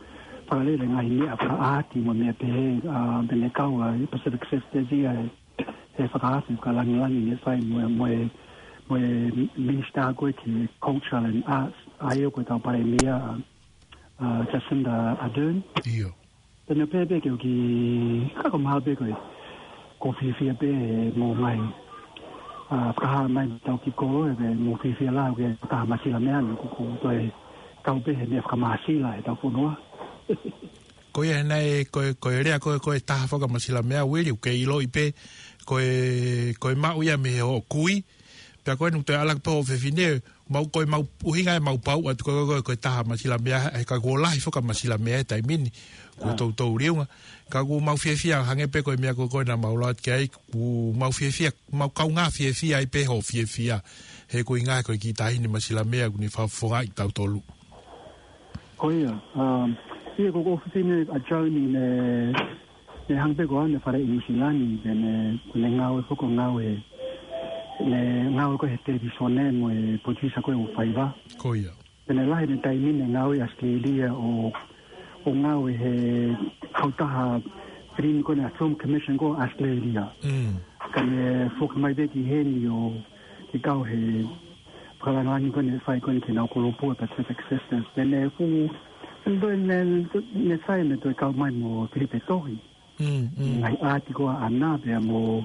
fakalele ngaahi meʻa fakaʻāti mo e meʻa pehē, ʻa, pea ne kau ʻa e Pacific Sisters ia he, he fakaafe fakalāngilangi ne fai mo e, mo e, mo e Minister ko ē ki he Culture and Arts, ʻa ia ko e kau palēmia, ʻa, ʻa, Jacinda Ardern. ʻIo. Pea ne pehē pē ke u kiʻi, ka ko e mahalo pē ko e, ʻoku ou fiefia pē he mo e ngaahi, ʻa, fakahā mai ʻetau kiʻi kolo, ʻe pē ʻoku ou fiefia lahi ʻoku ʻi ai e taha Masilamea ni, ʻoku, ʻoku ou toe kau pē he meʻa fakamāsila ʻetau fonua. Ko ia naʻe, ko e, ko e lea ko ē, ko e taha foki ʻa Masilamea, Uili, ʻoku ke ʻiloʻi pē, ko e, ko e maʻu ia mei hoʻo kui, pea ko eni ʻoku toe ʻalu atu pē hoʻo ʻofefine, mau ko e mau ʻuhinga ʻemau pau atu ko e, ko e, ko e taha Masilamea, he ka kuo lahi foki ʻa Masilamea he taimi ni, kuo toutou liunga. Ka ʻoku mau fiefia hangē pē ko e meʻa ko ē naʻa mau lau atu ki ai, ʻoku mau fiefia, mau kaungā fiefia ai pē hoʻo fiefia, he ko e ʻuhinga ko e kiʻi taʻahine Masilamea ʻoku ne fakafofongaʻi kitautolu. Ko ia, um, ia ko hoku ʻofefine ʻa Joni ne, ne hanga pē ko ʻene fale ʻi Nuʻu Sila ni, pea ne, ne ngāue foki ʻo ngāue, ne ngāue ko ē he televīsone mo e producer ko ē ʻo Faiva. Ko ia. Pea ne lahi ʻene taimi ne ngāue ʻi ʻAositelēlia ʻo, ʻo ngāue he kautaha filimi ko ena Film Commission ko ē ʻo ʻAositelēlia. Ka ne foki mai pē ki heni ʻo, ke kau he fakalāngilangi ko ē ne fai ko ē ki heʻenau kulupu ʻa e Pacific Sisters. Pea ne fuʻu, ne, ne, ne fai ne toe kau mai mo Filipe Tohi. Ngaahi ʻātikolo ʻaʻana pea mo,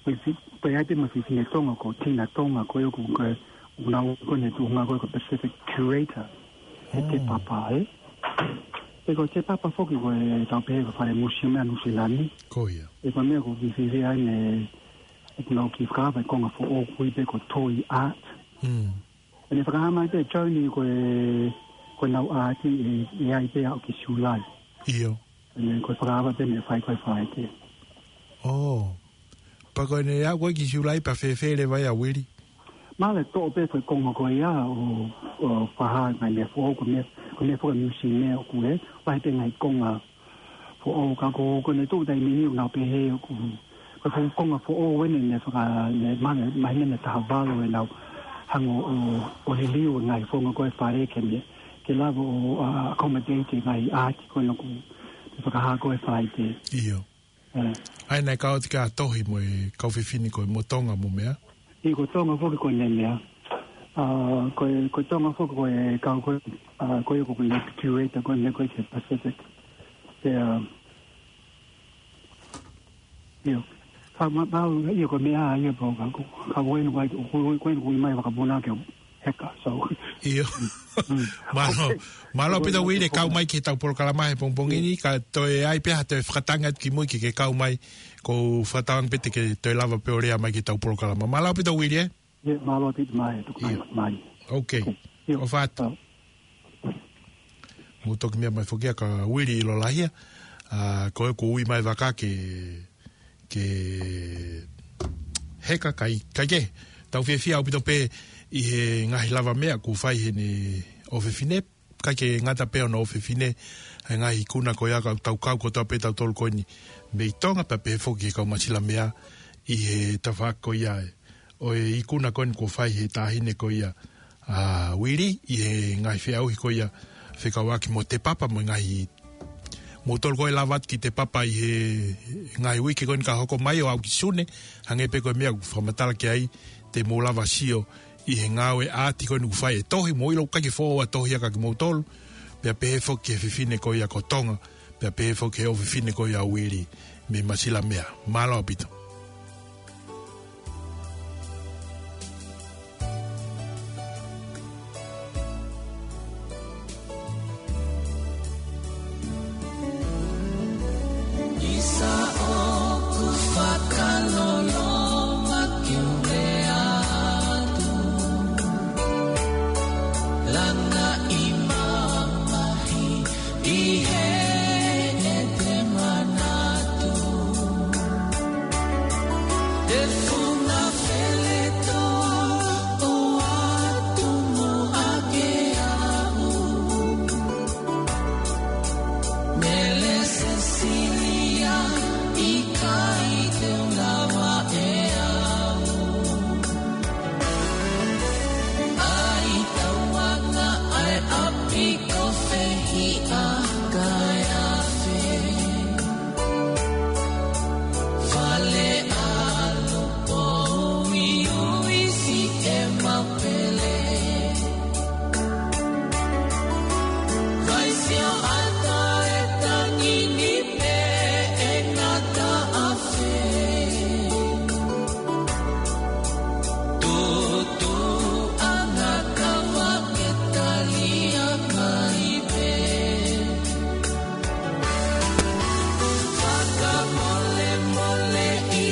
mo fi-, pea ʻi ai pē mo e fefine Tonga ko Tina Tonga ko ē ʻoku, ko e, ʻoku nau ko ē ne tuʻunga ko ē ko e Pacific Curator. He Te Papa, ē? Pea ko e Te Papa foki ko e tau pehē ko e fale museum ʻa Nuʻu Sila ni. Ko ia. Pea ko e meʻa ʻoku ou kiʻi fiefia ai ne, ʻoku nau kiʻi fakaava e konga foʻou ʻoku ui pē ko e Toi Art. Pea ne fakahā mai pē Joni ko e, ko ʻenau ʻaati ʻe, ʻe ʻi ai pē ʻo aʻu ki Siulai. ʻIo. Pea ne ko e fakaava pē ne fai ko ē Falaite. ʻŌ. Pea ko ʻene aʻu ko ē ki Siulai pea fēfē leva ia Uili? Mahalo ʻe toʻo pē ko e konga ko ia ʻo, ʻo fakahā ngaahi meʻa foʻou ko e meʻa, ko e meʻa foʻou museum ʻoku ʻi ai, ʻoku lahi pē ngaahi konga foʻou ka ko, ko ʻene tuʻu taimi ni ʻoku nau pehē ʻoku, ko e fuʻu konga foʻou eni ne faka, ne mahino, mahino ne taha valu ʻenau hanga ʻo, ʻo liliu e ngaahi founga ko ē fale ke ne, ke lava ʻo, ʻa, accommodate e ngaahi ʻaati ko ena ʻoku, ne fakahā ko ē Falaite. ʻIo. ʻA ia naʻe kau atu ki ai Tohi mo e kau fefine ko ē mo Tonga mo meʻa. ʻIo ko Tonga foki ko ʻene meʻa. ʻA, ko e, ko Tonga foki ko e kau ko ē, ʻa, ko ia ko ʻene curator ko ē ne ko ē ki he Pacific. Pea, ʻio. Ka ma, ma, ʻio ko e meʻa, ʻio pau ka ko, ka ko ʻene ko ē, ko, ko, ko ʻene ko ē mai fakapuna ke Heka, so. ʻIo. Mālō, mālō ʻaupito Uili, kau mai ki heʻetau polokalama he pongipongi ni, ka toe ʻai pē ha toe fakatangi atu ki mui ke ke kau mai, kou fakatauange pē te ke toe lava pē ʻo lea mai ki heʻetau polokalama. Mālō ʻaupito Uili, ē? ʻIo, mālō ʻaupito mai, tuku mai, ʻio, mai. Ok. ʻIo. ʻOfa atu. ʻAu. Mou toki meʻa mai foki ia kia Uili ʻIlolahia, ʻa, ko ʻeku ui mai vaka ke, ke heka kai, kai ke. Tau fiefia ʻaupito pē ʻi he ngaahi lavameʻa kuo fai heʻene ʻofefine, ʻikai ke ngata pē hono ʻofefine, he ngaahi ikuna ko ia ka tau kau kotoa pē tautolu ko eni mei Tonga pea pehē foki ki he kau Masilameʻa ʻi he tafaʻaki ko ia ʻo e ikuna ko eni kuo fai he taʻahine ko ia ʻa Uili ʻi he ngaahi feʻauhi ko ia fekauʻaki mo Te Papa mo e ngaahi, moutolu ko ē lava atu ki Te Papa ʻi he ngaahi uike ko eni ka hoko mai ʻo aʻu ki Sune, hangē pē ko e meʻa ʻoku fakamatala ki ai, te mou lava sio ʻi he ngāue ʻaati ko eni ʻoku fai e tohi, mou ʻilo ʻoku ʻikai ke foʻou ʻa e tohi ia kia kimoutolu, pea pehē foki ki he fefine ko ia ko Tonga, pea pehē foki ki he ʻofefine ko ia ʻo Uili mei Masilameʻa. Mālō ʻaupito. ʻIsa ʻoku fakaloloma ke u lea atu, langa ʻi mamahi ʻi heʻete manatu. Te funga feletoʻo atu mo ake aʻu. Mele Sesilia, ʻikai te u lava ʻe au. ʻAi tauanga ʻa e ʻapi ko Fehiʻa kae afe. Fale ʻalu poʻuli ʻuisi e mapele. Vaisio ata e tangi ni pē ʻe ngata afe. Tutu anga kava ke talia mai pē. Fakamolemole ʻi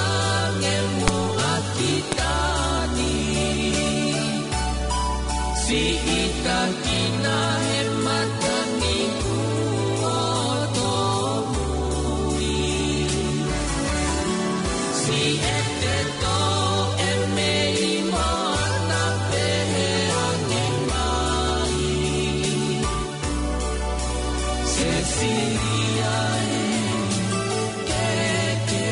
ange muʻa ki tani. Siʻi takina he matangi kuo tōmui. Siʻete toʻo e mei moana pehē ange mai. Sesilia ē, ke ke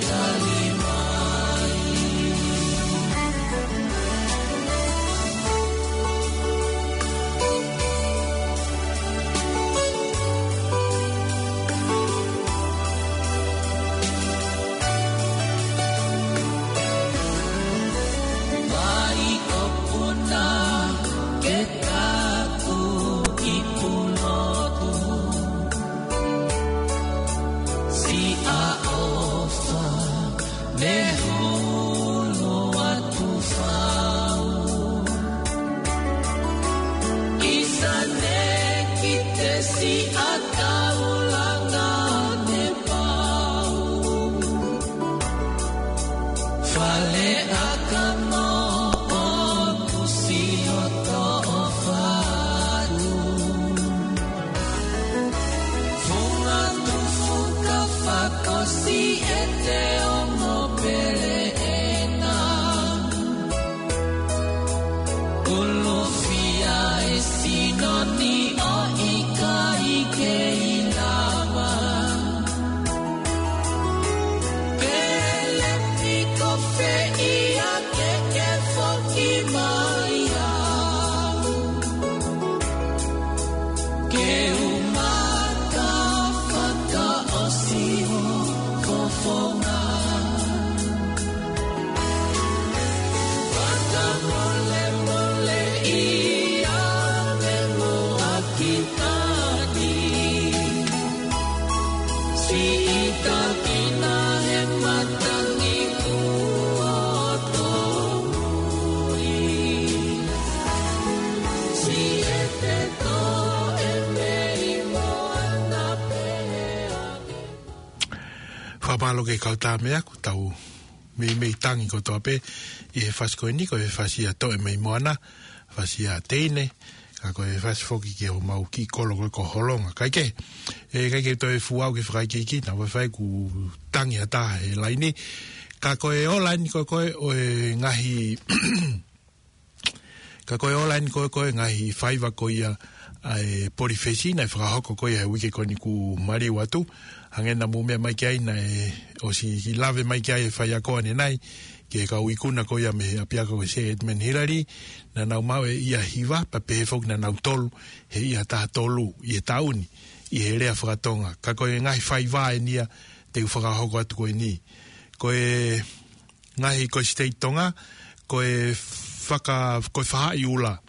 tali mai. Vai ʻo puna ke kaku ʻi Pulotu. Siʻa ʻofa, ne hulu atu fau. ʻIsa ne kite siʻa taulanga ne pau. Fale ʻakamo ʻoku siʻi hoto ʻofa atu. Funga tufu ka fakaʻosi ʻete ongo pele ena. Ulufia e sino ni ʻo ʻikai ke ʻi lava. Pele piko fē ia ke ke foki mai au. Ke u maka fakaʻosi ho fofonga. Fakamolemole ʻi ange muʻa ki tani. Siʻi takina he matangi kuo tōmui. Pea mālō ke kau tā meʻa, ko ʻetau meimei tangi kotoa pē ʻi he fasi ko eni, ko e fasi ʻa Toʻe mei Moana, fasi ʻa Teine, ka ko e fasi foki ki homau kiʻi kolo ko ē ko Holonga. Kae kehe, ʻe ʻikai ke toe fuʻu aʻu ki he fakaikiiki, naʻa faifai kuo tangi ha taha he laini. Ka ko e ō laini ko ē ko ē ʻo e ngaahi Ka ko e ō laini ko ē ko ē ngaahi faiva ko ia ʻa e polifesi naʻe fakahoko ko ia he uike ko eni kuo maliu atu. Hangē naʻa mou meʻa mai ki ai naʻe ʻosi lave mai ki ai e faiako ʻanenai, ki he kau ikuna ko ia mei he ʻapiako ko Sir Edmund Hillary, naʻa nau maʻu e ʻea hiva, pea pehē foki naʻa nau tolu he ʻea taha tolu ʻi he taʻu ni, ʻi he lea fakatonga. Ka ko e ngaahi faiva eni ia te u fakahoko atu ko eni. Ko e ngaahi ko e state Tonga, ko e faka-, ko e fahaʻi ʻula.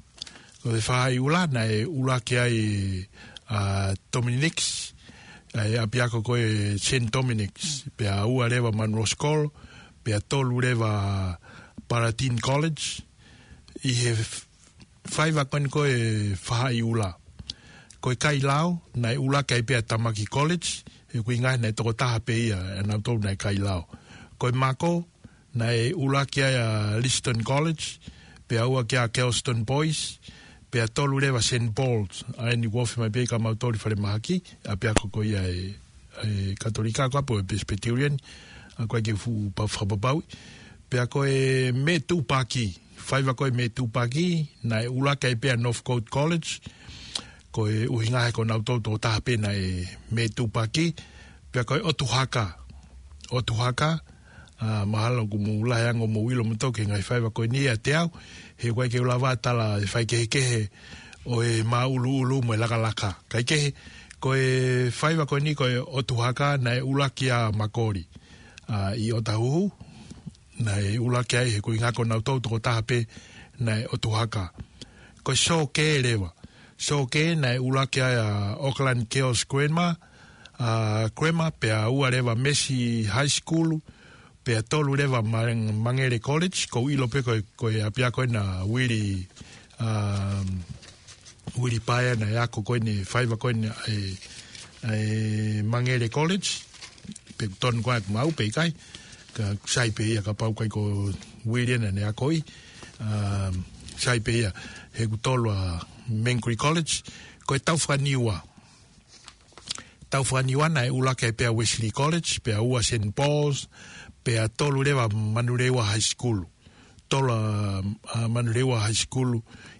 Ko e fahaʻi ʻula naʻe ʻuluaki ai ʻa Dominics, ʻa e ʻapiako ko e Saint Dominics, pea ua leva Munro's College, pea tolu leva Palatine College, ʻi he f-, faiva ko eni ko e fahaʻi ʻula. Ko e Kailao, naʻe ʻuluaki ai pē ʻa Tamaki College, he ʻoku ʻi ai e ngaahi naʻe tokotaha pē ia, ʻa nautolu naʻe Kailao. Ko e Mako, naʻe ʻuluaki ai ʻa Liston College, pea ua ki ai ʻa Kelston Boys, pea tolu leva Saint Paul's, ʻa eni kuo ofi mai pē ka mautolu ʻi falemahaki, ʻapiako ko ia ʻa e, ʻa e Katolika ko ē pe ko e Presbyterian, ʻa ko ē ke fuʻu pa-, fakapapauʻi. Pea ko e Metupaki, faiva ko e Metupaki, naʻe ʻuluaki ai pē ʻa Northcote College, ko e ʻuhinga he ko nautolu tokotaha pē naʻe Metupaki, pea ko e ʻOtuhaka, ʻOtuhaka, ʻa, mahalo kuo mou lahi ange ʻo mou ʻilo moutolu ki he ngaahi faiva ko eni ʻiate au, he ʻoku ʻikai ke u lava tala e faikehekehe ʻo e māʻuluʻulu mo e lakalaka. Kae kehe, ko e faiva ko eni ko e ʻOtuhaka naʻe ʻuluaki ʻa Makoli, ʻa, ʻi ʻOtahuhu, naʻe ʻuluaki ai he ko e ʻuhinga ko nautolu tokotaha pē naʻe ʻOtuhaka. Ko e Sōkē leva. Sōkē naʻe ʻuluaki ai ʻa Auckland Girls Grammar, ʻa, Grammar, pea ua leva Mercy High School, pea tolu leva Ma-, Mangere College, ʻoku ou ʻilo pē ko e, ko e ʻapiako ena Willie, um, Willie Paea naʻe ako ko eni, faiva ko eni ʻa e, ʻa e Mangere College, pe tonu ko ē ʻoku maʻu pe ʻikai, ka sai pē ia kapau ʻikai ko Willie naʻa ne akoʻi, um, sai pē ia, he ʻoku tolu ʻa Mangere College, ko e Taufakaniua. Taufakaniua naʻe ʻuluaki ai pē ʻa Wesley College, pea ua Saint Paul's, pea tolu leva Manurewa High School. Tolu ʻa, ʻa Manurewa High School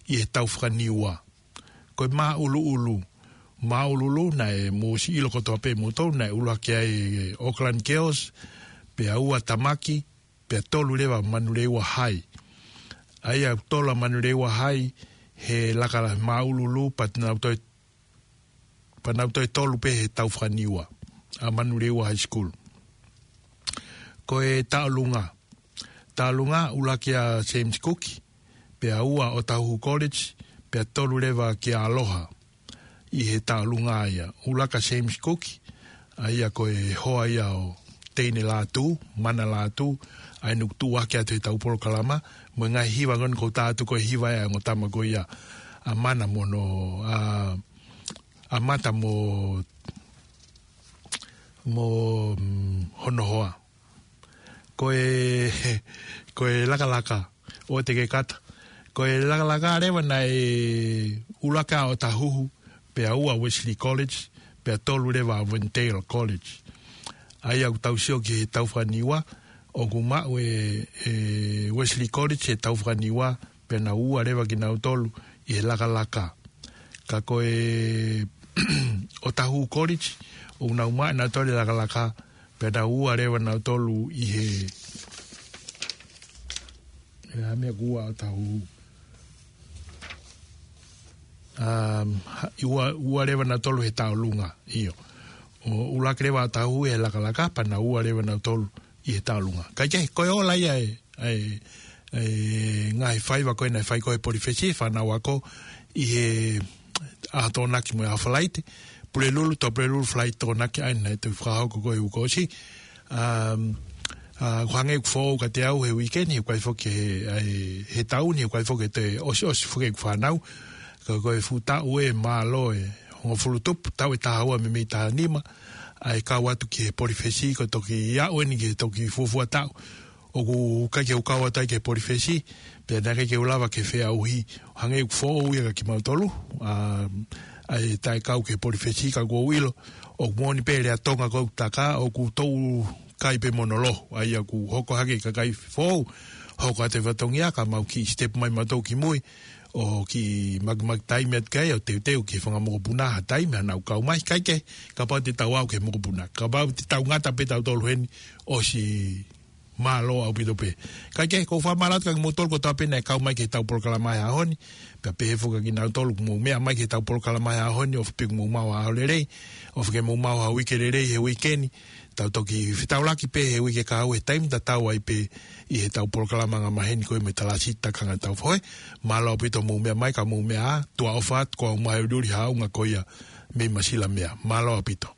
ʻi he Taufakaniua. Ko e Māʻuluʻulu. Māʻuluʻulu naʻe mou ʻosi ʻilo kotoa pē moutolu, naʻe ʻuluaki ai Auckland Girls, pea ua Tamaki, pea tolu leva Manurewa High. ʻA ia tolu ʻa Manurewa High, he laka la Māʻuluʻulu, pea nau toe pea nau toe tolu pē he Taufakaniua, ʻa Manurewa High School. Ko e Taʻolunga. Taʻolunga ʻuluaki ʻa James Cook, pea ua ʻOtahuhu College, pea tolu leva kia Aloha ʻi he Taʻolunga ia. ʻUluaki ʻa James Cook, ʻa ia ko e hoa ia ʻo Teine Lātū, Mana Lātū, ʻa ia naʻe tuʻuaki atu he ʻetau polokalama, mo e ngaahi hiva ko eni ʻoku ou tā atu ko e hiva ʻa e ongo tama ko ia, ʻa Mana mo hono, ʻa, ʻa Mata mo, mo, mm, hono hoa. Ko e, ko e lakalaka, ʻo te ke kata. Ko e lakalaka leva naʻe ʻuluaki ʻa ʻOtahuhu, pea ua Wesley College, pea tolu leva Avondale College. ʻA ia ʻoku tau sio ki he Taufakaniua, ʻoku maʻu ʻe, ʻe Wesley College he Taufakaniua, pea nau ua leva kinautolu ʻi he lakalaka. Ka ko e ʻOtahuhu College, ʻoku nau maʻu ʻe nautolu e lakalaka, pea nau ua leva nautolu ʻi he, ʻe ha meʻa kuo ua ʻOtahuhu. Um, ha-, ua, ua leva nautolu he Taʻolunga, ʻio. ʻO ʻuluaki leva ʻOtahuhu he lakalaka, pea nau ua leva nautolu ʻi he Taʻolunga. Kae kehe, ko e ola ia ʻa e, ʻa e, ʻa e ngaahi faiva ko ē naʻe fai ko ē he polifesi, fānau ako ʻi he ʻaho Tokonaki mo e ʻaho Falaite, Pulelulu, Tuʻapulelulu, Falaite, Tokonaki, ʻa ia naʻe toe fakahoko ko ē he uike kuo ʻosi. Um, ʻa, ʻoku hangē ʻoku foʻou kiate au he uike ni, he ʻoku ʻikai foki he, ʻa e, he taʻu ni, he ʻoku ʻikai foki he toe ʻosiʻosi foki ʻeku fānau. Ka ko e fuʻu taʻu ē, mālō e hongofulu tupu, taʻu ʻe taha ua meimei taha nima, ʻa e kau atu ki he polifesi, ko e toki aʻu eni ki he toki fuofua taʻu ʻoku ʻikai ke u kau atu ai ki he polifesi, pea naʻe ʻikai ke u lava ke feʻauhi, hangē ʻoku foʻou ia kia kimautolu, ʻa, ʻa e taʻekau ki he polifesi, ka ʻoku ou ʻilo ʻoku moʻoni pē lea Tonga ʻoku ou taka, ʻoku tau kai pē mo hono loho, ʻa ia ʻoku hoko hake e kakai foʻou, hoko atu e fatongia, ka mau kiʻi step mai mautolu ki mui, ʻo kiʻi makimaki taimi atu ki ai, ʻo teuteu ki he fanga mokopuna ha taimi, haʻanau kau mai, kae kehe, kapau te tau aʻu ki he mokopuna, kapau te tau ngata pē tautolu heni, ʻosi mālō ʻaupito pē. Kae kehe, ʻoku ou fakamālō atu kia kimoutolu kotoa pē naʻe kau mai ki heʻetau polokalama he ʻaho ni, pea pehē foki kia kinautolu ʻoku mou meʻa mai ki heʻetau polokalama he ʻaho ni, ʻofa pē ke mou maʻu ha ʻaho lelei, ʻofa ke mou maʻu ha uike lelei he uike ni, tau toki fetaulaki pē he uike kahaʻu he taimi tatau ai pē ʻi heʻetau polokalama angamaheni ko ia mei he Talasi Takanga Tau Fohe. Mālō ʻaupito mou meʻa mai, ka mou meʻa ā, tuʻa ʻofa atu, ko au Mahe Uliuli Haʻaunga ko ia mei Masilamea. Mālō ʻaupito.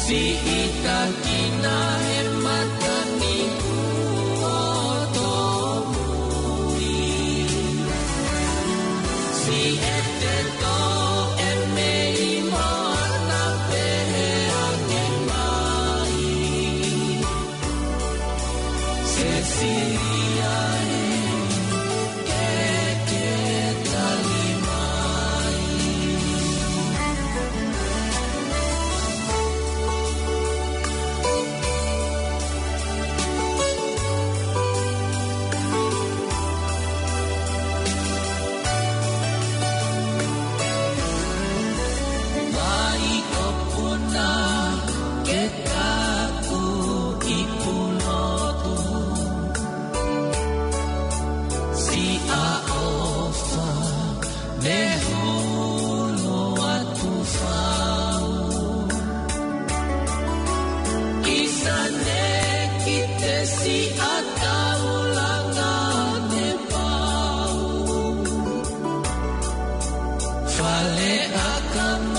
Siʻi taki